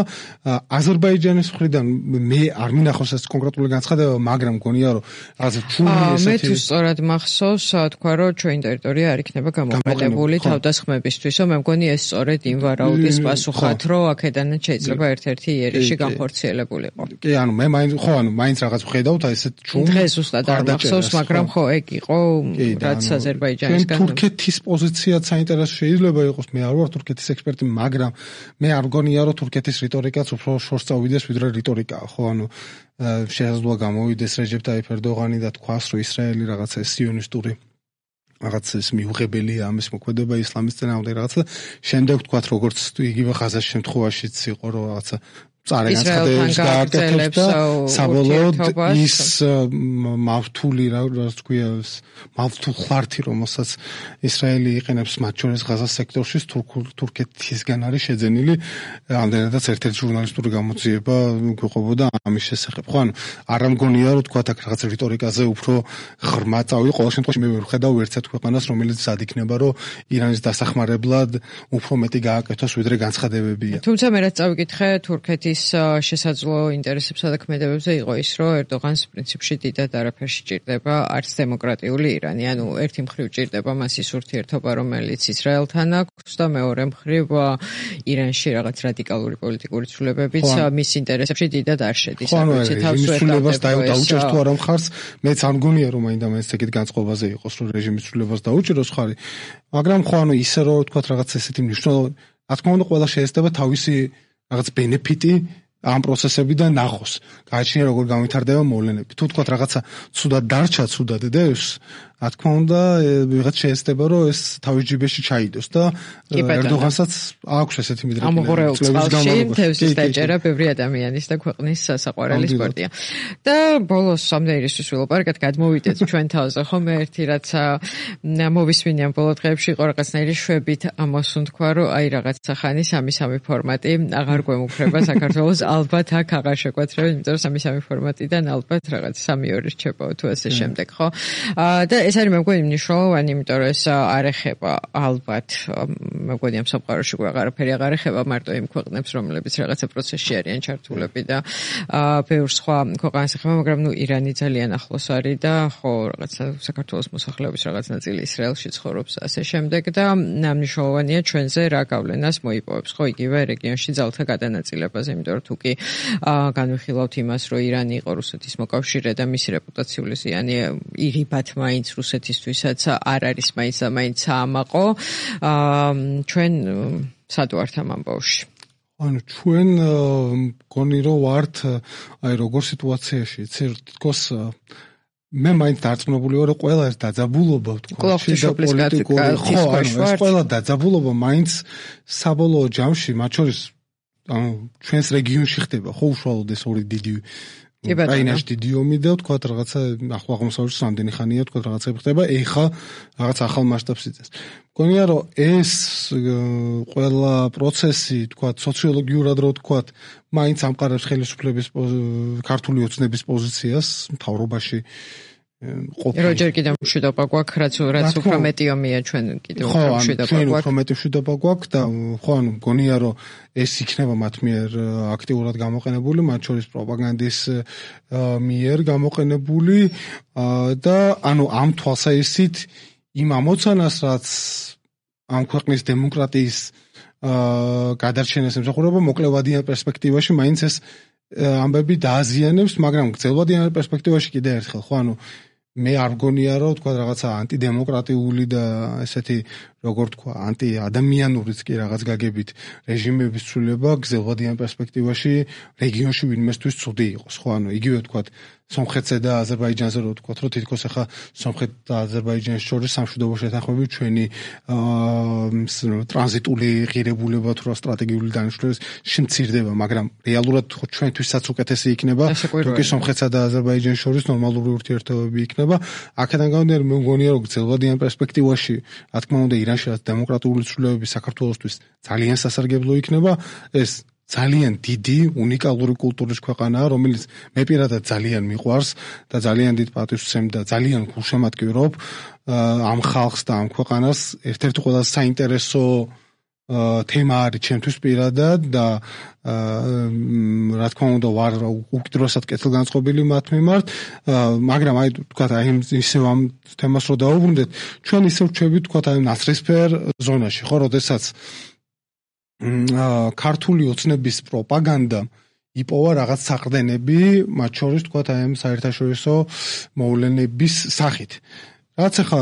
აზერბაიჯანის მხრიდან მე არ მინახავს ეს კონკრეტული განცხადება, მაგრამ მგონია რომ რაღაც ჩული ესეთი მე თუ სწორად მახსოვს, თქვა რომ ჩვენი ტერიტორია არ იქნება გამოყენებული თავდასხმებისთვის, მე მგონი ეს სწორედ იმ ვარაუდის პასუხად, რომ აქედანაც შეიძლება ერთ-ერთი იერიში განხორციელებულიყო. კი, ანუ მე მაინც ხო, ანუ მაინც რაღაც ვხედავთ აი ესეთ ჩუმ. დღეს ზუსტად არ მახსოვს, მაგრამ ხო, ეგ იყო რაც აზერბაიჯანისგან. თურქეთის პოზიციაც საინტერესო შეიძლება იყოს, მე არ ვარ თურქეთის ექსპერტი, მაგრამ მე არ მგონია რომ თურქეთის რიტორიკაც უფრო შორს წავიდეს ვიდრე რიტორიკაა, ხო, ანუ შესაძლოა გამოვიდეს რეჯეპ ტაიფ ერდოღანი და თქვას, რომ ისრაელი რაღაცა სიონისტური რაღაც ეს მიუღებელია ამის მოქმედება ისლამის წინააღმდეგ რაღაცა. შემდეგ თქვათ როგორც იგივე ღაზას შემთხვევაშიც იყო რომ რაღაცა წარე განცხადებებს გააკეთებს და საბოლოოდ ის მავთული რაც ქვია მავთულ ხართი რომელსაც ისრაელი იყენებს მათ შორის ღაზას სექტორში თურქეთისგან არის შეძენილი. ამდენადაც ერთ-ერთი ჟურნალისტური გამოძიება გვიყვებოდა ამის შესახებ. ხო, ანუ არ მგონია რომ თქვათ აქ რაღაც რიტორიკაზე უფრო ღრმა წავი. ყოველ შემთხვევაში მე ვერ ვხედავ ერთ-ერთ ქვეყანას რომელიც sad იქნება რომ ირანის დასახმარებლად უფრო მეტი გააკეთოს ვიდრე განცხადებებია. თუმცა მე რაც წავიკითხე თურქეთის შესაძლო ინტერესებსა და ქმედებებზე იყო ის, რომ ერდოღანს პრინციპში დიდად არაფერში ჭირდება არც დემოკრატიული ირანი, ანუ ერთი მხრივ ჭირდება მას ის ურთიერთობა, რომელიც ისრაელთან აქვს და მეორე მხრივ ირანში რაღაც რადიკალური პოლიტიკური ცვლილებებიც მის ინტერესებში დიდად არ შედის. ანუ თავისუფლებას დაუჭერს თუ არა მხარს, მეც არ მგონია რომ მაინდა-მაინც ეგეთ განწყობაზე იყოს, რომ რეჟიმის ცვლილებას დაუჭეროს ხარი, მაგრამ ხო, ანუ ისე რომ თქვათ რაღაც ესეთი მნიშვნელოვანი, რა თქმა უნდა, ყველა შეესწება თავისი რაღაც ბენეფიტი ამ პროცესებიდან ნახოს. გააჩნია როგორ განვითარდება მოვლენები. თუ თქვათ რაღაცა ცუდად დარჩა, ცუდად დევს, რა თქმა უნდა, ვიღაც შეესწება რომ ეს თავის ჯიბეში ჩაიდოს და ერდოღანსაც აქვს ესეთი მიდრეკილი. ამღვრეულ წყალში თევზის დაჭერა ბევრი ადამიანის და ქვეყნის საყვარელი სპორტია. და ბოლოს სამდეირისთვის ვილაპარაკეთ, გადმოვიდეთ ჩვენ თავზე, ხომ ერთი რაც მოვისმინე ამ ბოლო დღეებში იყო რაღაცნაირი შვებით ამოსუნ თქვა, რომ აი რაღაცა ხანი სამი-სამი ფორმატი აღარ გვემუქრება საქართველოს, ალბათ აქ აღარ შეგვეცრება, იმიტომ რომ სამი-სამი ფორმატიდან ალბათ რაღაც სამი-ორი რჩება თუ ასე შემდეგ, ხო? და ეს არის მე მგონი მნიშვნელოვანი, იმიტომ რომ ეს არ ეხება ალბათ მე მგონი ამ სამყაროში აღარაფერი აღარ ეხება მარტო იმ ქვეყნებს, რომლებიც რაღაცა პროცესში არიან ჩართულები და ბევრ სხვა ქვეყანას ეხება, მაგრამ ნუ ირანი ძალიან ახლოს არის და ხო რაღაცა საქართველოს მოსახლეობის რაღაც ნაწილი ისრაელში ცხოვრობს ასე შემდეგ და მნიშვნელოვანია ჩვენზე რა გავლენას მოიპოვებს, ხო, იგივე რეგიონში ძალთა გადანაწილებაზე, იმიტომ რომ თუ კი განვიხილავთ იმას, რომ ირანი იყო რუსეთის მოკავშირე და მისი რეპუტაციული ზიანი ირიბად მაინც რუსეთისთვისაც არ არის მაინც და მაინც საამაყო. აა ჩვენ სად ვართ ამ ამბავში? ანუ ჩვენ მგონი რომ ვართ აი როგორ სიტუაციაში, იცი თქოს მე მაინც დარწმუნებული ვარ რომ ყველა ეს დაძაბულობა ვთქვა შიდა პოლიტიკური ხო ანუ ეს ყველა დაძაბულობა მაინც საბოლოო ჯამში მათ შორის ანუ ჩვენს რეგიონში ხდება ხო უშუალოდ ეს ორი დიდი რაინაში დიდი ომი და ვთქვა რაღაცა ახლო აღმოსავლეთში რამდენი ხანია ვთქვა რაღაცა ხდება ეხა რაღაც ახალ მასშტაბს იწევს მგონია რომ ეს ყველა პროცესი ვთქვა სოციოლოგიურად რო ვთქვა მაინც ამყარებს ხელისუფლების ქართული ოცნების პოზიციას მთავრობაში როჯერ კიდევ მშვიდობა გვაქვს რაც რაც უფრო მეტი ომია ჩვენ კიდევ უფრო მშვიდობა გვაქვს ჩვენ უფრო მეტი მშვიდობა გვაქვს და ხო ანუ მგონია რომ ეს იქნება მათ მიერ აქტიურად გამოყენებული მათ შორის პროპაგანდის მიერ გამოყენებული და ანუ ამ თვალსაჩინით იმ ამოცანას რაც ამ ქვეყნის დემოკრატიის გადარჩენას ემსახურება მოკლევადიან პერსპექტივაში მაინც ეს ამბები დააზიანებს მაგრამ გრძელვადიან პერსპექტივაში კიდე ერთხელ ხო ანუ მე არ მგონია რომ თქვა რაღაცა ანტიდემოკრატიული და ესეთი როგორ თქვა ანტიადამიანურიც კი რაღაც გაგებით რეჟიმების ცვლილება გრძელვადიან პერსპექტივაში რეგიონში ვინმესთვის ცუდი იყოს ხო ანუ იგივე თქვა სომხეთსა და აზერბაიჯანზე რო თქვა რომ თითქოს ახლა სომხეთ და აზერბაიჯანის შორის სამშვიდობო შეთანხმები ჩვენი ტრანზიტული ღირებულება თუ რა სტრატეგიული დანიშნულების შემცირდება მაგრამ რეალურად ჩვენთვისაც უკეთესი იქნება თუკი სომხეთსა და აზერბაიჯანის შორის ნორმალური ურთიერთობები იქნება აქედან გამომდინარე მე მგონია რომ გრძელვადიან პერსპექტივაში რა თქმა უნდა ირანში რაც დემოკრატიული ცვლილებები საქართველოსთვის ძალიან სასარგებლო იქნება ეს ძალიან დიდი უნიკალური კულტურის ქვეყანაა რომელიც მე პირადად ძალიან მიყვარს და ძალიან დიდ პატივს ვცემ და ძალიან გულშემატკივრობ ამ ხალხს და ამ ქვეყანას ერთ-ერთი ყველაზე საინტერესო თემა არის ჩემთვის პირადად და რა თქმა უნდა ვარ უკიდურესად კეთილგანწყობილი მათ მიმართ მაგრამ აი თქვა აი ისევ ამ თემას რო დავუბრუნდეთ ჩვენ ისევ ვჩვევით თქვა აი ნაცრისფერ ზონაში ხო როდესაც ქართული ოცნების პროპაგანდა იპოვა რაღაც საყრდენები მათ შორის თქვა აი ამ საერთაშორისო მოვლენების სახით რაც ახლა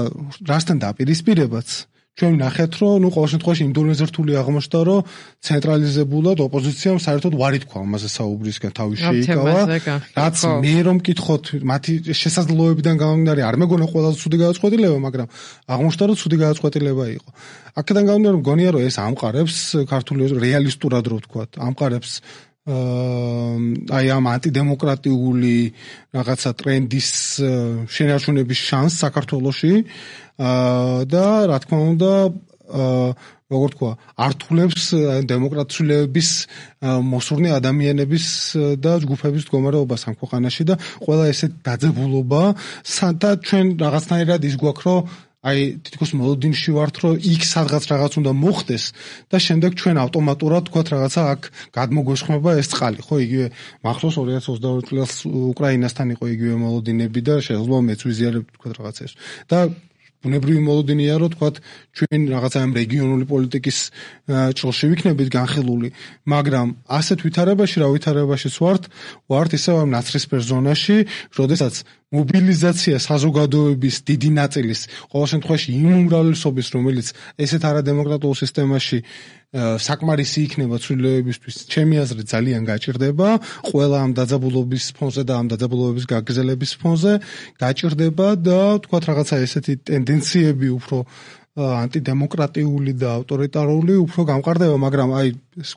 რასთან დაპირისპირებაც ჩვენ ნახეთ რომ ნუ ყოველ შემთხვევაში ინდონეზია რთული აღმოჩნდა რომ ცენტრალიზებულად ოპოზიციამ საერთოდ ვარი თქვა ამაზე საუბრისგან თავი შეიკავა რაც მე რომ მკითხოთ მათი შესაძლებლობებიდან გამომდინარე არ მეგონა ყველაზე ცუდი გადაწყვეტილება მაგრამ აღმოჩნდა რომ ცუდი გადაწყვეტილება იყო აქედან გამომდინარე მგონია რომ ეს ამყარებს ქართული რეალისტურად რო ვთქვა ამყარებს აი ამ ანტიდემოკრატიული რაღაცა ტრენდის შენარჩუნების შანსს საქართველოში და რა თქმა უნდა როგორ თქვა ართულებს დემოკრატიულების მოსურნე ადამიანების და ჯგუფების მდგომარეობას ამ ქვეყანაში და ყველა ესე დაძაბულობა და ჩვენ რაღაცნაირად ის გვაქვს რომ აი თითქოს მოლოდინში ვართ რომ იქ სადღაც რაღაც უნდა მოხდეს და შემდეგ ჩვენ ავტომატურად თქვა რაღაცა აქ გადმოგვესხმება ეს წყალი ხო იგივე მახსოვს ორი ათას ოცდაორი წელს უკრაინასთან იყო იგივე მოლოდინები და შეიძლება მეც ვიზიარებ თქვა რაღაცა ეს და ბუნებრივი მოლოდინია რომ თქვა ჩვენ რაღაცა ამ რეგიონული პოლიტიკის ჭრილში ვიქნებით განხილული მაგრამ ასეთ ვითარებაში რა ვითარებაშიც ვართ ვართ ისევ ამ ნაცრისფერ ზონაში როდესაც მობილიზაცია საზოგადოების დიდი ნაწილის ყოველ შემთხვევაში იმ უმრავლესობის რომელიც ესეთ არადემოკრატიულ სისტემაში საკმარისი იქნება ცვლილებებისთვის ჩემი აზრით ძალიან გაჭირდება ყველა ამ დაძაბულობის ფონზე და ამ დაძაბულობების გაგრძელების ფონზე გაჭირდება და თქვა რაღაცა ესეთი ტენდენციები უფრო ანტიდემოკრატიული და ავტორიტარული უფრო გამყარდება მაგრამ აი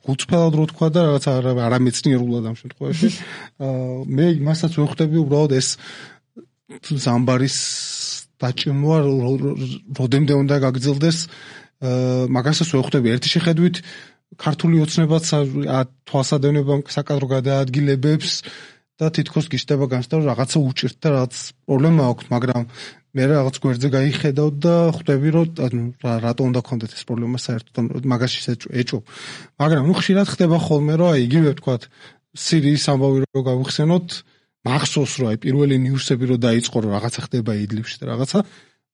გულწრფელად რო თქვა და რაღაცა არამეცნიერულად ამ შემთხვევაში მე იმასაც ვხვდები უბრალოდ ეს ზამბარის დაჭიმვა როდემდე უნდა გაგრძელდეს მაგასაც ვხვდები ერთი შეხედვით ქართული ოცნებაც თვალსადევნებამ საკადრო გადაადგილებებს და თითქოს გიშდება განცდა რომ რაღაცა უჭირთ და რაღაც პრობლემა აქვს მაგრამ მე რაღაც გვერდზე გაიხედავ და ხვდები რომ რატო უნდა გქონდეთ ეს პრობლემა საერთოდ მაგაში ეჭვ მაგრამ ნუ ხშირად ხდება ხოლმე რომ აი იგივე ვთქვათ სირიის ამბავი რო გავიხსენოთ მახსოვს რომ აი პირველი ნიუსები რო დაიწყო რომ რაღაცა ხდება იდლიბში და რაღაცა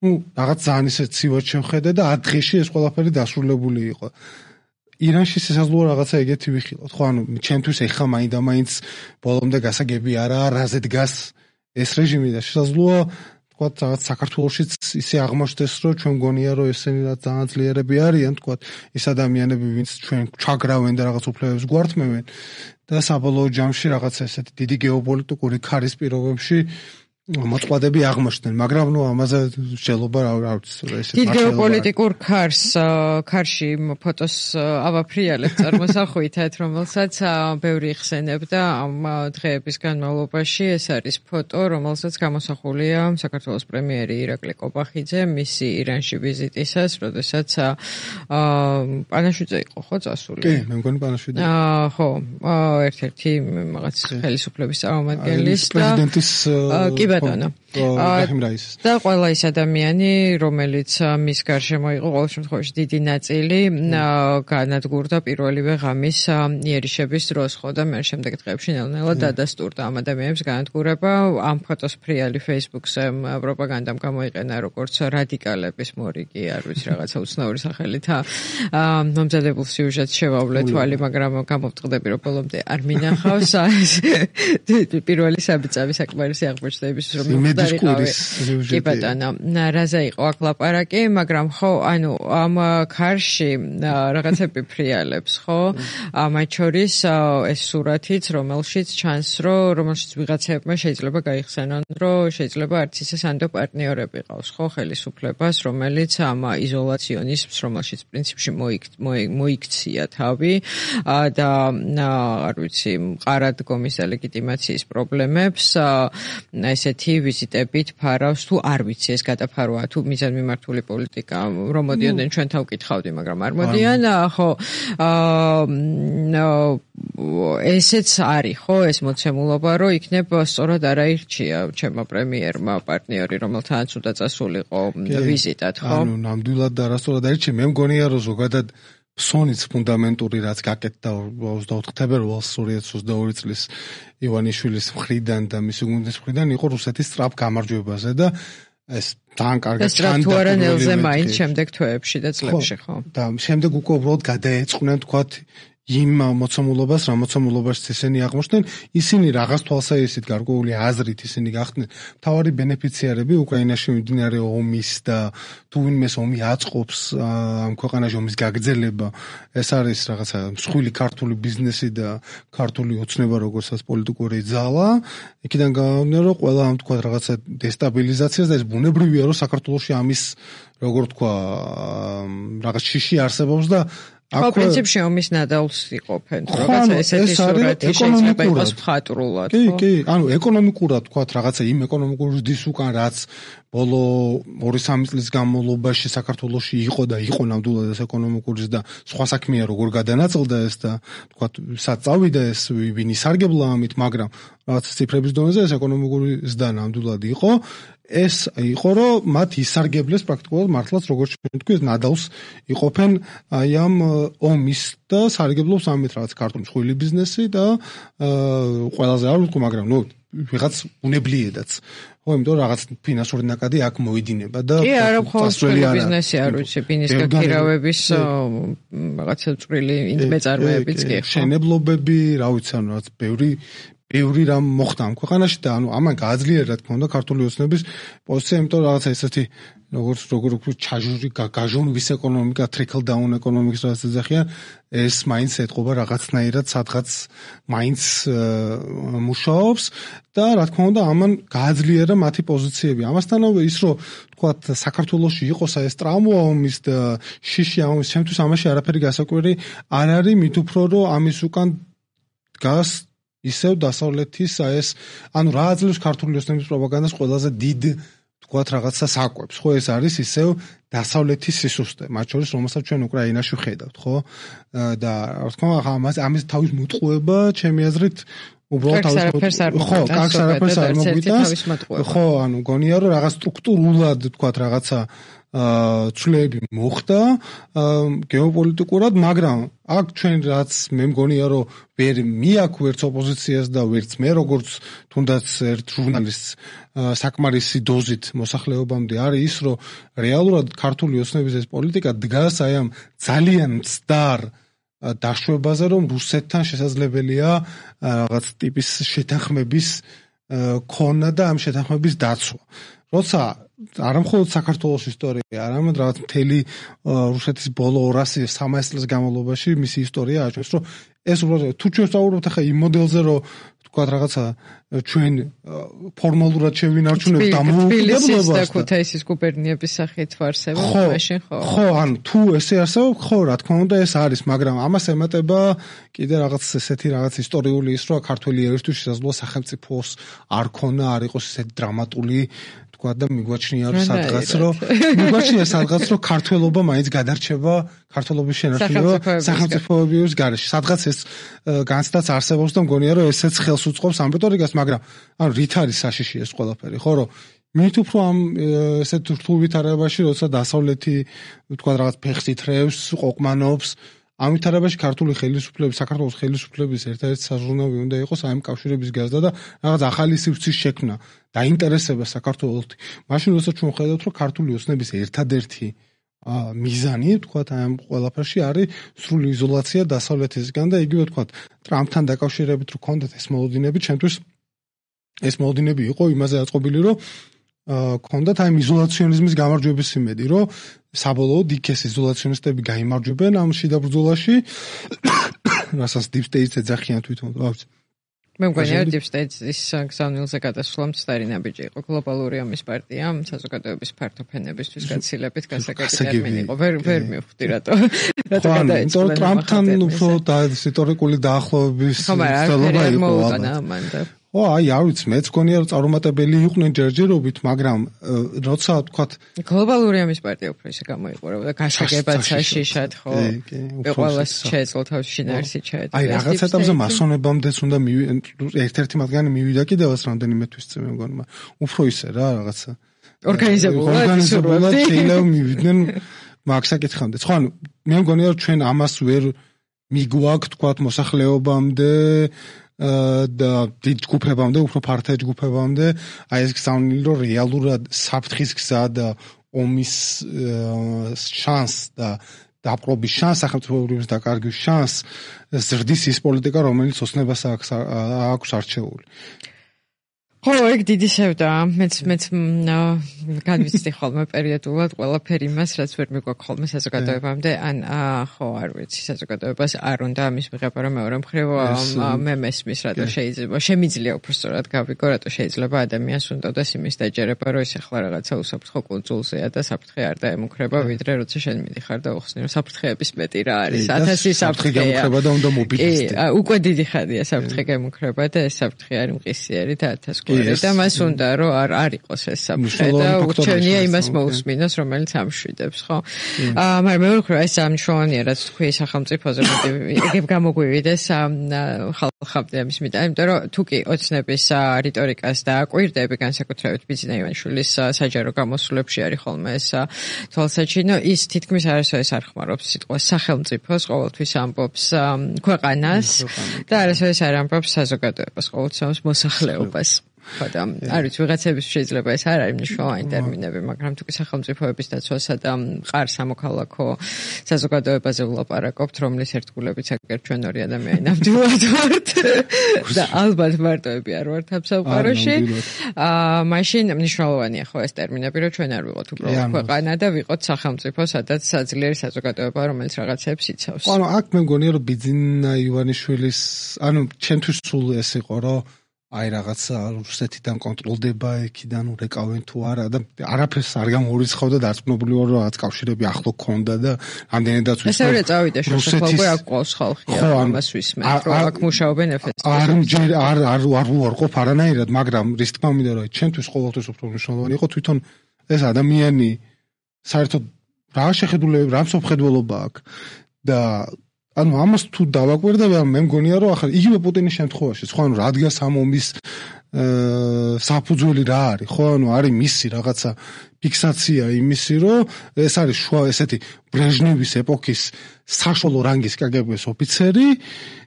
ну რაღაც ძალიან ისე ცივად შევხედე და ათ დღეში ეს ყველაფერი დასრულებული იყო ირანში შესაძლოა რაღაცა ეგეთი ვიხილოთ ხო ანუ ჩემთვის ეხა მაინდა მაინც ბოლომდე გასაგები არა რაზე დგას ეს რეჟიმი და შესაძლოა თქვათ რაღაც საქართველოშიც ისე აღმოჩნდეს, რომ ჩვენ გონია რომ ესენი რა ძალიან ძლიერები არიან, თქვათ ის ადამიანები, ვინც ჩვენ ჩაგრავენ და რაღაც უფლებებს გვართმევენ და საბოლოო ჯამში რაღაც ესეთი დიდი გეოპოლიტიკური ქარის პირობებში მოწყვლადები აღმოჩნდნენ, მაგრამ ნუ ამაზე შეიძლება რა ვიცი ესეთ დიდ გეოპოლიტიკურ ქარს ქარში ფოტოს ავაფრიალებ წარმოსახვითად, რომელსაც ბევრი იხსენებდა ამ დღეების განმავლობაში. ეს არის ფოტო, რომელსაც გამოსახულია საქართველოს პრემიერი ირაკლი კობახიძე მისი ირანში ვიზიტისას, როდესაც პანაშვიდზე იყო ხო წასული? კი, მე მგონი პანაშვიდზე. აა ხო, ერთ-ერთი რაღაც ხელისუფლების წარმომადგენლის და პრეზიდენტის ბატონო. და ყველა ის ადამიანი, რომელიც მის გარშემო იყო, ყოველ შემთხვევაში დიდი ნაწილი განადგურდა პირველივე ღამის იერიშების დროს, ხო და მე შემდეგ დღეებში ნელ-ნელა დადასტურდა ამ ადამიანებს განადგურება. ამ ფოტოს ფრიალი Facebook-ზე პროპაგანდამ გამოიყენა როგორც რადიკალების მორიგი, არ ვიცი რაღაცა უცნაური სახელით მომზადებულ სიუჟეტს შევავლე თვალი, მაგრამ გამოვტყდები, რომ ბოლომდე არ მინახავს. პირველი საბჭავი საკმარისი აღმოჩნდების რომ მოხდარიყავი. კი ბატონო, რაზე იყო აქ ლაპარაკი, მაგრამ ხო, ანუ ამ ქარში რაღაცები ფრიალებს, ხო? მათ შორის ეს სურათიც, რომელშიც ჩანს, რომ რომელშიც ვიღაცებმა შეიძლება გაიხსენონ, რომ შეიძლება არც ისე სანდო პარტნიორები ყავს, ხო, ხელისუფლებას, რომელიც ამ იზოლაციონიზმს, რომელშიც პრინციპში მოიქცია თავი და არ ვიცი, მყარად გომის და ლეგიტიმაციის პრობლემებს ესეთი ვიზიტებით ფარავს, თუ არ ვიცი ეს გადაფარვაა, თუ მიზანმიმართული პოლიტიკა, რომ მოდიოდნენ ჩვენ თავ კითხავდი, მაგრამ არ მოდიან, ხო, ესეც არის, ხო, ეს მოცემულობა, რომ იქნებ სწორად არ აირჩია ჩემმა პრემიერმა პარტნიორი, რომელთანაც უნდა წასულიყო ვიზიტად, ხო? ანუ ნამდვილად და არასწორად აირჩია, მე მგონია, რომ ზოგადად ფსონიც ფუნდამენტური რაც გაკეთდა ოცდაოთხ თებერვალს ორი ათას ოცდაორი წლის ივანიშვილის მხრიდან და მისი გუნდის მხრიდან იყო რუსეთის სწრაფ გამარჯვებაზე და ეს ძალიან კარგად ჩანდა. თუ არა ნელზე მაინც შემდეგ თვეებში და წლებში, ხო? და შემდეგ უკვე უბრალოდ გადაეწყნენ თქვათ იმ მოცემულობას, რა მოცემულობაში ისინი აღმოჩნდნენ, ისინი რაღაც თვალსაჩინით გარკვეული აზრით ისინი გახდნენ მთავარი ბენეფიციარები უკრაინაში მიმდინარე ომის და თუ ვინმეს ომი აწყობს ამ ქვეყანაში ომის გაგრძელება, ეს არის რაღაცა მსხვილი ქართული ბიზნესი და ქართული ოცნება როგორცაც პოლიტიკური ძალა, იქიდან გამომდინარე რომ ყველა ამ თქვა რაღაცა დესტაბილიზაციას და ეს ბუნებრივია რომ საქართველოში ამის როგორ თქვა რაღაც შიში არსებობს და ხო, პრინციპში ომის ნადავლს იყოფენ, რაღაცა ესეთი სურათი შეიძლება იყოს მხატვრულად, ხო? კი, კი, ანუ ეკონომიკურად თქვათ რაღაცა იმ ეკონომიკური ზრდის უკან რაც ბოლო ორი სამი წლის განმავლობაში საქართველოში იყო და იყო ნამდვილად ეს ეკონომიკური ზრდა, სხვა საქმეა როგორ გადანაწილდა ეს და თქვათ სად წავიდა ეს ვინ ისარგებლა ამით, მაგრამ რაღაც ციფრების დონეზე ეს ეკონომიკური ზრდა ნამდვილად იყო. ეს იყო რომ მათ ისარგებლეს პრაქტიკულად მართლაც როგორც ჩვენ თქვი ნადავლს იყოფენ აი ამ ომის და სარგებლობს ამით რაღაც ქართული მსხვილი ბიზნესი და ყველაზე არ ვთქვი, მაგრამ ნუ ვიღაც უნებლიედაც. ხო, იმიტომ რაღაც ფინანსური ნაკადი აქ მოიდინება და კი, არა მხოლოდ ბიზნესი არ ვიცი, ბიზნეს გაქირავების რაღაცა წვრილი ინდმეწარმეებიც კი ხო. შენებლობები, რა ვიცი, ანუ რაღაც ბევრი ბევრი რამ მოხდა ამ ქვეყანაში და ანუ ამან გააძლიერა რა თქმა უნდა ქართული ოცნების პოზიცია, იმიტომ რაღაცა ესეთი როგორც როგორ ვთქვი, ჩაჟური გაჟონვის ეკონომიკა, trickle down ეკონომიკის რაც ეძახიან, ეს მაინც ეთყობა რაღაცნაირად სადღაც მაინც მუშაობს და რა თქმა უნდა ამან გააძლიერა მათი პოზიციები. ამასთანავე ის რომ თქვათ საქართველოში იყოს ეს ტრამვა ომის და შიში ომის, შემთხვევით ამაში არაფერი გასაკვირი არ არის, მით უფრო რომ ამის უკან დგას ისევ დასავლეთის ეს ანუ რა აძლევს ქართული ოცნების პროპაგანდას ყველაზე დიდ თქვათ რაღაცა საკვებს, ხო, ეს არის ისევ დასავლეთის სისუსტე, მათ შორის რომელსაც ჩვენ უკრაინაში ვხედავთ, ხო? და რა თქმა უნდა ამას ამის თავის მოტყუება ჩემი აზრით უბრალოდ თავის მოტყუება ხო, კარგს არაფერს არ მოგვიტანს. ხო, ანუ გონია რომ რაღაც სტრუქტურულად თქვათ რაღაცა ცვლილები მოხდა გეოპოლიტიკურად, მაგრამ აქ ჩვენ რაც მე მგონია რომ ვერ მიაქვს ვერც ოპოზიციას და ვერც მე როგორც თუნდაც ერთ ჟურნალისტს საკმარისი დოზით მოსახლეობამდე არის ის რომ რეალურად ქართული ოცნების ეს პოლიტიკა დგას აი ამ ძალიან მცდარ დაშვებაზე რომ რუსეთთან შესაძლებელია რაღაც ტიპის შეთანხმების ქონა და ამ შეთანხმების დაცვა. როცა არა მხოლოდ საქართველოს ისტორია, არამედ რაღაც მთელი რუსეთის ბოლო ორასი სამასი წლის განმავლობაში მისი ისტორია აჩვენს, რომ ეს უბრალოდ თუ ჩვენ ვსაუბრობთ ახლა იმ მოდელზე, რომ თქვა რაღაცა ჩვენ ფორმალურად შევინარჩუნებთ დამოუკიდებლობას და ქუთაისის გუბერნიების სახით ვარსებობ მაშინ ხო ხო ანუ თუ ესე არსებობ ხო რა თქმა უნდა ეს არის მაგრამ ამას ემატება კიდე რაღაც ესეთი რაღაც ისტორიული ის რომ ქართული ერისთვის შესაძლოა სახელმწიფოს არ ქონა არ იყოს ესეთი დრამატული თქვა და მიგვაჩნია რომ სადღაც რომ მიგვაჩნია სადღაც რომ ქართველობა მაინც გადარჩება ქართველობის შენარჩუნება სახელმწიფოების გარეშე სადღაც ეს განცდაც არსებობს და მგონია რომ ესეც ხელს უწყობს ამ რიტორიკას მაგრამ ანუ რით არის საშიში ეს ყველაფერი ხო რომ მით უფრო ამ ესეთ რთულ ვითარებაში როცა დასავლეთი თქვა რაღაც ფეხს ითრევს ყოყმანობს ამ ვითარებაში ქართული ხელისუფლების საქართველოს ხელისუფლების ერთ-ერთი საზრუნავი უნდა იყოს აი ამ კავშირების გაზრდა და რაღაც ახალი სივრცის შექმნა დაინტერესება საქართველოსთვის მაშინ როცა ჩვენ ხედავთ რომ ქართული ოცნების ერთადერთი მიზანი თქვა აი ამ ყველაფერში არის სრული იზოლაცია დასავლეთისგან და იგივე თქვა ტრამპთან დაკავშირებით რო კონდეთ ეს მოლოდინები ჩემთვის ეს მოლოდინები იყო იმაზე აწყობილი რომ კონდათ აი იზოლაციონიზმის გამარჯვების იმედი რომ საბოლოოდ იქ ეს იზოლაციონისტები გაიმარჯვებენ ამ შიდა ბრძოლაში რასაც deep state-ს ეძახიან თვითონ რა მე მგონია deep state-ის გზავნილზე გადასვლამ სტალინა ბიჭი იყო გლობალური ომის პარტია საზოგადოების ფართო ფენებისთვის გაცილებით გასაგები ტერმინი იყო ვერ ვერ მივხვდი რატო რატო გადაეცვალა ტრამპთან უფრო ისტორიკული დაახლოების ცდელობა იყო ამან ო აი არ ვიცი მეც გონია რომ წარუმატებელი იყვნენ ჯერჯერობით მაგრამ როცა თქვათ გლობალური ომის პარტია უფრო ისე გამოიყურებოდა გასაგებად საშიშად ხო ყველას შეეძლო თავის შინაარსი ჩაედგა აი რაღაც ეტაპზე მასონებამდეც უნდა ერთ-ერთი მათგანი მივიდა კიდევაც რამდენიმე თვის წინ მე მგონია უფრო ისე რა რაღაცა ორგანიზებულად ორგანიზებულად შეიძლება მივიდნენ მაგ საკითხამდე ხო ანუ მე მგონია რომ ჩვენ ამას ვერ მიგვაქვს თქვათ მოსახლეობამდე და დიდ ჯგუფებამდე, უფრო ფართე ჯგუფებამდე, აი ეს გზავნილი რომ რეალურად საფრთხის გზა და ომის შანს და დაპყრობის შანს, სახელმწიფოების დაკარგვის შანს ზრდის ის პოლიტიკა, რომელიც ოცნებას აქვს არჩეული. ხო, ეგ დიდი სევდაა. მეც მეც განვიცდი ხოლმე პერიოდულად ყველაფერი იმას, რაც ვერ მიგვაქვს ხოლმე საზოგადოებამდე, ან ხო, არ ვიცი, საზოგადოებას არ უნდა ამის მიღება, რომ მეორე მხრივ მე მესმის, რატო შეიძლება, შემიძლია უბრალოდ გავიგო, რატო შეიძლება ადამიანს უნდადეს იმის დაჯერება, რომ ეს ახლა რაღაცა უსაფრთხო კუნძულზეა და საფრთხე არ დაემუქრება, ვიდრე როცა შენ მიდიხარ და უხსნი, რომ საფრთხეების მეტი რა არის, ათასი საფრთხე გემუქრება და უნდა მობილიზდე. კი, უკვე დიდი ხანია საფრთხე გემუქრება და ეს საფრთხე არის მყისიერი და ათას და მას უნდა რომ არ არ იყოს ეს საფრთხე და უჩვენია იმას მოусმინოს რომელიც ამშვიდებს ხო აა მაგრამ მეორე მხრივ ეს ამშვენია რაც თქვი სახელმწიფოზე ეგებ გამოგვივიდეს ხალხამდე ამის მიტა იმიტომ რომ თუ კი ოცნების რიტორიკას და აკვირდები განსაკუთრებით ბიძინა ივანიშვილის საჯარო გამოსვლებში არის ხოლმე ეს თვალსაჩინო ის თითქმის არასოდეს არ ხმარობს სიტყვას სახელმწიფოს ყოველთვის ამბობს ქვეყანას და არასოდეს არ ამბობს საზოგადოებას ყოველთვის მოსახლეობას ხო და არ ვიცი ვიღაცების შეიძლება ეს არ არის მნიშვნელოვანი ტერმინები მაგრამ თუ კი სახელმწიფოების დაცვასა და მყარ სამოქალაქო საზოგადოებაზე ვლაპარაკობთ რომლის ერთგულებიც აგერ ჩვენ ორი ადამიანი ნამდვილად ვართ და ალბათ მარტოები არ ვართ ამ სამყაროში აა მაშინ მნიშვნელოვანია ხო ეს ტერმინები რომ ჩვენ არ ვიყოთ უბრალოდ ქვეყანა და ვიყოთ სახელმწიფო სადაც საძლიერი საზოგადოება რომელიც რაღაცებს იცავს ანუ აქ მე მგონია რომ ბიძინა ივანიშვილის ანუ ჩემთვის სულ ეს იყო რომ აი რაღაცა რუსეთიდან კონტროლდება იქიდან ურეკავენ თუ არა და არაფერს არ გამორიცხავდა დარწმუნებული ვარ რომ რაღაც კავშირები ახლო ქონდა და ამდენადაც ვიცი ესე რა წავიდა შესაძლოა აქ ყავს ხალხი ამას ვისმენთ რომ აქ მუშაობენ ეფესში არ არ არ არ უარყოფ არანაირად მაგრამ რის თქმა უნდა რომ ჩემთვის ყოველთვის უფრო მნიშვნელოვანი იყო თვითონ ეს ადამიანი საერთოდ რა შეხედულები რა მსოფლმხედველობა აქვს და ანუ ამას თუ დავაკვირდები, მე მგონია რომ ახლა იგივე პუტინის შემთხვევაში, ხო ანუ რადგან ამ ომის საფუძველი რა არის, ხო ანუ არის მისი რაღაცა ფიქსაცია იმისი, რომ ეს არის შუა ესეთი ბრეჟნევის ეპოქის საშუალო რანგის კგბ-ის ოფიცერი,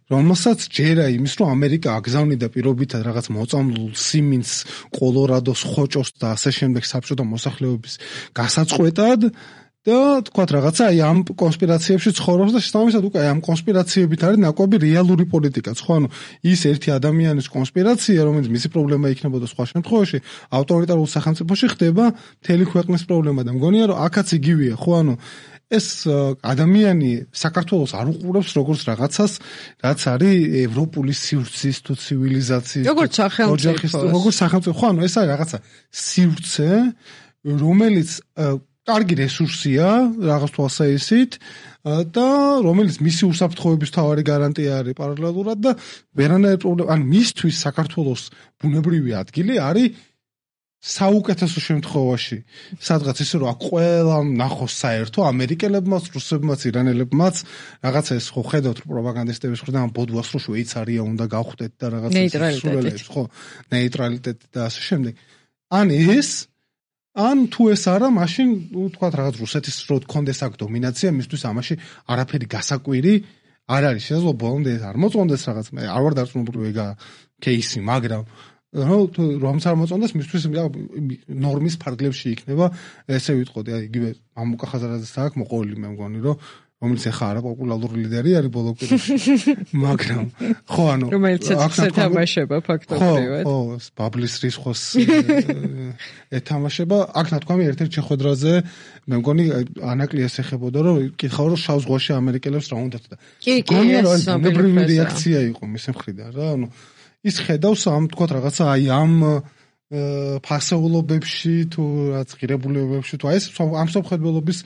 რომელსაც ჯერა იმის, რომ ამერიკა აგზავნიდა პირობითად რაღაც მოწამლულ სიმინს, კოლორადოს, ხოჭოს და ასე შემდეგ საბჭოთა მოსახლეობის გასაწყვეტად და თქვათ რაღაცა აი ამ კონსპირაციებში ცხოვრობს და შესაბამისად უკვე აი ამ კონსპირაციებით არის ნაკვები რეალური პოლიტიკაც, ხო? ანუ ის ერთი ადამიანის კონსპირაცია, რომელიც მისი პრობლემა იქნებოდა სხვა შემთხვევაში, ავტორიტარულ სახელმწიფოში ხდება მთელი ქვეყნის პრობლემა და მგონია რომ აქაც იგივეა, ხო? ანუ ეს ადამიანი საქართველოს არ უყურებს როგორც რაღაცას, რაც არის ევროპული სივრცის თუ ცივილიზაციის როგორც სახელმწიფოს, როგორც სახელმწიფო, ხო, ანუ ეს არის რაღაცა სივრცე, რომელიც კარგი რესურსია რაღაც თვალსაჩინით და რომელიც მისი უსაფრთხოების თავარი გარანტია არის პარალელურად და ვერანაირ პრობლემა, ან მისთვის საქართველოს ბუნებრივი ადგილი არის საუკეთესო შემთხვევაში სადღაც ისე რომ აქ ყველა ნახოს საერთო ამერიკელებმაც, რუსებმაც, ირანელებმაც რაღაცა ეს ხო ხედავთ რომ პროპაგანდისტების მხრიდან ბოდვას რო შვეიცარია უნდა გავხდეთ და რაღაცა ნეიტრალიტეტით ხო ნეიტრალიტეტი და ასე შემდეგ. ან ეს ან თუ ეს არა, მაშინ თქვა რაღაც რუსეთის რო გქონდეს აქ დომინაცია, მისთვის ამაში არაფერი გასაკვირი არ არის. შესაძლოა ბოლომდე არ მოწონდეს რაღაც, მე არ ვარ დარწმუნებული ეგა кейსი, მაგრამ რომ არ მოწონდეს, მისთვის ნორმის ფარგლებში იქნება, ესე ვიტყოდი, აი იგივე მამუკა ხაზარაძეს აქვს მოყოლილი, მე მგონი, რომ რომელიც ახლა არა პოპულარული ლიდერი არის ბოლო პერიოდში, მაგრამ ხო, ანუ რომელიც ეთამაშება ფაქტობრივად. ხო, ხო, ბაბლის რისხოს ეთამაშება, აქ ნათქვამი ერთ-ერთ შეხვედრაზე, მე მგონი ანაკლიას ეხებოდა, რომ კითხავ რომ შავ ზღვაში ამერიკელებს რა უნდათ და კი, კი, ეს ბუნებრივი რეაქცია იყო მის მხრიდან რა, ანუ ის ხედავს ამ თქვა რაღაცა აი ამ ფასეულობებში თუ რაც ღირებულებებში თუ აი ეს ამ სამხედროების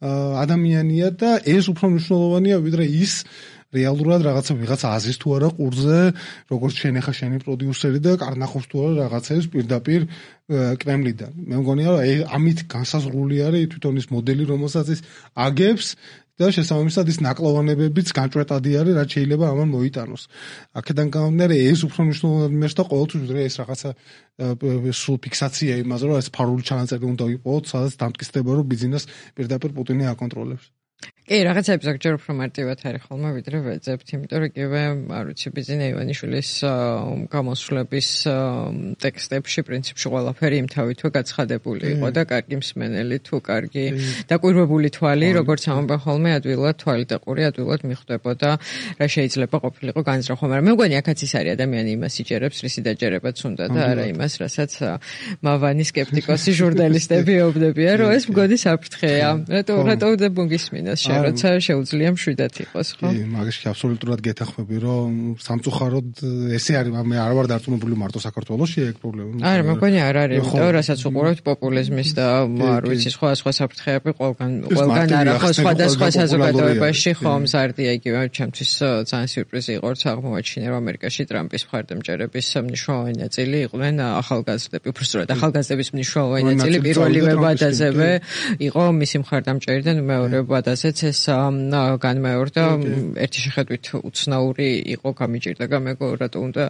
ადამიანია და ეს უფრო მნიშვნელოვანია ვიდრე ის რეალურად რაღაცა ვიღაცა აზის თუ არა ყურზე როგორც შენ ახლა შენი პროდიუსერი და კარნახობს თუ არა რაღაცებს პირდაპირ კრემლიდან. მე მგონია რომ ამით განსაზღვრული არის თვითონ ის მოდელი რომელსაც ის აგებს და შესაბამისად ის ნაკლოვანებებიც განჭვეტადი არის, რაც შეიძლება ამან მოიტანოს. აქედან გამომდინარე ეს უფრო მნიშვნელოვანი მერს და ყოველთვის ვიდრე ეს რაღაცა სულ ფიქსაცია იმაზე, რომ ეს ფარული ჩანაწერი უნდა იყოს, სადაც დამტკიცდება, რომ ბიზნეს პირდაპირ პუტინი აკონტროლებს. კი, რაღაცები ზოგჯერ უფრო მარტივად არის ხოლმე ვიდრე ვეძებთ, იმიტომ რომ იგივე, არ ვიცი, ბიზნე ივანიშვილის გამოსვლების ტექსტებში პრინციპში ყველაფერი იმ თავითვე გაცხადებული იყო და კარგი მსმენელი თუ კარგი დაკვირვებული თვალი, როგორც ამბობენ ხოლმე, ადვილად თვალი და ყური ადვილად მიხვდებოდა რა შეიძლება ყოფილიყო განზრახვა, მაგრამ მე მგონი აქაც ის არის ადამიანი იმას იჯერებს, რისი დაჯერებაც უნდა და არა იმას, რასაც მავანი სკეპტიკოსი ჟურნალისტები ეუბნებიან, რომ ეს მგონი საფრთხეა. რატო რატო უნდა მოგისმინოს როცა შეუძლია მშვიდად იყოს, ხო? კი, მაგაში აბსოლუტურად გეთანხმები, რომ სამწუხაროდ ესე არის, მე არ ვარ დარწმუნებული მარტო საქართველოში ეგ პრობლემა. არა, მეგონი არ არის, იმიტომ რასაც უყურებთ პოპულიზმის და არ ვიცი, სხვა სხვა საფრთხეები ყველგან ყველგან არა, ხო, სხვადასხვა საზოგადოებაში ხო მზარდია იგივე, ჩემთვის ძალიან სიურპრიზი იყო, რომ აღმოაჩინე, რომ ამერიკაში ტრამპის მხარდამჭერების მნიშვნელოვანი ნაწილი იყვნენ ახალგაზრდები, უბრალოდ ახალგაზრდების მნიშვნელოვანი ნაწილი პირველივე ვადაზევე იყო მისი მხარდამჭერი და მეორე ვადაზეც ეს განმეორდა ერთი შეხედვით უცნაური იყო გამიჭირდა გამეგო რატო უნდა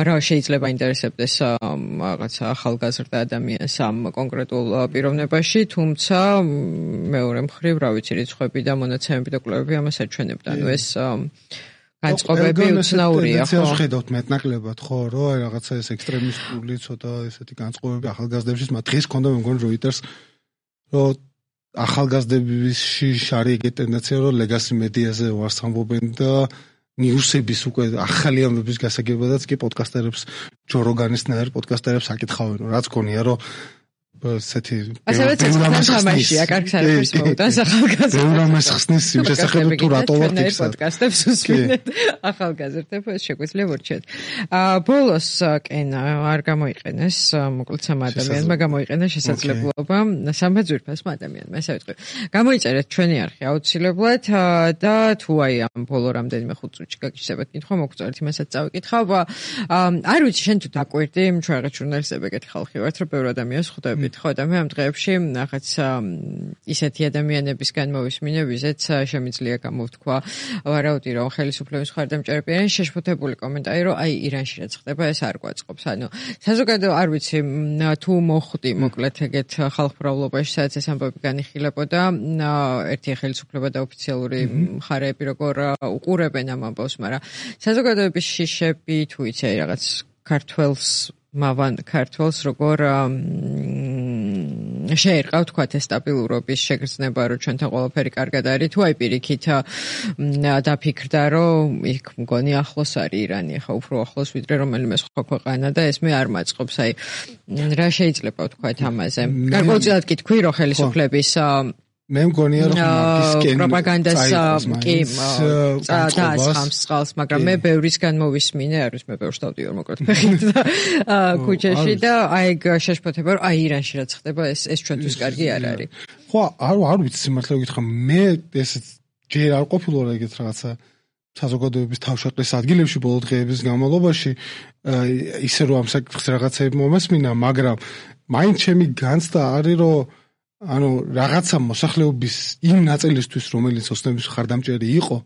რა შეიძლება ინტერესებდეს რაღაცა ახალგაზრდა ადამიანს ამ კონკრეტულ პიროვნებაში, თუმცა მეორე მხრივ რა ვიცი რიცხვები და მონაცემები და კვლევები ამას აჩვენებდა. ანუ ეს განწყობები უცნაურია, ხო? ხედავთ მეტნაკლებად, ხო, რომ რაღაცა ეს ექსტრემისტული ცოტა ესეთი განწყობები ახალგაზრდებში, მაგრამ დღეს ქონდა მე მგონი Reuters რომ ახალგაზრდებისში არის ეგეთი ტენდენცია, რომ ლეგასი მედიაზე ვარს ამბობენ და ნიუსების უკვე ახალი ამბების გასაგებადაც კი პოდკასტერებს, ჯო როგანისნაირ პოდკასტერებს აკითხავენ, რაც გონია, რომ ესეთი ასევე ცეცხლთან თამაშია, კარგ საერთოს მოუტანს ახალგაზრდებს. ბევრამას ხსნის იმ შესახებ თუ რატო ვარ ფიქსა. პოდკასტებს უსმენთ ახალგაზრდებს შეგვიძლია ვორჩეთ. აა ბოლოს კენ არ გამოიყენეს, მოკლედ სამ ადამიანმა გამოიყენა შესაძლებლობა სამბა ძვირფასმა ადამიანმა, ესე ვიტყვი. გამოიწერეთ ჩვენი არხი აუცილებლად და თუ აი ამ ბოლო რამდენიმე ხუთ წუთში გაგიჩნდებათ კითხვა, მოგწოდეთ იმასაც წავიკითხავ. არ ვიცი, შენ თუ დაკვირდი, ჩვენ რაღაც ჟურნალისტები ეგეთი ხალხი ვართ, რომ ბევრ ადამიანს ხვდები ხო და მე ამ დღეებში რაღაც ისეთი ადამიანებისგან მოვისმინე, ვიზეც შემიძლია გამოვთქვა ვარაუდი რომ ხელისუფლების მხარდამჭერები არიან, შეშფოთებული კომენტარი რომ აი ირანში რაც ხდება ეს არ გვაწყობს. ანუ საზოგადო არ ვიცი თუ მოხვდი მოკლედ ეგეთ ხალხმრავლობაში სადაც ეს ამბები განიხილებოდა, ერთი ხელისუფლება და ოფიციალური მხარეები როგორ უყურებენ ამ ამბავს, მაგრამ საზოგადოების შიშები თუ იცი აი რაღაც ქართველს მავან ქართველს როგორ შეერყავ თქვათ ეს სტაბილურობის შეგრძნება, რომ ჩვენთან ყველაფერი კარგად არის, თუ აი პირიქით დაფიქრდა, რომ იქ მგონი ახლოს არის ირანი, ახლა უფრო ახლოს ვიდრე რომელიმე სხვა ქვეყანა და ეს მე არ მაწყობს, აი რა შეიძლება ვთქვათ ამაზე. გარკვეულწილად კი თქვი, რომ ხელისუფლების მე მგონია რომ მაგისკენ პროპაგანდას კი დაასხამს წყალს, მაგრამ მე ბევრისგან მოვისმინე, არის მე ბევრს დავდივარ მოკლედ ფეხით ქუჩაში და აი შეშფოთება რომ აი ირანში რაც ხდება ეს ეს ჩვენთვის კარგი არ არის. ხო, არ არ ვიცი სიმართლე გითხრა, მე ეს ჯერ არ ყოფილა ეგეთ რაღაცა საზოგადოების თავშეყრის ადგილებში ბოლო დღეების განმავლობაში ისე რომ ამ საკითხს რაღაცები მომესმინა, მაგრამ მაინც ჩემი განცდა არის რომ ანუ რაღაცა მოსახლეობის იმ ნაწილისთვის, რომელიც ოსნების ხარდამჭერი იყო,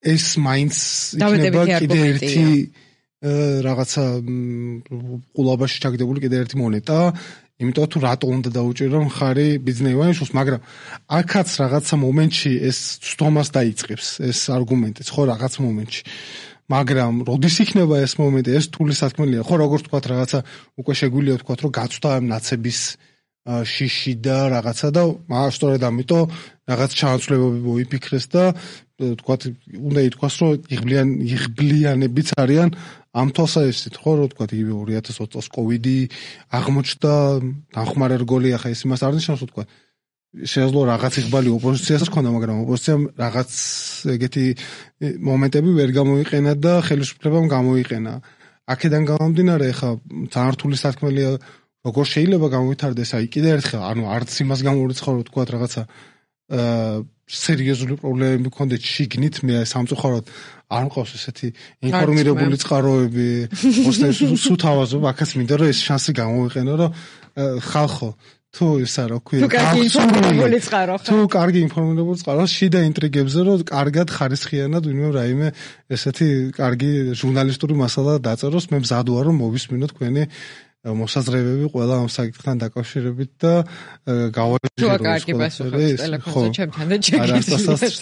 ეს მაინც იქნება კიდე ერთი რაღაცა ყულაბაში ჩაგდებული კიდე ერთი მონეტა, იმიტომ თუ რატო უნდა დაუჭირო მხარი ბიზნესმენებს, მაგრამ აქაც რაღაცა მომენტში ეს ცდომას დაიწყებს, ეს არგუმენტიც, ხო, რაღაც მომენტში. მაგრამ როდის იქნება ეს მომენტი, ეს თული სათქმელია, ხო, როგორც თქვა რაღაცა უკვე შეგვიძლია თქვა, რომ გაწვდა ამ ნაცების შიში და რაღაცა და სწორედ ამიტომ რაღაც ჩანაცვლებები მოიფიქრეს და თქვა უნდა ითქვას რომ იღბლიან იღბლიანებიც არიან ამ თვალსაზრისით, ხო, რომ თქვა იგივე ორი ათას ოცი წელს კოვიდი აღმოჩნდა, დახმარე რგოლი, ახლა ეს იმას არ ნიშნავს, რომ თქვა შეიძლება რაღაც იღბალი ოპოზიციას ჰქონდა, მაგრამ ოპოზიციამ რაღაც ეგეთი მომენტები ვერ გამოიყენა და ხელისუფლებამ გამოიყენა. აქედან გამომდინარე, ახლა ძალიან რთული სათქმელია როგორ შეიძლება გამოვითარდეს, აი კიდე ერთხელ, ანუ არც იმას გამორიცხავ, რომ თქვა რაღაცა აა სერიოზული პრობლემები გქონდეთ შიგნით, მე სამწუხაროდ არ მყავს ესეთი ინფორმირებული წყაროები, ოსნებს სულ თავაზობ, აქაც მინდა რომ ეს შანსი გამოვიყენო, რომ ხალხო თუ ისა რა ქვია, ინფორმირებული წყარო ხარ. თუ კარგი ინფორმირებული წყარო, შიდა ინტრიგებზე, რომ კარგად ხარისხიანად ვინმე რაიმე ესეთი კარგი ჟურნალისტური მასალა დაწეროს, მე მზად ვარ რომ მოვისმინო თქვენი მოსაზრებები ყველა ამ საკითხთან დაკავშირებით და გავაჟირო ეს კარგი პასუხი ტელეფონზე ჩემთან და ჩეკით.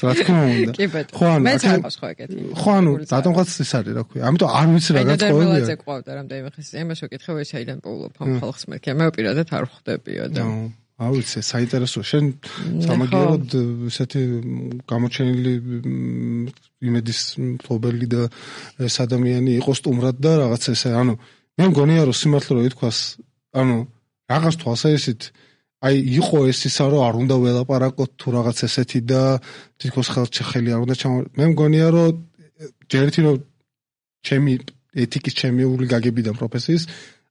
რა თქმა უნდა. ხო, ანუ მე წამოს ხო ეგეთი. ხო, ანუ რატომღაც ეს არის, რა ქვია. ამიტომ არ ვიცი რა გაწყობია. და მელაძე ყავდა რამდენიმე ხის იმას ვეკითხე, ეს აიდან პოულობ ამ ხალხს მერქე. მე პირადად არ ხვდებია და არ ვიცი, საინტერესოა. შენ სამაგიეროდ ესეთი გამოჩენილი იმედის მფლობელი და ეს ადამიანი იყო სტუმრად და რაღაც ესე, ანუ მე მგონია რომ სიმართლე რო ითქვას, ანუ რაღაც თვალსაზრისით აი იყო ეს ისა რომ არ უნდა ველაპარაკოთ თუ რაღაც ესეთი და თითქოს ხელჩეხელი არ უნდა ჩამ მე მგონია რომ ჯერეთი რომ ჩემი ეთიკის ჩემიური გაგებიდან პროფესიის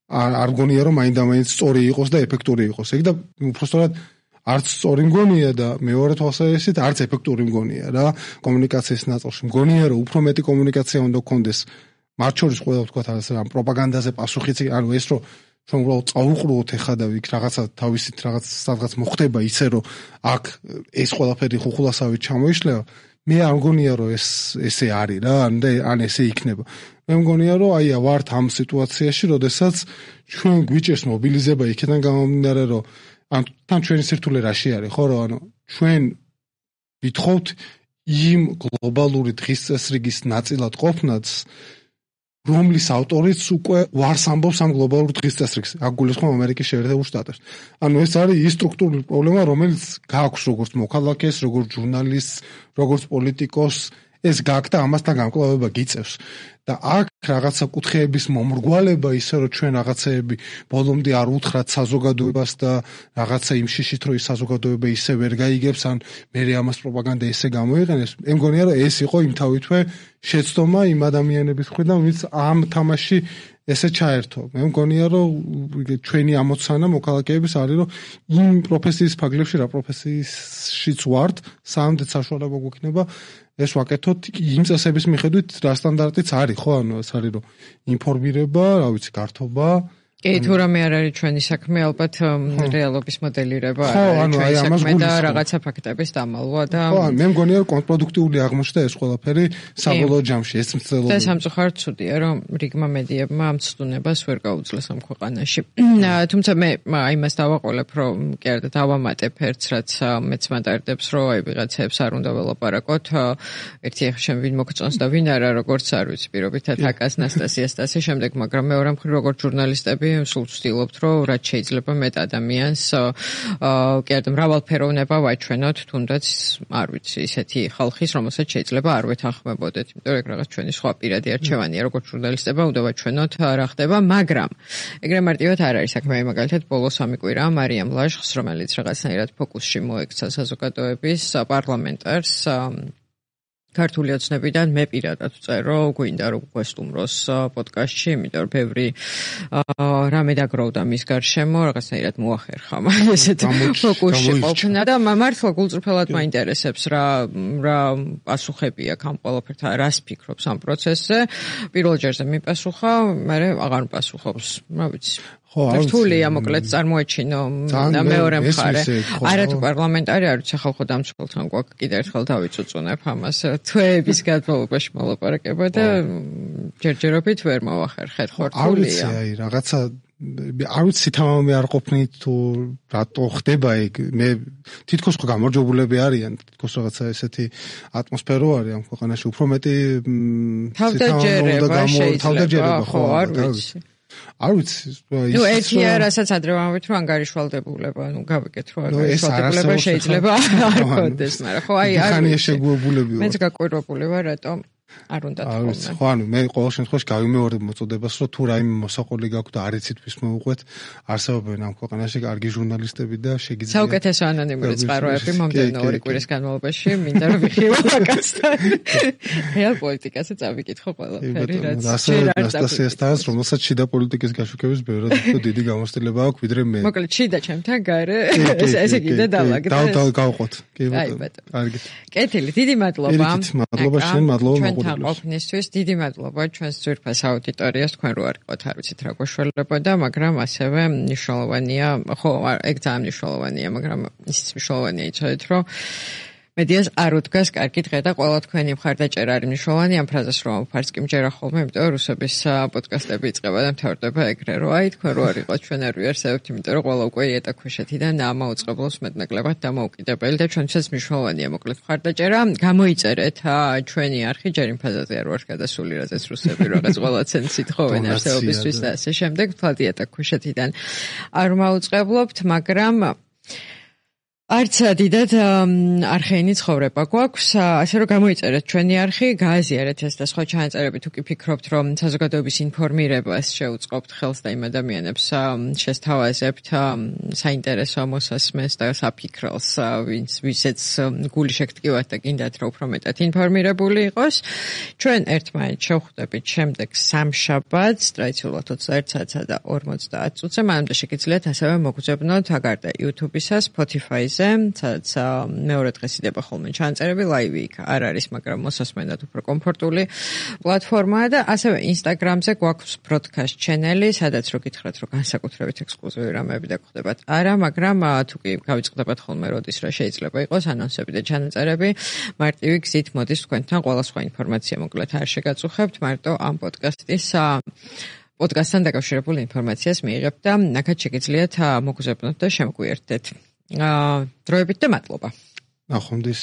არ მგონია რომ მაინდა-მაინც სწორი იყოს და ეფექტური იყოს. ეგ და უბრალოდ არც სწორი მგონია და მეორე თვალსაზრისით არც ეფექტური მგონია რა კომუნიკაციის ნაწილში. მგონია რომ უფრო მეტი კომუნიკაცია უნდა გქონდეს მათ შორის ყველა ვთქვათ ამ პროპაგანდაზე პასუხიც, ანუ ეს რომ რომ უბრალოდ წაუყრუოთ ეხა და იქ რაღაცა თავისით რაღაც სადღაც მოხდება ისე რომ აქ ეს ყველაფერი ხუხულასავით ჩამოიშლება, მე არ მგონია რომ ეს ესე არის რა, ან ესე იქნება. მე მგონია რომ აი ვართ ამ სიტუაციაში, როდესაც ჩვენ გვიჭერს მობილიზება იქიდან გამომდინარე, რომ ან თან ჩვენი სირთულე რაში არის, ხო, რომ ანუ ჩვენ ვითხოვთ იმ გლობალური დღის წესრიგის ნაწილად ყოფნაც, რომლის ავტორიც უკვე ვარს ამბობს ამ გლობალურ დღის წესრიგს. აქ გულისხმობ ამერიკის შეერთებულ შტატებს. ანუ ეს არის ის სტრუქტურული პრობლემა, რომელიც გააქვს როგორც მოქალაქეს, როგორც ჟურნალისტს, როგორც პოლიტიკოსს, ეს გააქვს და ამასთან გამკლავება გიწევს. და აქ რაღაცა კუთხეების მომრგვალება ისე რომ ჩვენ რაღაცეები ბოლომდე არ უთხრათ საზოგადოებას და რაღაცა იმ შიშით რომ ის საზოგადოება ისე ვერ გაიგებს, ან მე ამას პროპაგანდა ესე გამოიყენებს. მე მგონია რომ ეს იყო იმთავითვე შეცდომა იმ ადამიანების მხრიდან, ვინც ამ თამაში ესე ჩაერთო. მე მგონია რომ ჩვენი ამოცანა მოქალაქეების არის რომ იმ პროფესიის ფარგლებში რა პროფესიისშიც ვართ, სამდე საშუალება გვექნება ეს ვაკეთოთ იმ წესების მიხედვით რა სტანდარტიც არის, ხო, ანუ ეს არის რომ ინფორმირება, რა ვიცი, გართობა. კი, თუ რამე არ არის ჩვენი საქმე, ალბათ რეალობის მოდელირება არის ჩვენი საქმე და რაღაცა ფაქტების დამალვა და ხო, მე მგონია რომ კონტრპროდუქტიული აღმოჩნდა ეს ყველაფერი საბოლოო ჯამში, ეს მცდელობა. და სამწუხაროდ ცუდია, რომ რიგმა მედიებმა ამ ცდუნებას ვერ გაუძლეს ამ ქვეყანაში. თუმცა მე იმას დავაყოლებ, რომ კი არა და დავამატებ ერთს, რაც მეც მატარდებს, რომ აი ვიღაცებს არ უნდა ველაპარაკოთ. ერთი ახლა შენ ვინ მოგწონს და ვინ არა, როგორც არ ვიცი, პირობითად აკას ნასტასიას და ასე შემდეგ, მაგრამ მეორე მხრივ როგორც ჟურნალისტები ვარსკვლავი, სულ ვცდილობთ, რომ რაც შეიძლება მეტ ადამიანს კი არა მრავალფეროვნება ვაჩვენოთ, თუნდაც არ ვიცი, ისეთი ხალხის, რომელსაც შეიძლება არ ვეთანხმებოდეთ, იმიტომ რომ რაღაც ჩვენი სხვა პირადი არჩევანია, როგორც ჟურნალისტებმა უნდა ვაჩვენოთ რა ხდება, მაგრამ ეგრე მარტივად არ არის საქმე, მაგალითად ბოლო სამი კვირა მარიამ ლაშხს, რომელიც რაღაცნაირად ფოკუსში მოექცა საზოგადოების პარლამენტარს ქართული ოცნებიდან მე პირადად ვწერო, გვინდა რომ გვესტუმროს პოდკასტში, იმიტომ რომ ბევრი რამე დაგროვდა მის გარშემო, რაღაცნაირად მოახერხა მაგ ესეთ ფოკუსში ყოფნა და მართლა გულწრფელად მაინტერესებს რა რა პასუხები აქვს ამ ყველაფერთან, რას ფიქრობს ამ პროცესზე. პირველ ჯერზე მიპასუხა, მაგრამ აღარ მპასუხობს, რა ვიცი. ხო, რთულია მოკლედ წარმოეჩინო და მეორე მხარე. არათუ პარლამენტარი არ ვიცი ხალხო დამცველთან გვაქვს კიდე ერთხელ დავიწუწუნებ ამას. თვეების განმავლობაში მოლაპარაკება და ჯერჯერობით ვერ მოვახერხეთ, ხო რთულია. არ ვიცი, აი რაღაცა არ ვიცი თამამი არ ყოფნით თუ რატო ხდება ეგ. მე თითქოს ხო გამარჯვებულები არიან, თითქოს რაღაცა ესეთი ატმოსფერო არის ამ ქვეყანაში, უფრო მეტი თავდაჯერება შეიძლება, ხო, არ ვიცი. არ ვიცი, ნუ ერთია, რასაც ადრე ვამბობთ, რომ ანგარიშვალდებულება, ნუ გავიგეთ, რომ ანგარიშვალდებულება შეიძლება არ გქონდეს, მაგრამ ხო აი არ ვიცი. შეგუებულები ვარ. მეც გაკვირვებული ვარ, რატომ არ უნდა თქვა. ხო, ანუ მე ყოველ შემთხვევაში გავიმეორებ მოწოდებას, რომ თუ რაიმე მოსაყოლი გაქვთ და არ იცით ვის მოუყვეთ, არსებობენ ამ ქვეყანაში კარგი ჟურნალისტები და შეგიძლიათ საუკეთესო ანონიმური წყაროები მომდევნო ორი კვირის განმავლობაში მინდა რომ ვიხილო მაგასთან. რეალ პოლიტიკაზე წავიკითხო ყველაფერი, რაც ჯერ არ დასწრეს, რომელსაც შიდა პოლიტიკის გაშუქების ბევრად უფრო დიდი გამოცდილება აქვს ვიდრე მე. მოკლედ შიდა ჩემთან გარე ესე კიდე დავაგდე. და გავყოთ. კი ბატონო. კარგით. კეთილი, დიდი მადლობა. მადლობა შენ, მადლობა ჩვენთან ყოფნისთვის, დიდი მადლობა ჩვენს ძვირფას აუდიტორიას, თქვენ რო არ იყოთ, არ ვიცით რა გვაშველებოდა, მაგრამ ასევე მნიშვნელოვანია, ხო, ეგ ძალიან მნიშვნელოვანია, მაგრამ ისიც მნიშვნელოვანია იცოდეთ, რომ მედიას არ უდგას კარგი დღე და ყველა თქვენი მხარდაჭერა არის მნიშვნელოვანი. ამ ფრაზას რომ ვფარს კი მჯერა ხოლმე, იმიტომ რომ რუსების პოდკასტები იწყება და მთავრდება ეგრე, რომ აი თქვენ რო არ იყოთ, ჩვენ არ ვიარსებთ, იმიტომ რომ ყველა უკვე იატაკქვეშეთიდან ამოუწყებლობს მეტნაკლებად დამოუკიდებელი და ჩვენთვისაც მნიშვნელოვანია მოკლედ მხარდაჭერა. გამოიწერეთ ჩვენი არხი, ჯერ იმ ფაზაზე არ ვარ გადასული, რაზეც რუსები რაღაც ყველა ცენს ითხოვენ არსებობისთვის და ასე შემდეგ, თვალ იატაკქვეშეთიდან არ მოუწყებლობთ, მაგრამ არც დიდად არხეინი ცხოვრება გვაქვს, ასე რომ გამოიწერეთ ჩვენი არხი, გააზიარეთ ეს და სხვა ჩანაწერები თუ კი ფიქრობთ, რომ საზოგადოების ინფორმირებას შეუწყობთ ხელს და იმ ადამიანებს შესთავაზებთ საინტერესო მოსასმენს და საფიქროს, ვინც ვისაც გული შეგტკივათ და გინდათ რომ უფრო მეტად ინფორმირებული იყოს. ჩვენ ერთმანეთს შევხვდებით შემდეგ სამშაბათს, ტრადიციულად ოცდაერთ საათსა და ორმოცდაათ წუთზე, მანამდე შეგიძლიათ ასევე მოგზავნოთ აგარდა YouTube-ისა, Spotify-ზე, სადაც მეორე დღეს იდება ხოლმე ჩანაწერები, ლაივი იქ არ არის, მაგრამ მოსასმენად უფრო კომფორტული პლატფორმაა და ასევე Instagram-ზე გვაქვს broadcast channel-ი, სადაც რო გითხრათ, რომ განსაკუთრებით ექსკლუზივი რამეები დაგხვდებათ. არა, მაგრამ თუ კი გავიწყდებათ ხოლმე როდის რა შეიძლება იყოს ანონსები და ჩანაწერები, მარტივი გზით მოდის თქვენთან ყველა სხვა ინფორმაცია მოკლედ არ შეგაწუხებთ, მარტო ამ პოდკასტის პოდკასტთან დაკავშირებული ინფორმაციას მიიღებთ და ნახეთ შეგიძლიათ მოგზავნოთ და შემოგვიერთდეთ. დროებით და მადლობა. ნახვამდის.